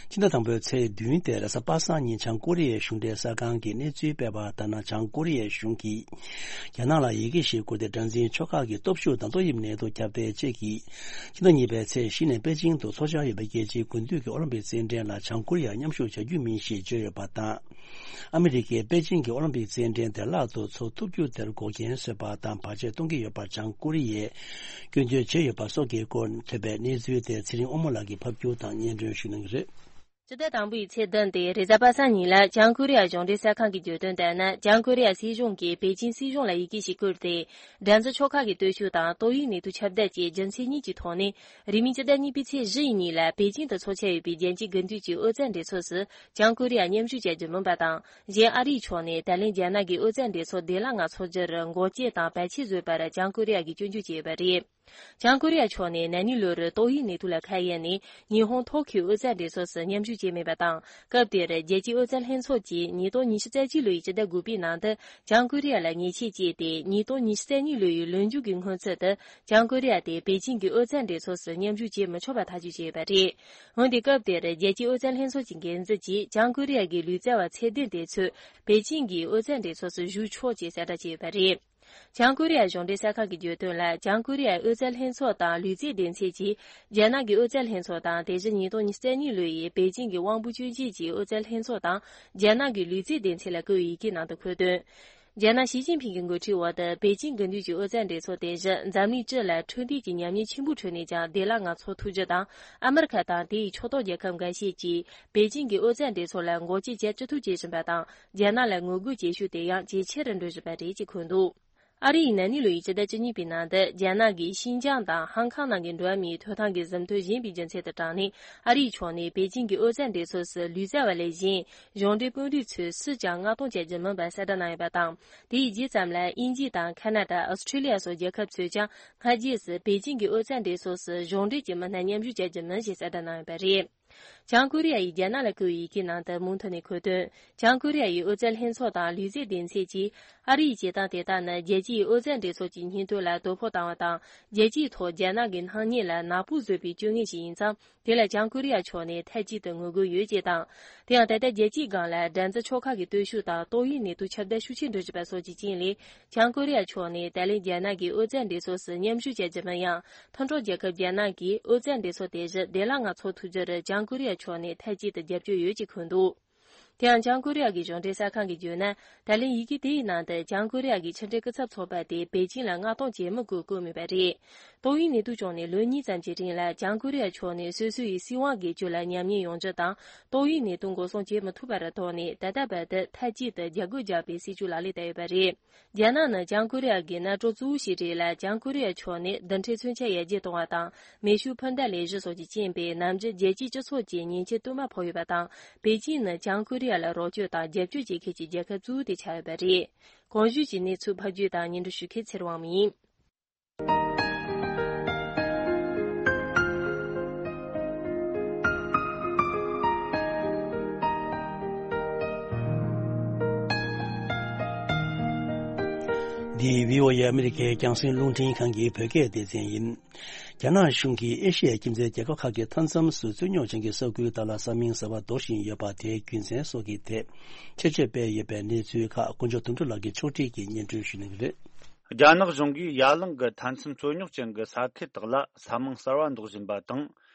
ཕྱི་ཟླ་དང་པོའི་ཚེས་བདུན་སྟེ་རེས་གཟའ་པ་སངས་ཉིན་བྱང་ཀོ་རི་ཡའི་གཞུང་འབྲེལ་གསར་ཁང་གིས་གནས་ཚུལ་སྤེལ་བ་ལྟར་ན། བྱང་ཀོ་རི་ཡའི་གཞུང་གིས་རྒྱ་ནག་ལ་ཡི་གེ་ཞིག་བསྐུར་ཏེ། སྒྲ་འཛིན་ཆོལ་ཁ་གི་སྟོབས་ཤུགས་དང་ཏོག་དབྱིབས་ནད་དུག་ཁྱབ་གདལ་བཅས་ཀྱིས་ཕྱི་ཟླ་གཉིས་པའི་ཚེས་བཞི་ནས་པེ་ཅིང་དུ་འཚོགས་འཆར་ཡོད་པའི་རྒྱལ་སྤྱིའི་དགུན་དུས་ཀྱི་ཨོ་ལིམ་པིག་རྩེད་འགྲན་ལ་བྱང་ཀོ་རི་ཡར་མཉམ་ཞུགས་བྱ་རྒྱུ་མིན་ཞེས་བརྗོད་ཡོད་པ་དང་། ཨ་མི་རི་ཀས་པེ་ཅིང་གི་ཨོ་ལིམ་པིག་རྩེད་འགྲན་བདེ་བླག་ཏུ་འཚོགས་ཐུབ་རྒྱུ་དེར་འགོག་རྐྱེན་བཟོས་པ་དང་བར་ཆད་གཏོང་གི་ཡོད་པར་བྱང་ཀོ་རི་ཡས་སྐྱོན་བརྗོད་བྱས་ཡོད་པ་སོགས་ཀྱི་སྐོར་ཐོས་པའི་གནས་ཚུལ་དེ་ཚེ་རིང་དབང་མོ་ལགས་ཀྱིས་ཕབ་སྒྱུར་དང་སྙན་སྒྲོན་ཞུ་གནང་གི་རེད། སྤྱི་ཟླ་དང་པོའི་ཚེས་བདུན་སྟེ་རེས་གཟའ་པ་སངས་ཉིན་ལ་བྱང་ཀོ་རི་ཡ་གཞུང་འབྲེལ་གསར་ཁང་གིས་བརྗོད་དོན་ལྟར་ན། བྱང་ཀོ་རི་ཡ་སྲིད་གཞུང་གིས་པེ་ཅིན་སྲིད་གཞུང་ལ་ཡི་གེ་ཞིག་བསྐུར་ཏེ། འགྲན་རྩོད་ཆོལ་ཁ་གི་སྟོབས་ཤུགས་དང་ཏོག་དབྱིབས་ནད་དུག་ཁྱབ་གདལ་གྱི་རྒྱུ་མཚན་གཉིས་ཀྱི་ཐོག་ནས། རིང་མིན་སྤྱི་ཟླ་གཉིས་པའི་ཚེས་བཞི་ཡི་ཉིན་ལ་པེ་ཅིན་དུ་འཚོགས་འཆར་ཡོད་པའི་རྒྱལ་སྤྱིའི་དགུན་དུས་ཀྱི་ཨོ་རྩལ་འགྲན་ཚོགས་སུ་བྱང་ཀོ་རི་ཡ་མཉམ་ཞུགས་བྱ་རྒྱུ་མིན་པ་དང་། གཞན་ཨ་རིའི་ཕྱོགས་ནས་ད་ལན་རྒྱ་ནག་གི་ཨོ་རྩལ་འགྲན་ཚོགས་བདེ་བླག་ངང་འཚོགས་རྒྱུར་འགོག་རྐྱེན་དང་བར་ཆད་བཟོས་པར་བྱང་ཀོ་རི་ཡ་གིས་སྐྱོན་བརྗོད་བྱས་ཡོད་པ་རེད། བྱང་ཀོ་རི་ཡ་ཕྱོགས་ནས་ན་ནིང་ལོར་ཏོག་དབྱིབས་ནད་དུག་ལ་ཁ་གཡར་ནས་ཉི་ཧོང་ཐོ་ཁིའོ་ཨོ་རྩལ་འགྲན་ཚོགས་སུ་མཉམ་ཞུགས་བྱས་མེད་པ་དང་། སྐབས་དེར་རྒྱལ་སྤྱིའི་ཨོ་རྩལ་ལྷན་ཚོགས་ཀྱིས་ཉིས་སྟོང་ཉི་ཤུ་རྩ་གཅིག་ལོའི་སྤྱི་ཟླ་དགུ་པའི་ནང་དུ་བྱང་ཀོ་རི་ཡ་ལ་ཉེས་ཆད་བཅད་དེ། ཉིས་སྟོང་ཉི་ཤུ་རྩ་གཉིས་ལོའི་ལོ་མཇུག་གི་སྔོན་ཚུད་དུ་བྱང་ཀོ་རི་ཡ་དེ་པེ་ཅིན་གྱི་ཨོ་རྩལ་འགྲན་ཚོགས་སུ་མཉམ་ཞུགས་བྱེད་མི་ཆོག་པ་ཐག་གཅོད་བྱས་ཡོད་པ་རེད། འོན་ཏེ་སྐབས་དེར་རྒྱལ་སྤྱིའི་ཨོ་རྩལ་ལྷན་ཚོགས་ཀྱི་འགན་འཛིན་གྱིས་བྱང་ཀོ་རི་ཡ་གི་ལུས་རྩལ་བ་ཚད་ལྡན་དེ་ཚོས་པེ་ཅིན་གྱི་ཨོ་རྩལ་འགྲན་ཚོགས་སུ་ཞུགས་ཆོག་ཅེས་གསལ་བསྒྲགས་བྱས་ཡོད་པ་རེད། བྱང་ཀོ་རི་ཡ་གཞུང་འབྲེལ་གསར་ཁང་གིས་བརྗོད་དོན་ལ། བྱང་ཀོ་རི་ཡའི་ཨོ་རྩལ་ལྷན་ཚོགས་དང་ལུས་རྩལ་སྡེ་ཚན་གྱིས་རྒྱ་ནག་གི་ཨོ་རྩལ་ལྷན་ཚོགས་དང་། དེ་བཞིན་ཉིས་སྟོང་ཉི་ཤུ་རྩ་གཉིས་ལོའི་པེ་ཅིན་གྱི་དབང་པོ་སྐྱོན་ཅན་གྱི་ཨོ་རྩལ་ལྷན་ཚོགས་དང་རྒྱ་ནག་གི་ལུས་རྩལ་སྡེ་ཚན་ལ་བསྐུར་བའི་ཡི་གེའི་ནང་དུ་འཁོད་དོན། རྒྱ་ནག་ཞི་ཅིན་ཕིང་གི་འགོ་ཁྲིད་འོག་ཏུ་པེ་ཅིན་དགུན་དུས་ཀྱི་ཨོ་རྩལ་འགྲན་ཚོགས་དེ་བཞིན་འཛམ་གླིང་སྤྱི་ལ་འཕྲོད་བསྟེན་གྱི་ཉམས་ཉེས་ཆེན་པོའི་ཁྲོད་ནས་ཀྱང་བདེ་བླག་ངང་འཚོགས་ཐུབ་རྒྱུ་དང་། ཨ་མི་རི་ཁ་དང་དེའི་ཕྱོགས་གཏོགས་རྒྱལ་ཁབ་འགའ་ཤས་ཀྱིས་པེ་ཅིན་གྱི་ཨོ་རྩལ་འགྲན་ཚོགས་ལ་འགོག་རྐྱེན་བྱེད་ཅི་ཐུབ་བྱེད་བཞིན་པ་དང་། རྒྱ་ནག་ལ་ངོ་རྒོལ་བྱེད་ཤུགས་དེ་ཡང་ཇེ་ཆེ་རུ་འགྲོ་བཞིན་པ་རེད་ཅེས་འཁོད་འདུག་ཨ་རི་ཡིས་ན་ནིང་ལོའི་སྤྱི་ཟླ་བཅུ་གཉིས་པའི་ནང་དུ་རྒྱ་ནག་གིས་ཤིན་ཅང་དང་ཧང་ཀང་ནང་གི་འགྲོ་བ་མིའི་ཐོབ་ཐང་གི་ཟིན་ཐོ་བཞེས་པའི་རྒྱུ་མཚན་དུ་དྲངས་ནས། ཨ་རིའི་ཕྱོགས་ནས་པེ་ཅིན་གྱི་ཨོ་རྩལ་འགྲན་ཚོགས་སུ་ལུས་རྩལ་བ་ལས་གཞན་གཞུང་འབྲེལ་དཔོན་རིགས་ཚོས་སུས་ཀྱང་མངགས་གཏོང་བྱ་རྒྱུ་མིན་པ་གསལ་བསྒྲགས་གནང་ཡོད་པ་དང་། དེའི་རྗེས་ཙམ་ལ་དབྱིན་ཇི་དང་ཁ་ན་ཌ། ཨོ་སི་ཁྲི་ལི་ཡ་སོགས་རྒྱལ་ཁབ་ཚོས་ཀྱང་སྔ་རྗེས་སུ་པེ་ཅིན་གྱི་ཨོ་རྩལ་འགྲན་ཚོགས་སུ་གཞུང་འབྲེལ་གྱི་མི་སྣ་མཉམ་ཞུགས་བྱ་རྒྱུ་མིན་ཞེས་གསལ་བསྒྲགས་གནང་ཡོད་པ་རེད། བྱང་ཀོ་རི་ཡ་ཡིས་རྒྱ་ནག་ལ་བསྐུར་བའི་ཡི་གེའི་ནང་དུ་མུ་མཐུད་ནས་འཁོད་དོན། བྱང་ཀོ་རི་ཡ་ཡི་ཨོ་རྩལ་ལྷན་ཚོགས་དང་ལུས་རྩལ་སྡེ་ཚན་གྱིས། ཨ་རིའི་བྱེད་སྟངས་དེ་དག་ནི་རྒྱལ་སྤྱིའི་ཨོ་རྩལ་འགྲན་ཚོགས་ཀྱི་སྙིང་དོན་ལ་དོ་ཕོག་བཏང་བ་དང་། རྒྱལ་སྤྱིའི་ཐོག་རྒྱ་ནག་གི་སྣང་བརྙན་ལ་ནག་པོ་བཟོས་པའི་སྤྱོད་ངན་ཞིག་ཡིན་ཙང་། དེ་ལ་བྱང་ཀོ་རི་ཡ་ཕྱོགས་ནས་མཐའ་གཅིག་ཏུ་ངོ་རྒོལ་ཡོད་ཅེས་དང་། དེ་ཡང་ད་ལྟ་རྒྱལ་སྤྱིའི་སྒང་ལ་འགྲན་རྩོད་ཆོལ་ཁ་གི་སྟོབས་ཤུགས་དང་ཏོག་དབྱིབས་ནད་དུག་ཁྱབ་གདལ་ཤུགས་ཆེ་འགྲོ་བཞིན་པ་སོགས་ཀྱི་རྐྱེན་ལས། བྱང་ཀོ་རི་ཡ་ཕྱོགས་ནས་ད་ལན་རྒྱ་ནག་གི་ཨོ་རྩལ་འགྲན་ཚོགས་སུ་མཉམ་ཞུགས་བྱ་རྒྱུ་མིན་ཡང་། མཐུན་གྲོགས་རྒྱལ་ཁབ་རྒྱ་ནག་གིས་ཨོ་རྩལ་འགྲན་ཚོགས་དེ་བཞིན་བདེ་བླག་ངང་འཚོགས་ཐུབ་རྒྱུར་བྱང་ཀོ་རི་ཡ་ཕྱོགས་ནས་མཐའ་གཅིག་ཏུ་རྒྱབ་སྐྱོར་ཡོད་ཅེས་འཁོད་འདུག་དེ་ཡང་བྱང་ཀོ་རི་ཡ་གི་གཞུང་འབྲེལ་གསར་ཁང་གིས་བརྗོད་ན། ད་ལན་ཡི་གེ་དེའི་ནང་དུ་བྱང་ཀོ་རི་ཡ་གི་ཕྱི་འབྲེལ་སྐུ་ཚབ་ཚོགས་པ་དེ་པེ་ཅིན་ལ་མངགས་གཏོང་བྱེད་མི་དགོས་བཀོད་མེད་པ་རེད། ཏོག་དབྱིབས་ནད་དུག་བྱུང་ནས་ལོ་གཉིས་ཙམ་གྱི་རིང་ལ་བྱང་ཀོ་རི་ཡ་ཕྱོགས་ནས་སོ་སོ་ཡི་སྲིད་དབང་སྒེར་གཅོད་ལ་ཉམས་ཉེས་ཡོང་རྒྱུ་དང་། ཏོག་དབྱིབས་ནད་དུག་འགོག་སྲུང་བྱེད་མི་ཐུབ་པར་དོགས་ནས། ད་ལྟ་བར་དུ་མཐའ་གཅིག་ཏུ་རྒྱ་སྒོ་རྒྱག་པའི་སྲིད་ཇུས་ལག་ལེན་བསྟར་ཡོད་པ་རེད། རྒྱ་ནག་ནི་བྱང་ཀོ་རི་ཡ་གི་མནའ་གྲོགས་གཙོ་བོ་ཞིག་རེད་ལ། བྱང་ཀོ་རི་ཡ་ཕྱོགས་ནས་རྡུལ་ཕྲན་མཚོན་ཆ་ཡར་རྒྱས་གཏོང་བ་དང་། མེ་ཤུགས་འཕུར་མདའ་ལས་གཞི་སོགས་ཀྱི་རྐྱེན་པས། ནམ་རྒྱུན་རྒྱལ་སྤྱིའི་སྤྱི་ཚོགས་ཀྱིས་ཉེས་ཆད་བསྟུད་མར་ཕོག་ཡོད་པ་དང་། པེ་ཅིན་ནི་བྱང་ཀོ་རི་ཡ་ལ་རོགས་སྐྱོར་དང་རྒྱབ་སྐྱོར་བྱེད་མཁན་གྱི་རྒྱལ་ཁབ་གཙོ་བོ་དེ་ཆགས་ཡོད་པ་རེད། གོང་ཞུས་ཀྱི་གནས་ཚུལ་ཕབ་སྒྱུར་དང་སྙན་སྒྲོན་ཞུ་མཁན་ཚེ་རིང་དབང་མོ་ཡིན། འདི་བྷི་ཨོ་ཨེ་ཨ་མི་རི་ཀའི་རྒྱང་སྲིང་རླུང་འཕྲིན་ཁང་གི་བོད་སྐད་སྡེ་ཚན་ཡིན། རྒྱ་ནག་གཞུང་གིས་ཨེ་ཤི་ཡའི་ཁྱིམ་མཚེས་རྒྱལ་ཁབ་ཁག་གི་མཐའ་མཚམས་སུ་རྩོད་རྙོག་ཅན་གྱི་ས་ཁུལ་དག་ལ་ས་མིང་གསར་པ་འདོགས་བཞིན་ཡོད་པ་དེའི་རྒྱུ་མཚན་སོགས་ཀྱི་ཐད་ཆེད་བརྗོད་སྤེལ་ཡོད་པའི་གནས་ཚུལ་ཁག་དཀོན་མཆོག་དོན་གྲུབ་ལགས་ཀྱིས་ཕྱོགས་སྒྲིག་གིས་སྙན་སྒྲོན་ཞུ་གནང་གི་རེད། རྒྱ་ནག་གཞུང་གིས་ཡ་གླིང་གི་མཐའ་མཚམས་རྩོད་རྙོག་ཅན་གྱི་ས་ཁུལ་དག་ལ་ས་མིང་གསར་བ་འདོགས་བཞིན་པ་དང་།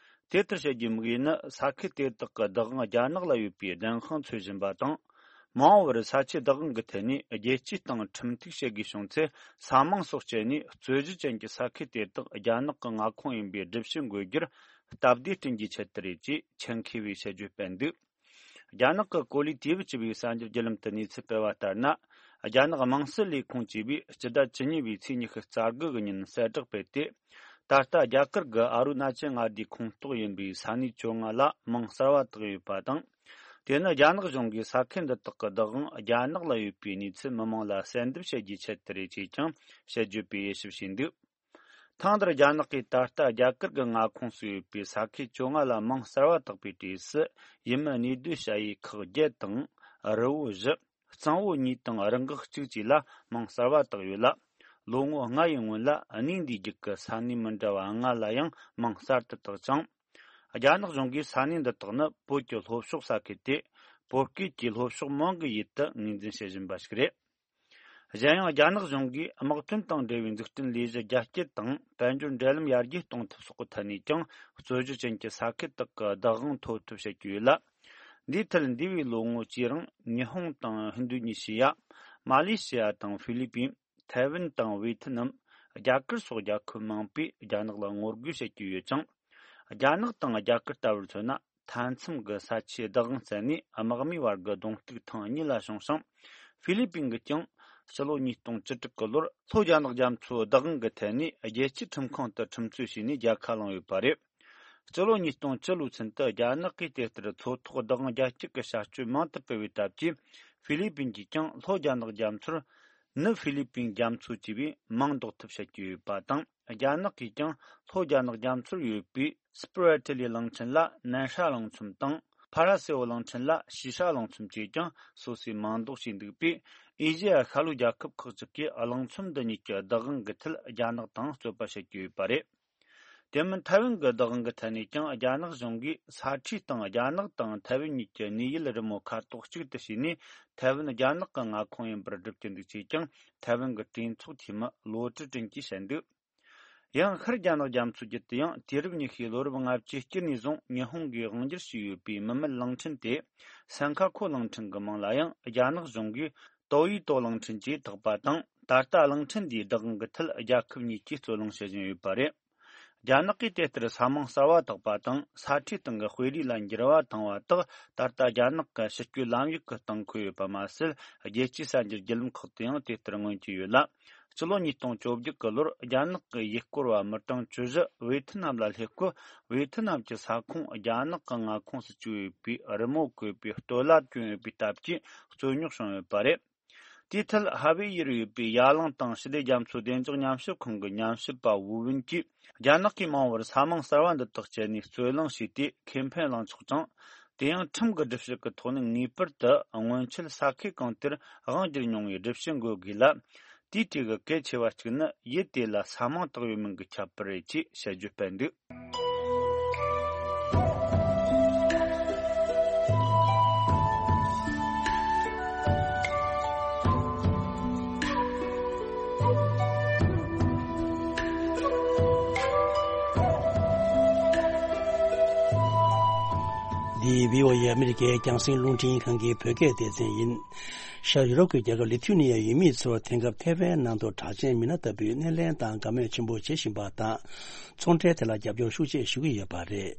དེ་ལྟར་བྱེད་རྒྱུའི་དམིགས་ཡུལ་ནི། ས་ཁུལ་དེ་དག་གི་བདག་དབང་རྒྱ་ནག་ལ་ཡོད་པའི་བདེན་དཔང་འཚོལ་བཞིན་པ་དང་། མ་འོངས་པར་ས་ཆའི་བདག་དབང་གི་ཐད་ནས་རྒྱལ་སྤྱིའི་སྟེང་ཁྲིམས་གཏུག་བྱེད་དགོས་བྱུང་ཚེ། ས་མིང་སོགས་སྤྱད་ནས་རྩོད་གཞི་ཅན་གྱི་ས་ཁུལ་དེ་དག་རྒྱ་ནག་གི་མངའ་ཁོངས་ཡིན་པའི་སྒྲུབ་བྱེད་འགོད་རྒྱུར་སྟབས་བདེ་བསྐྲུན་རྒྱུའི་ཆེད་དུ་རེད་ཅེས་ཆེན་ཁེ་བའི་དཔྱད་བརྗོད་སྤེལ་འདུག་རྒྱ་ནག་གི་གོ་ལའི་དུས་བབ་ཅེས་པའི་གསར་འགྱུར་བརྒྱུད་ལམ་དུ་གནས་ཚུལ་སྤེལ་བ་ལྟར་ན། རྒྱ་ནག་དམངས་སྲིད་ལས་ཁུངས་ཀྱིས་སྤྱི་ཟླ་བཅུ་གཉིས་པའི་ཚེས་ཉི་ཤུ་རྩ་དགུ་གི་ཉིན་གསལ་བསྒྲགས་སྤེལ་ཏེ། ད་ལྟ་རྒྱ་གར་གྱི་ཨ་རུ་ན་ཅལ་མངའ་སྡེའི་ཁོངས་གཏོགས་ཡིན་པའི་ས་གནས་བཅོ་ལྔ་ལ་མིང་གསར་བ་བཏགས་ཡོད་པ་དང་། དེ་ནི་རྒྱ་ནག་གཞུང་གིས་ས་ཁུལ་འདི་དག་གི་བདག་དབང་རྒྱ་ནག་ལ་ཡོད་པའི་གནས་ཚུལ་མི་མང་ལ་གསལ་འདེབས་བྱེད་རྒྱུའི་ཆེད་དུ་རེད་ཅེས་ཀྱང་དཔྱད་བརྗོད་པས་དབྱེ་ཞིབ་བྱས་འདུག་ཐེངས་འདིར་རྒྱ་ནག་གིས་ད་ལྟ་རྒྱ་གར་གྱི་མངའ་ཁོངས་སུ་ཡོད་པའི་ས་ཁུལ་བཅོ་ལྔ་ལ་མིང་གསར་བ་བཏགས་པའི་གྲས་སུ། ཡུལ་མི་གནས་སྡོད་བྱ་ཡུལ་ཁག་བརྒྱད་དང་། རི་བོ་བཞི། གཙང་བོ་གཉིས་དང་རི་འགག་གཅིག་བཅས་ལ་མིང་གསར་བ་བཏགས་ཡོད་ལ། ལོ་ངོ་ལྔ་ཡི་སྔོན་ལ་གནས་འདིའི་རྒྱུད་ཀྱི་ས་གནས་མི་འདྲ་བ་ལྔ་ལ་ཡང་མིང་གསར་དུ་བཏགས་ཅིང་། རྒྱ་ནག་གཞུང་གིས་ས་གནས་འདི་དག་ནི་བོད་ཀྱི་ལྷོ་ཕྱོགས་ས་ཁུལ་ཏེ། བོད་སྐད་ཀྱི་ལྷོ་ཕྱོགས་མིང་གི་ཡུལ་དུ་ངོས་འཛིན་བྱེད་བཞིན་པ་ཞིག་རེད། གཞན་ཡང་། རྒྱ་ནག་གཞུང་གིས་དམག་དོན་དང་འབྲེལ་བའི་འཛུགས་སྐྲུན་ལས་གཞི་རྒྱ་སྐྱེད་དང་། དཔལ་འབྱོར་འབྲེལ་ལམ་ཡར་རྒྱས་གཏོང་ཐབས་སོགས་ཀྱི་ཐད་ནས་ཀྱང་། རྩོད་གཞི་ཅན་གྱི་ས་ཁུལ་དག་གི་བདག་དབང་ཐོབ་ཐབས་བྱེད་ཀྱི་ཡོད་ལ། འདིའི་ཐད་འདས་པའི་ལོ་ངོ་བཅུའི་རིང་། ཉི་ཧོང་དང་ཧིན་རྡུ་ཉི་ཤི་ཡ། མ་ལེ་ཤི་ཡ་དང་ཧྥི་ལི་པིན། ཐའེ་ཝན་དང་ཝེ་ཐི་ནམ། རྒྱ་གར་སོགས་རྒྱལ་ཁབ་མང་པོས་རྒྱ་ནག་ལ་ངོ་རྒོལ་བྱེད་ཀྱི་ཡོད་ཅིང་། རྒྱ་ནག་དང་རྒྱ་གར་ལྟ་བུར་མཚོན་ན། མཐའ་མཚམས་ཀྱི་ས་ཆའི་བདག་དབང་བཙལ་ནས་དམག་མིའི་བར་གྱི་གདོང་གཏུག་ཐེངས་གཉིས་ལ་བྱུང་ཞིང་། ཧྥི་ལི་པིན་གྱིས་ཀྱང་ཕྱི་ལོ་ཉིས་སྟོང་བཅུ་དྲུག་གི་ལོར་ལྷོ་རྒྱ་ནག་རྒྱ་མཚོའི་བདག་དབང་གི་ཐད་ནས་རྒྱལ་སྤྱིའི་ཁྲིམས་ཁང་དུ་ཁྲིམས་རྩོད་བྱས་ནས་རྒྱལ་ཁ་བླངས་ཡོད་པ་རེད། སྤྱི་ལོ་ཉིས་སྟོང་བཅུ་ལོའི་ཚུན་དུ་རྒྱ་ནག་གིས་དེ་ལྟར་མཚོ་ཐོག་བདག་དབང་རྒྱ་སྐྱེད་ཀྱི་བྱ་སྤྱོད་མང་དུ་སྤེལ་བའི་སྟབས་ཀྱིས། ཧྥི་ལི་པིན་གྱིས་ཀྱང་ལྷོ་རྒྱ་ནག་རྒྱ་མཚོར་ནུབ་ཧྥི་ལི་པིན་རྒྱ་མཚོ་ཅེས་པའི་མིང་འདོགས་ཐབས་བྱེད་ཀྱི་ཡོད་པ་དང་། རྒྱ་ནག་གིས་ཀྱང་ལྷོ་རྒྱ་ནག་རྒྱ་མཚོར་ཡོད་པའི་སྤི་ར་ཏི་ལི་གླིང་ཕྲན་ལ་ནན་ཧྲ་གླིང་ཚོམ་དང་། ཕ་ར་སེ་བོ་གླིང་ཕྲན་ལ་ཤི་ཧྲ་གླིང་ཚོམ་བཅས་ཀྱང་སོ་སོས་མིང་འདོགས་བྱས་འདུག་པས། ཨེ་ཤེ་ཡ་ཤར་ལྷོའི་རྒྱལ་ཁབ་ཁག་ཅིག་གིས་གླིང་ཚོམ་འདི་གཉིས་ཀྱི་བདག་དབང་གི་ཐད་རྒྱ་ནག་དང་རྩོད་པ་བྱེད་ཀྱི་ཡོད་པ་རེད། དེ་མིན་ཐའེ་ཝན་གྱི་བདག་དབང་གི་ཐད་ནས་ཀྱང་རྒྱ་ནག་གཞུང་གིས་ས་ཁྲའི་སྟེང་རྒྱ་ནག་དང་ཐའེ་ཝན་གཉིས་ཀྱི་གནས་ཡུལ་རི་མོ་ཁ་དོག་གཅིག་ཏུ་བྱས་ནས། ཐའེ་ཝན་རྒྱ་ནག་གི་མངའ་ཁོངས་ཡིན་པར་སྒྲུབ་ཀྱི་འདུག་ཅེས་ཀྱང་ཐའེ་ཝན་གྱི་གྲོས་ཚོགས་འཐུས་མི་ལོ་ཀྲི་ཀྲིན་གྱིས་བཤད་འདུག། ཡང་ཤར་རྒྱ་ནག་རྒྱ་མཚོ་བརྒྱུད་དུ་ཡང་དུས་རབས་ཉི་ཤུའི་ལོ་རབས་ལྔ་བཅུའི་དཀྱིལ་ནས་བཟུང་ཉི་ཧོང་གིས་དབང་སྒྱུར་བྱས་ཡོད་པའི་མུ་མེད་གླིང་ཕྲན་དེ། སན་ཁ་ཁོ་གླིང་ཕྲན་གྱི་མིང་ལ་ཡང་རྒྱ་ནག་གཞུང་གིས་ཏོ་ཡི་ཏོ་གླིང་ཕྲན་ཅེས་བཏགས་པ་དང་། ད་ལྟ་གླིང་ཕྲན་འདིའི་བདག་དབང་གི་ཐད་རྒྱལ་ཁབ་གཉིས་ཀྱིས་རྩོད་གླེང་བྱེད་བཞིན་ཡོད་པ་རེད། རྒྱ་ནག་གིས་དེ་ལྟར་ས་མིང་གསར་བ་བཏགས་པ་དང་ས་ཁྲའི་སྟེང་གི་དཔེ་རིས་ལ་འགྱུར་བ་བཏང་བ་དག་ད་ལྟ་རྒྱ་ནག་གི་ཕྱི་སྐྱོད་ལམ་ཡིག་གི་སྟེང་འཁོད་ཡོད་པ་མ་ཟད། རྒྱལ་སྤྱིའི་གསར་འགྱུར་བརྒྱུད་ལམ་ཁག་ཏུ་ཡང་དེ་ལྟར་མངོན་གྱི་ཡོད་ལ། སྤྱི་ལོ་ཉིས་སྟོང་བཅོ་བརྒྱད་ཀྱི་ལོར་རྒྱ་ནག་གི་ཡུལ་སྐོར་བ་མི་གྲངས་བཅུ་བཞི་ཝེ་ཐི་ནམ་ལ་སླེབས་སྐབས། ཝེ་ཐི་ནམ་གྱི་ས་ཁོངས་རྒྱ་ནག་གི་མངའ་ཁོངས་སུ་བཅུག་ཡོད་པའི་རི་མོ་བཀོད་པའི་སྟོད་ལྭ་བསྐྱོན་ཡོད་པའི་སྟབས་ཀྱིས་རྩོད་རྙོག་བྱུང་ཡོད་པ་རེད། དེའི་ཐད་ཧྭ་ཝེ་ཡུལ་ཡོད་པའི་ཡ་གླིང་དང་ཞི་བདེ་རྒྱ་མཚོ་བདེ་འཇགས་ཉམས་ཞིབ་ཁང་གི་ཉམས་ཞིབ་པ་ཝུ་ཝིན་གྱིས། རྒྱ་ནག་གིས་མང་བར་ས་མིང་གསར་བ་འདི་དག་སྤྱད་ནས་རྩོད་གླེང་བྱས་ཏེ་ཁེ་ཕན་བླངས་ཆོག་ཅིང་། དེ་ཡང་ཁྲིམས་ཀྱི་སྒྲུབ་བྱེད་ཀྱི་ཐོག་ནས་ངེས་པར་དུ་སྔོན་ཆད་ས་ཁུལ་གང་དེར་དབང་བསྒྱུར་མྱོང་བའི་སྒྲུབ་བྱེད་འགོད་དགོས་ལ། དེའི་གྲས་ཀྱི་གལ་ཆེ་བ་གཅིག་ནི་ཡུལ་དེ་ལ་ས་མིང་བཏགས་ཡོད་མིན་གྱི་ཁྱད་པར་རེད་ཅེས་དཔྱད་བརྗོད་སྤེལ་འདུག། འདི་བྷི་ཨོ་ཨེ་ཨ་མི་རི་ཀའི་རྒྱང་སྲིང་རླུང་འཕྲིན་ཁང་གི་བོད་སྐད་སྡེ་ཚན་ཡིན། ཤར་ཡུ་རོབ་ཀྱི་རྒྱལ་ཁབ་ལི་ཐུ་ནི་ཡའི་ཡུལ་མི་ཚོར་དེང་སྐབས་ཐའེ་ཝན་ནང་དུ་གྲགས་ཅན་མི་སྣ་ལྟ་བུའི་སྣེ་ལེན་དང་དགའ་མོས་ཆེན་པོ་བྱེད་བཞིན་པ་དང་། ཚོང་འབྲེལ་དེ་ལ་རྒྱབ་སྐྱོར་ཤུགས་ཆེ་ཞུ་གི་ཡོད་པ་རེད།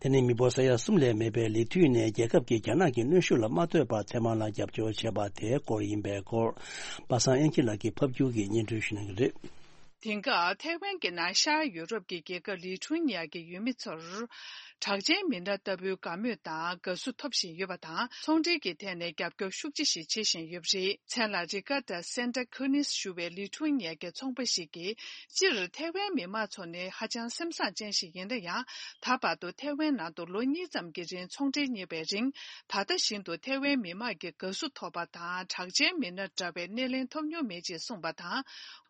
དེ་ནི་མི་འབོར་ས་ཡ་གསུམ་ལས་མེད་པའི་ལི་ཐུ་ནས་རྒྱལ་ཁབ་ཀྱིས་རྒྱ་ནག་གི་གནོན་ཤུགས་ལ་མ་ལྟོས་པར་ཐའེ་ཝན་ལ་རྒྱབ་སྐྱོར་བྱས་པ་དེའི་སྐོར་ཡིན་པའི་སྐོར། པ་སངས་དབྱངས་སྐྱིད་ལགས་ཀྱིས་ཕབ་སྒྱུར་གྱིས་སྙན་སྒྲོན་ཞུ་གནང་གི་རེད། དེང་སྐབས་ཐའེ་ཝན་གྱི་ནང་ཤར་ཡུ་རོབ་ཀྱི་རྒྱལ་ཁབ་ལི་ཐུ་ནི་ཡ་གི་ཡུལ་མི་ཚོར། གྲགས་ཅན་མི་སྣ་ལྟ་བུའི་དགའ་མོས་དང་དགའ་བསུ་ཐོབ་བཞིན་ཡོད་པ་དང་། ཚོང་འབྲེལ་གྱི་ཐད་ནས་རྒྱབ་སྐྱོར་ཤུགས་ཆེ་ཞིག་བྱེད་བཞིན་ཡོད་པ་རེད། མཚན་ལ་རི་ཀ་ཏ་སན་ཏ་ཁུ་ནིས་ཞུ་བའི་ལི་ཐུ་ནི་ཡ་གི་ཚོང་པ་ཞིག་གིས། སྤྱིར་ཐའེ་ཝན་མི་མང་ཚོ་ནི་ཧ་ཅང་སེམས་བཟང་ཅན་ཞིག་ཡིན་ན་ཡང་། ད་བར་དུ་ཐའེ་ཝན་ནང་དུ་ལོ་གཉིས་ཙམ་གྱི་རིང་ཚོང་འབྲེལ་གཉེར་བའི་རིང་། ད་ལྟ་བཞིན་དུ་ཐའེ་ཝན་མི་མང་གི་དགའ་བསུ་ཐོབ་པ་དང་། གྲགས་ཅན་མི་སྣ་འདྲ་བའི་སྣེ་ལེན་ཐོབ་མྱོང་མེད་ཅེས་གསུངས་པ་དང་།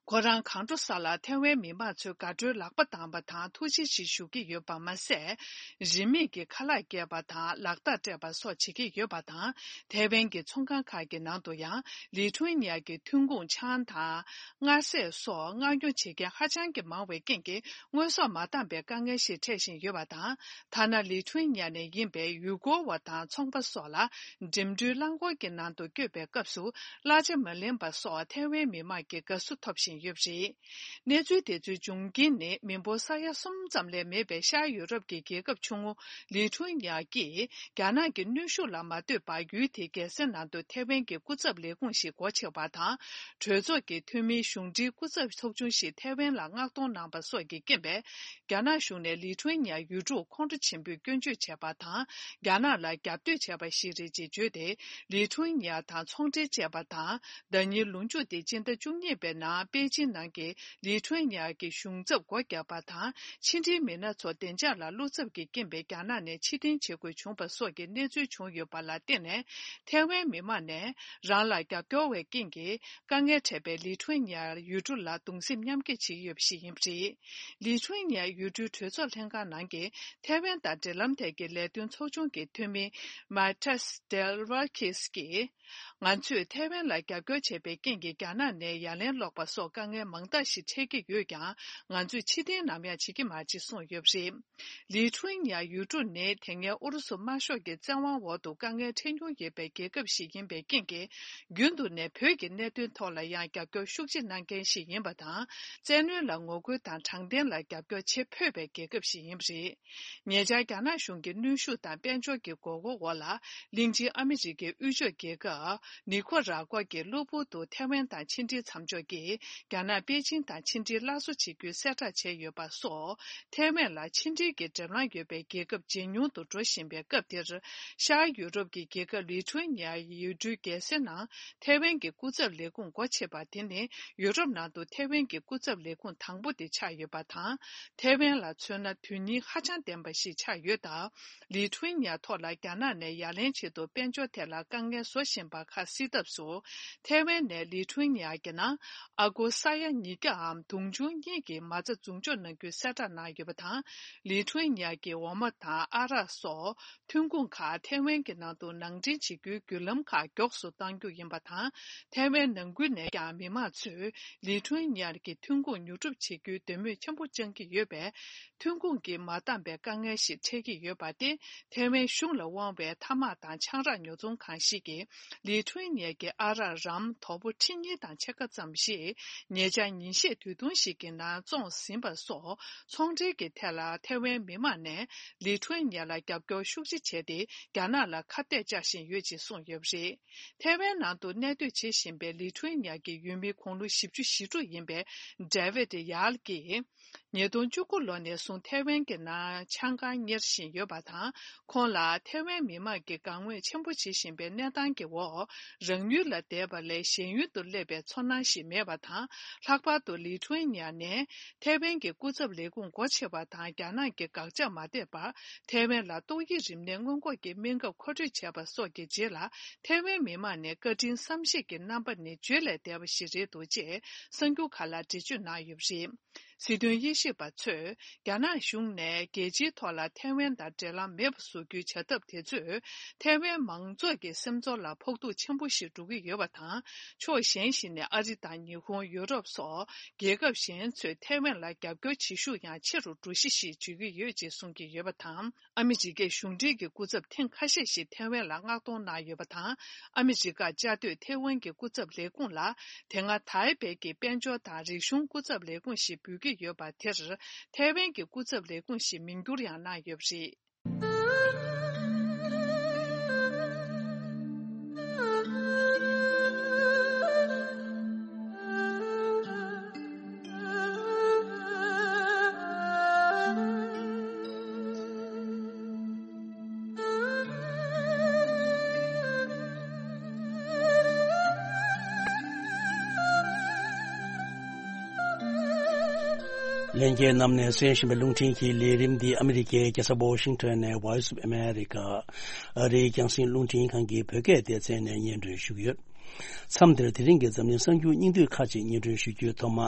ཁོ་རང་གང་འགྲོ་ས་ལ་ཐའེ་ཝན་མི་མང་ཚོའི་དགའ་སྤྲོའི་ལག་པ་བརྡབས་པ་དང་ཐུགས་རྗེ་ཆེ་ཞུ་གི་ཡོད་པ་མ་ཟད། རིན་མེད་ཀྱི་ཁ་ལག་བསྐྱལ་བ་དང་ལག་རྟགས་སྤྲད་པ་སོགས་བྱེད་ཀྱི་ཡོད་པ་དང་། ཐའེ་ཝན་གྱི་ཚོང་ཁང་ཁག་གི་ནང་དུ་ཡང་ལི་ཐུ་ནི་ཡ་གི་ཐོན་ཁུངས་ཆང་དང་། མངར་ཟས་སོགས་མངགས་ཉོ་བྱེད་མཁན་ཧ་ཅང་གི་མང་བའི་རྐྱེན་གྱིས། དངོས་ཟོག་མ་འདང་པའི་དཀའ་ངལ་ཞིག་འཕྲད་བཞིན་ཡོད་པ་དང་། ཐ་ན་ལི་ཐུ་ནི་ཡ་ནས་ཡིན་པའི་ཡུལ་སྐོར་བ་དང་ཚོང་པ་སོགས་ལ། འགྲིམ་འགྲུལ་རླངས་འཁོར་གྱི་ནང་དུ་བསྐྱོད་པའི་སྐབས་སུ། གླ་ཆ་མ་ལེན་པ་སོགས་ཐའེ་ཝན་མི་མང་གི་དགའ་བསུ་ཐོབ་བཞིན་ཡོད་པ་རེད། གནས་ཚུལ་དེ་ཚོའི་འབྱུང་རྐྱེན་ནི། མི་འབོར་ས་ཡ་གསུམ་ཙམ་ལས་མེད་པའི་ཤར་ཡུ་རོབ་ཀྱི་རྒྱལ་ཁབ་ཆུང་ངུ་ལི་ཐུ་ནི་ཡ་གིས། རྒྱ་ནག་གི་གནོན་ཤུགས་ལ་མ་ལྟོས་པར། ཡུལ་དེའི་རྒྱལ་ས་ནང་དུ་ཐའེ་ཝན་གྱི་སྐུ་ཚབ་ལས་ཁུངས་ཤིག་སྒོ་ཕྱེ་བ་དང་། གྲོས་ཚོགས་ཀྱི་འཐུས་མིའི་གཞུང་འབྲེལ་སྐུ་ཚབ་ཚོགས་ཆུང་ཞིག་ཐའེ་ཝན་ལ་མངགས་གཏོང་གནང་པ་སོགས་ཀྱི་རྐྱེན་པས། རྒྱ་ནག་གཞུང་ནས་ལི་ཐུ་ནི་ཡ་ཡུལ་གྲུར་ཁོང་ཁྲོ་ཆེན་པོས་སྐྱོན་བརྗོད་བྱས་པ་དང་། རྒྱ་ནག་ལ་རྒྱབ་གཏོད་བྱས་པ་ཞིག་རེད་ཅེས་བརྗོད་དེ། ལི་ཐུ་ནི་ཡ་དང་ཚོང་འབྲེལ་བཅད་པ་དང་། ཟླ་ཉིན་ལོ་མཇུག་སྟེ་སྤྱི་ཟླ་བཅུ་གཉིས་པའི་ནང་པེ་ཅིན་ནང་གི་ལི་ཐུ་ནི་ཡ་གི་གཞུང་ཚབ་སྒོ་བརྒྱབ་པ་དང་། ཕྱི་འབྲེལ་མི་སྣ་ཚོ་བདེ་འཇགས་ལ་བློ་འཚབ་ཀྱི་རྐྱེན་པས་རྒྱ་ནག་ནས་ཕྱིར་འཐེན་བྱེད་དགོས་བྱུང་བ་སོགས་ཀྱི་གནས་ཚུལ་བྱུང་ཡོད་པ་ལ་བརྟེན་ནས། ཐའེ་ཝན་མི་མང་ནས་རང་ལ་རྒྱབ་སྐྱོར་བའི་རྐྱེན་གྱིས། དཀའ་ངལ་འཕྲད་པའི་ལི་ཐུ་ནི་ཡ་ཡུལ་གྲུ་ལ་གདུང་སེམས་མཉམ་སྐྱེད་བྱེད་ཀྱི་ཡོད་པ་ཞིག་ཡིན་པ་རེད། ལི་ཐུ་ནི་ཡ་ཡུལ་གྲུའི་གྲོས་ཚོགས་ལྷན་ཁང་ནང་གི་ཐའེ་ཝན་དང་འབྲེལ་ལམ་ཐད་ཀྱི་ལས་དོན་ཚོགས་ཆུང་གི་འཐུས་མི་མཱ་ཏཱས་ཏེལ་ཝར་ཁིས་ཀྱིས། ང་ཚོས་ཐའེ་ཝན་ལ་རྒྱབ་སྐྱོར་བྱས་པའི་རྐྱེན་གྱིས་རྒྱ་ནག་ནས་ཡ་ལན་སློག་པ་སོགས་དཀའ་ངལ་མང་དག་ཞིག་འཕྲད་ཀྱི་ཡོད་ཀྱང་། ང་ཚོས་ཕྱིར་འཐེན་ནམ་ཡང་བྱེད་ཀྱི་མ་རེད་གསུངས་ཡོད་པ་རེད། ལི་ཁྲུན་ཡ་ཡུལ་གྲུ་ནི་དེ་སྔའི་ཨུ་རུ་སུ་དམར་ཤོག་གི་བཙན་དབང་འོག་ཏུ་དཀའ་ངལ་འཕྲད་མྱོང་ཡོད་པའི་རྒྱལ་ཁབ་ཞིག་ཡིན་པའི་རྐྱེན་གྱིས། རྒྱུན་དུ་ནས་བོད་ཀྱི་གནད་དོན་ཐོག་ལ་ཡང་རྒྱབ་སྐྱོར་ཤུགས་ཆེ་གནང་མཁན་ཞིག་ཡིན་པ་དང་། བཙན་གནོན་ལ་ངོ་རྒོལ་དང་དྲང་བདེན་ལ་རྒྱབ་སྐྱོར་བྱེད་ཕོད་པའི་རྒྱལ་ཁབ་ཞིག་ཡིན་པ་རེད། ཉེ་ཆར་རྒྱ་ནག་གཞུང་གི་གནོན་ཤུགས་དང་དཔལ་འབྱོར་གྱི་མགོ་སྐོར་འོག་ལ། གླིང་ཆེན་ཨ་མི་རི་ཀའི་དབུས་ཕྱོགས་རྒྱལ་ཁབ་ནི་ཁོ་ར་ཀོ་གི་གློ་བུར་དུ་ཐའེ་ཝན་དང་ཕྱི་འབྲེལ་མཚམས་འཇོག་གིས། རྒྱ་ནག་པེ་ཅིང་དང་ཕྱི་འབྲེལ་སླར་གསོ་བྱེད་རྒྱུའི་གསལ་བསྒྲགས་བྱས་ཡོད་པ་སོགས། ཐའེ་ཝན་ལ་ཕྱི་འབྲེལ་གྱི་འགྲེམས་ལམ་ཡོད་པའི་རྒྱལ་ཁབ་ཇེ་ཉུང་དུ་འགྲོ་བཞིན་པའི་སྐབས་དེར། ཤར་ཡུ་རོབ་ཀྱི་རྒྱལ་ཁབ་ལི་ཐུ་ནི་ཡའི་ཡུལ་གྲུའི་རྒྱལ་སའི་ནང་ཐའེ་ཝན་གྱི་སྐུ་ཚབ་ལས་ཁུངས་སྒོ་ཕྱེ་བ་དེ་ནི། ཡུ་རོབ་ནང་དུ་ཐའེ་ཝན་གྱི་སྐུ་ཚབ་ལས་ཁུངས་དང་པོ་དེ་ཆགས་ཡོད་པ་དང་། ཐའེ་ཝན་ལ་མཚོན་ན། དོན་སྙིང་ཧ་ཅང་ལྡན་པ་ཞིག་ཆགས་ཡོད་སྟབས། ལི་ཐུ་ནི་ཡ་ཐོག་ལ་རྒྱ་ནག་ནས་ཡ་ལན་ཆེད་དུ་དཔལ་འབྱོར་ཐད་ལ་དཀའ་ངལ་བཟོ་བཞིན་པ་ཁ་གསལ་ཐབས་སུ། ཐའེ་ཝན་ནས་ལི་ཐུ་ནི་ཡ་གི་ནང་ཨ་སྒོར་ས་ཡ་ཉིས་བརྒྱའམ་དུང་ཕྱུར་གཉིས་ཀྱི་མ་རྩ་འཛུགས་འཇོག་གནང་རྒྱུའི་གསལ་བསྒྲགས་གནང་ཡོད་པ་དང་། ལི་ཐུ་ནི་ཡ་གི་འོ་མ་དང་ཨ་རག་སོགས་ཐོན་ཁུངས་ཁག་ཐའེ་ཝན་གྱི་ནང་དུ་ནང་འདྲེན་བྱེད་རྒྱུའི་བརྒྱུད་ལམ་ཁག་མགྱོགས་སུ་གཏང་རྒྱུ་ཡིན་པ་དང་། ཐའེ་ཝན་ནང་ཁུལ་ནས་ཀྱང་མི་མང་ཚོས་ལི་ཐུ་ནི་ཡ་གི་ཐོན་ཁུངས་ཉོ་སྒྲུབ་བྱེད་རྒྱུའི་འདོད་མོས་ཆེན་པོ་བཅངས་ཀྱི་ཡོད་པས། ཐོན་ཁུངས་ཀྱིས་མ་འདང་པའི་དཀའ་ངལ་ཞིག་འཕྲད་ཀྱི་ཡོད་པ་སྟེ། ཐའེ་ཝན་གཞུང་ལ་དབང་བའི་ཐ་མག་དང་ཆང་རག་ཉོ་ཚོང་ཁང་ཞིག་གིས་ལི་ཐུ་ནི་ཡ་གི་ཨ་རག་རམ་དོ་པོ་ཁྲི་གཉིས་དང་ཕྱེད་ཀ་ཙམ་ཞིག་ཉེ་ཆར་ཉིན་ཤས་དུས་ཐུང་ཞིག་གི་ནང་བཙོངས་ཟིན་པ་སོགས། ཚོང་འབྲེལ་གྱི་ཐད་ལ་ཐའེ་ཝན་མི་མང་ནས་ལི་ཐུ་ནི་ཡ་ལ་རྒྱབ་སྐྱོར་ཤུགས་ཆེ་བྱས་ཏེ། རྒྱ་ནག་ལ་ཁ་གཏད་བཅག་བཞིན་ཡོད་ཅེས་གསུངས་ཡོད་པ་རེད། ཐའེ་ཝན་ནང་དུ་གནས་སྡོད་བྱེད་བཞིན་པའི་ལི་ཐུ་ནི་ཡ་གི་ཡུལ་མི་དགུང་ལོ་བཞི་བཅུ་ཞེ་དྲུག་ཡིན་པའི་ཌེ་ཝིད་ཡཱལ་གྱིས། ཉིས་སྟོང་བཅུ་དགུ་ལོ་ནས་བཟུང་ཐའེ་ཝན་གྱི་ནང་ཆང་ཁང་གཉེར་བཞིན་ཡོད་པ་དང་། ཁོང་ལ་ཐའེ་ཝན་མི་མང་གིས་དགའ་མོས་ཆེན་པོ་བྱེད་བཞིན་པའི་གནས་སྟངས་ཀྱི་འོག་རང་ཡུལ་ལ་བསྡད་པ་ལས་གཞན་ཡུལ་དུ་སླེབས་པའི་ཚོར་སྣང་ཞིག་མེད་པ་དང་། ལྷག་པར་དུ་ལི་ཐུ་ནི་ཡ་ནས་ཐའེ་ཝན་གྱི་སྐུ་ཚབ་ལས་ཁུངས་སྒོ་ཕྱེ་བ་དང་། རྒྱ་ནག་གི་དགག་བྱ་མ་ཐེབས་པར་ཐའེ་ཝན་ལ་ཏོག་དབྱིབས་རིམས་ནད་སྔོན་འགོག་གི་སྨན་ཁབ་མཁོ་སྤྲོད་བྱས་པ་སོགས་ཀྱི་རྗེས་ལ། ཐའེ་ཝན་མི་མང་ནས་བཀའ་དྲིན་བསམ་ཤེས་ཀྱི་རྣམ་པ་ནི་བརྗོད་ལས་འདས་པ་ཞིག་རེད་འདུག་ཅེས་གསར་འགྱུར་ཁག་ལ་འགྲེལ་བརྗོད་གནང་ཡོད་པ་རེད། སྲིད་དོན་དབྱེ་ཞིབ་པ་ཚོས། རྒྱ་ནག་གཞུང་ནས་རྒྱལ་སྤྱིའི་ཐོག་ལ་ཐའེ་ཝན་དང་འབྲེལ་ལམ་མེད་པ་བཟོ་རྒྱུའི་བྱ་ཐབས་དེ་ཚོས། ཐའེ་ཝན་མང་ཚོགས་ཀྱི་སེམས་ཚོར་ལ་ཕོག་ཐུག་ཆེན་པོ་ཞིག་འགྲོ་གི་ཡོད་པ་དང་། ཕྱོགས་གཞན་ཞིག་ནས་ཨ་རི་དང་ཉི་ཧོང་། ཡུ་རོབ་སོགས་རྒྱལ་ཁབ་གཞན་ཚོས་ཐའེ་ཝན་ལ་རྒྱབ་སྐྱོར་བྱེད་ཤུགས་ཡང་ཆེ་རུ་འགྲོ་གཞི་ཞིག་བརྗོད་ཀྱི་ཡོད་ཅེས་གསུང་གི་ཡོད་པ་དང་། ཨ་མི་རི་ཀའི་གཞུང་འབྲེལ་གྱི་སྐུ་ཚབ་ཐེངས་ཁ་ཤས་ཤིག་ཐའེ་ཝན་ལ་མངགས་གཏོང་གནང་ཡོད་པ་དང་། ཨ་མི་རི་ཀར་བཅའ་སྡོད་ཐའེ་ཝན་གྱི་སྐུ་ཚབ་ལས་ཁུངས་ལ། དེ་སྔ་ཐའེ་པེ་གྱི་དཔལ་འབྱོར་དང་རིག་གཞུང་སྐུ་ཚབ་ལས་ཁུངས་ཤིག་འབོད་ཀྱི་ཡོད་པ་དེར། ཐའེ་ཝན་གྱི་སྐུ་ཚབ་ལས་ཁུངས་ཤིག་མིང་བསྒྱུར་ཡང་གནང་ཡོད་པ་རེད། ལྷན་རྒྱས་རྣམས་ནས་གསན་བཞིན་པའི་རླུང་འཕྲིན་གྱི་ལས་རིམ་འདི་ཨ་མི་རི་ཀའི་རྒྱལ་ས་ཝོ་ཤིང་ཊོན་ནས་Voice of America ཨ་རིའི་རྒྱང་སྲིང་རླུང་འཕྲིན་ཁང་གི་བོད་སྐད་སྡེ་ཚན་ནས་སྙན་སྒྲོན་ཞུ་གི་ཡོད། མཚམས་འདིར་དེ་རིང་གི་འཛམ་གླིང་གསར་འགྱུར་སྙིང་བསྡུས་ཁག་ཅིག་སྙན་སྒྲོན་ཞུ་རྒྱུའི་ཐོག་མ།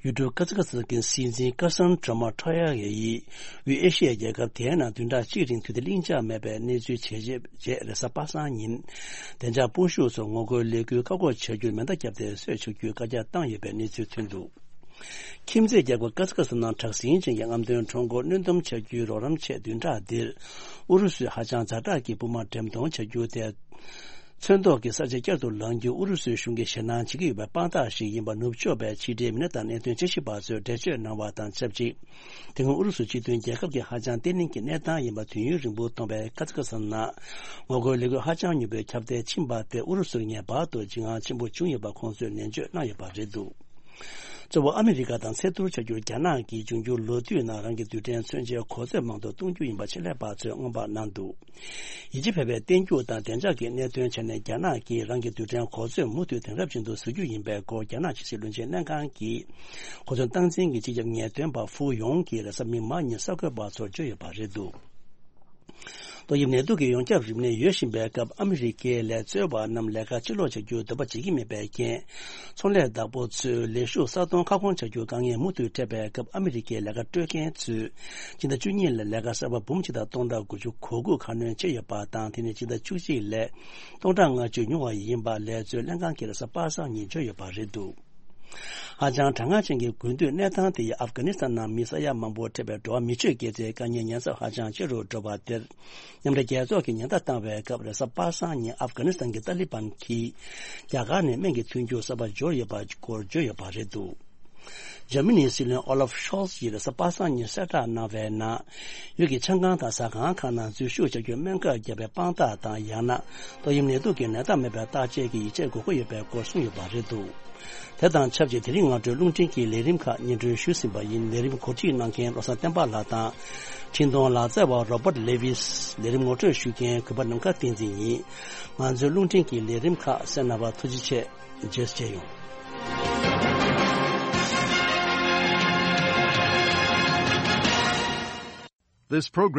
ཡུལ་གྲུ་ཀ་ཛ་ཀ་སི་ཐན་གྱི་སྲིད་འཛིན་ཀར་སན་ཀྲ་མ་ཊོ་ཡ་ཡིས། དབུས་ཨེ་ཤི་ཡའི་རྒྱལ་ཁབ་དེའི་ནང་བདུན་ཕྲག་གཅིག་རིང་དུས་བདེ་ལྷིང་འཇགས་མེད་པའི་གནས་ཚུལ་ཇེ་ཆེར་རེས་གཟའ་པ་སངས་ཉིན། བདེ་འཇགས་སྤོབས་ཤུགས་སོགས་ངོ་རྒོལ་ལས་འགུལ་བཀག་འགོག་བྱ་རྒྱུར་མེ་མདའ་བརྒྱབ་སྟེ་གསོད་ཆོག་རྒྱུའི་བཀའ་རྒྱ་བཏང་ཡོད་པའི་གནས་ཚུལ་ཐོན་འདུག་ཁྱིམ་མཚེས་རྒྱལ་ཁབ་ཀ་ཛ་ཀ་སི་ཐན་ནང་དྲག་ཟིང་ཅན་གྱི་རྔམ་སྟོན་ཁྲོམ་སྐོར་གནོན་སྡོམ་བྱ་རྒྱུའི་རོགས་རམ་ཆེད་བདུན་ཕྲག་འདིར། ཨུ་རུ་སུས་ཧ་ཅང་ཛ་དྲག་གི་དཔུང་དམག་འགྲེམས་གཏོང་བྱ་རྒྱུ་དེ། ཚོན་མདོག་གི་ས་ཆ་བསྐྱར་དུ་ལངས་རྒྱུ་ཨུ་རུ་སུའི་གཞུང་གིས་ཞེད་སྣང་བྱེད་ཀྱི་ཡོད་པའི་དཔང་རྟགས་ཤིག་ཡིན་པ་ནུབ་ཕྱོགས་པའི་ཕྱི་འབྲེལ་མི་སྣ་དང་གནད་དོན་དཔྱད་ཞིབ་པ་ཚོས་འགྲེལ་བརྗོད་གནང་བ་དང་ཆབས་ཅིག་དེ་སྔོན་ཨུ་རུ་སུ་སྤྱི་མཐུན་རྒྱལ་ཁབ་ཀྱི་ཧ་ཅང་བརྟན་ལྷིང་གི་གནས་སྟངས་ཡིན་པ་དུས་ཡུན་རིང་པོ་མཐོང་བའི་ཀ་ཛ་ཀ་སི་ཐན་ནང་ངོ་རྒོལ་ལས་འགུལ་ཧ་ཅང་མྱུར་པོས་ཁྱབ་གདལ་ཕྱིན་པ་དེ་ཨུ་རུ་སུར་ངེས་པར་དུ་འཇིགས་དངངས་ཆེན་པོ་བྱུང་ཡོད་པ་ཁོང་ཚོས་ནན་བརྗོད་གནང་ཡོད་པ་རེད་འདུག་གཙོ་བོ་ཨ་མི་རི་ཀ་དང་ཚད་བསྡུར་བྱ་རྒྱུར་རྒྱ་ནག་གིས་འབྱུང་འགྱུར་ལོ་དུས་ནང་རང་གི་རྡུལ་ཕྲན་མཚོན་ཆའི་གོ་མཛོད་མང་དུ་གཏོང་རྒྱུ་ཡིན་པ་ཆེད་ལས་པ་ཚོས་སྔོན་དཔག་གནང་འདུག་ཡིད་ཆེས་འཕེར་བའི་བརྟན་འགྱུར་དང་བདེ་འཇགས་ཀྱི་གནད་དོན་ཆ་ནས་རྒྱ་ནག་གིས་རང་གི་རྡུལ་ཕྲན་གོ་མཛོད་མུ་མཐུད་དེང་རབས་ཅན་དུ་བཟོ་རྒྱུ་ཡིན་པའི་སྐོར་རྒྱ་ནག་ཕྱི་སྲིད་བློན་ཆེན་ལྷན་ཁང་གི་གོ་མཚོན་སྟངས་འཛིན་གྱི་སྤྱི་ཁྱབ་ངེས་སྟོན་པ་ཧྥུ་ཡོང་གིས་རེས་གཟའ་མིག་དམར་ཉིན་གསར་འགོད་པ་ཚོར་བརྗོད་ཡོད་པ་རེད་འདུག་ཏོག་དབྱིབས་ནད་དུག་གི་ཡོངས་ཁྱབ་རིམས་ནད་ཡོད་བཞིན་པའི་སྐབས། ཨ་མི་རི་ཀའི་ལས་བཙོན་པ་རྣམས་ལས་ཀ་ཕྱིར་ལོག་བྱ་རྒྱུའི་འདོད་པ་བྱེད་ཀྱི་མེད་པའི་རྐྱེན། ཚོང་ལས་བདག་པོ་ཚོས་ལས་ཞུགས་ས་སྟོང་ཁ་སྐོང་བྱ་རྒྱུའི་དཀའ་ངལ་མུ་མཐུད་འཕྲད་པའི་སྐབས། ཨ་མི་རི་ཀའི་ལས་ཀ་སྤྲོད་མཁན་ཚོས་སྤྱི་ཟླ་བཅུ་གཉིས་ལ་ལས་ཀ་གསར་པ་འབུམ་གཅིག་དང་སྟོང་ཕྲག་དགུ་བཅུ་གོ་དགུ་ཁ་སྣོན་བྱས་ཡོད་པ་དང་། དེ་ནི་སྤྱི་ཟླ་བཅུ་གཅིག་ལས་སྟོང་ཕྲག་ལྔ་བཅུ་ཉུང་བ་ཡིན་པ་ལས་བཙོན་ལྷན་ཁང་གིས་རེས་གཟའ་པ་སངས་ཉིན་བརྗོད་ཡོད་པ་རེད་འདུག་ཧ་ཅང་གྲང་ངར་ཅན་གྱི་དགུན་དུས་གནས་སྟངས་དེ་ཡིས་ཨབ་གྷ་ནི་སི་ཐན་ནང་མི་ས་ཡ་མང་པོ་ཐེ་བའི་འགྲོ་བ་མི་ཆོས་དགེ་རྩའི་དཀའ་ངལ་ཉེན་ཚབས་ཧ་ཅང་ཆེ་རུ་འགྲོ་བ་དེར། མཉམ་འབྲེལ་རྒྱལ་ཚོགས་ཀྱིས་ཉེན་བརྡ་བཏང་བའི་སྐབས། རེས་གཟའ་པ་སངས་ཉིན་ཨབ་གྷ་ནི་སི་ཐན་གྱི་ཏཱ་ལི་བན་གྱིས་རྒྱ་གར་ནས་སྨན་གྱི་ཐོན་རྒྱུ་གསར་པ་འབྱོར་ཡོད་པ་སྐོར་བརྗོད་ཡོད་པ་རེད་འདུག་འཇར་མ་ནིའི་སྲིད་བློན་ཨོ་ལབ་ཤོལ་ཚ་ཡིས་རེས་གཟའ་པ་སངས་ཉིན་གསལ་བསྒྲགས་གནང་བའི་ནང་། ཡུལ་གྱི་ཆང་ཁང་དང་ཟ་ཁང་ཁག་ནང་འཛུལ་ཞུགས་བྱ་རྒྱུར་སྨན་ཁབ་བརྒྱབ་པའི་དཔང་རྟགས་དང་། ཡང་ན་ཏོག་དབྱིབས་ནད་དུག་གི་ནད་རྟགས་མེད་པའི་བརྟག་དཔྱད་ཀྱི་ཡིག་ཆ་དགོས་མཁོ་ཡོད་པའི་སྐོར་གསུངས་ཡོད་པ་རེད་འདུག་དེ་དང་ཆབས་ཅིག་དེ་རིང་སྔ་དྲོའི་རླུང་འཕྲིན་གྱི་ལས་རིམ་ཁག་སྙན་སྒྲོན་ཞུས་ཟིན་པ་ཡིན། ལས་རིམ་གོ་སྒྲིག་གནང་མཁན་བློ་བཟང་བསྟན་པ་ལགས་དང་། འཕྲིན་གཏོང་ལག་རྩལ་བ་རོ་པར་ལེ་ཝིས། ལས་རིམ་ངོ་སྤྲོད་ཞུ་མཁན་གུས་པ་ནམ་མཁའ་བསྟན་འཛིན་ཡིན། ང་ཚོའི་རླུང་འཕྲིན་གྱི་ལས་རིམ་ཁག་གསན་གནང་བར་ཐུགས་རྗེ་ཆེ། རྗེས་སུ་མཇལ་ཡོང་། This program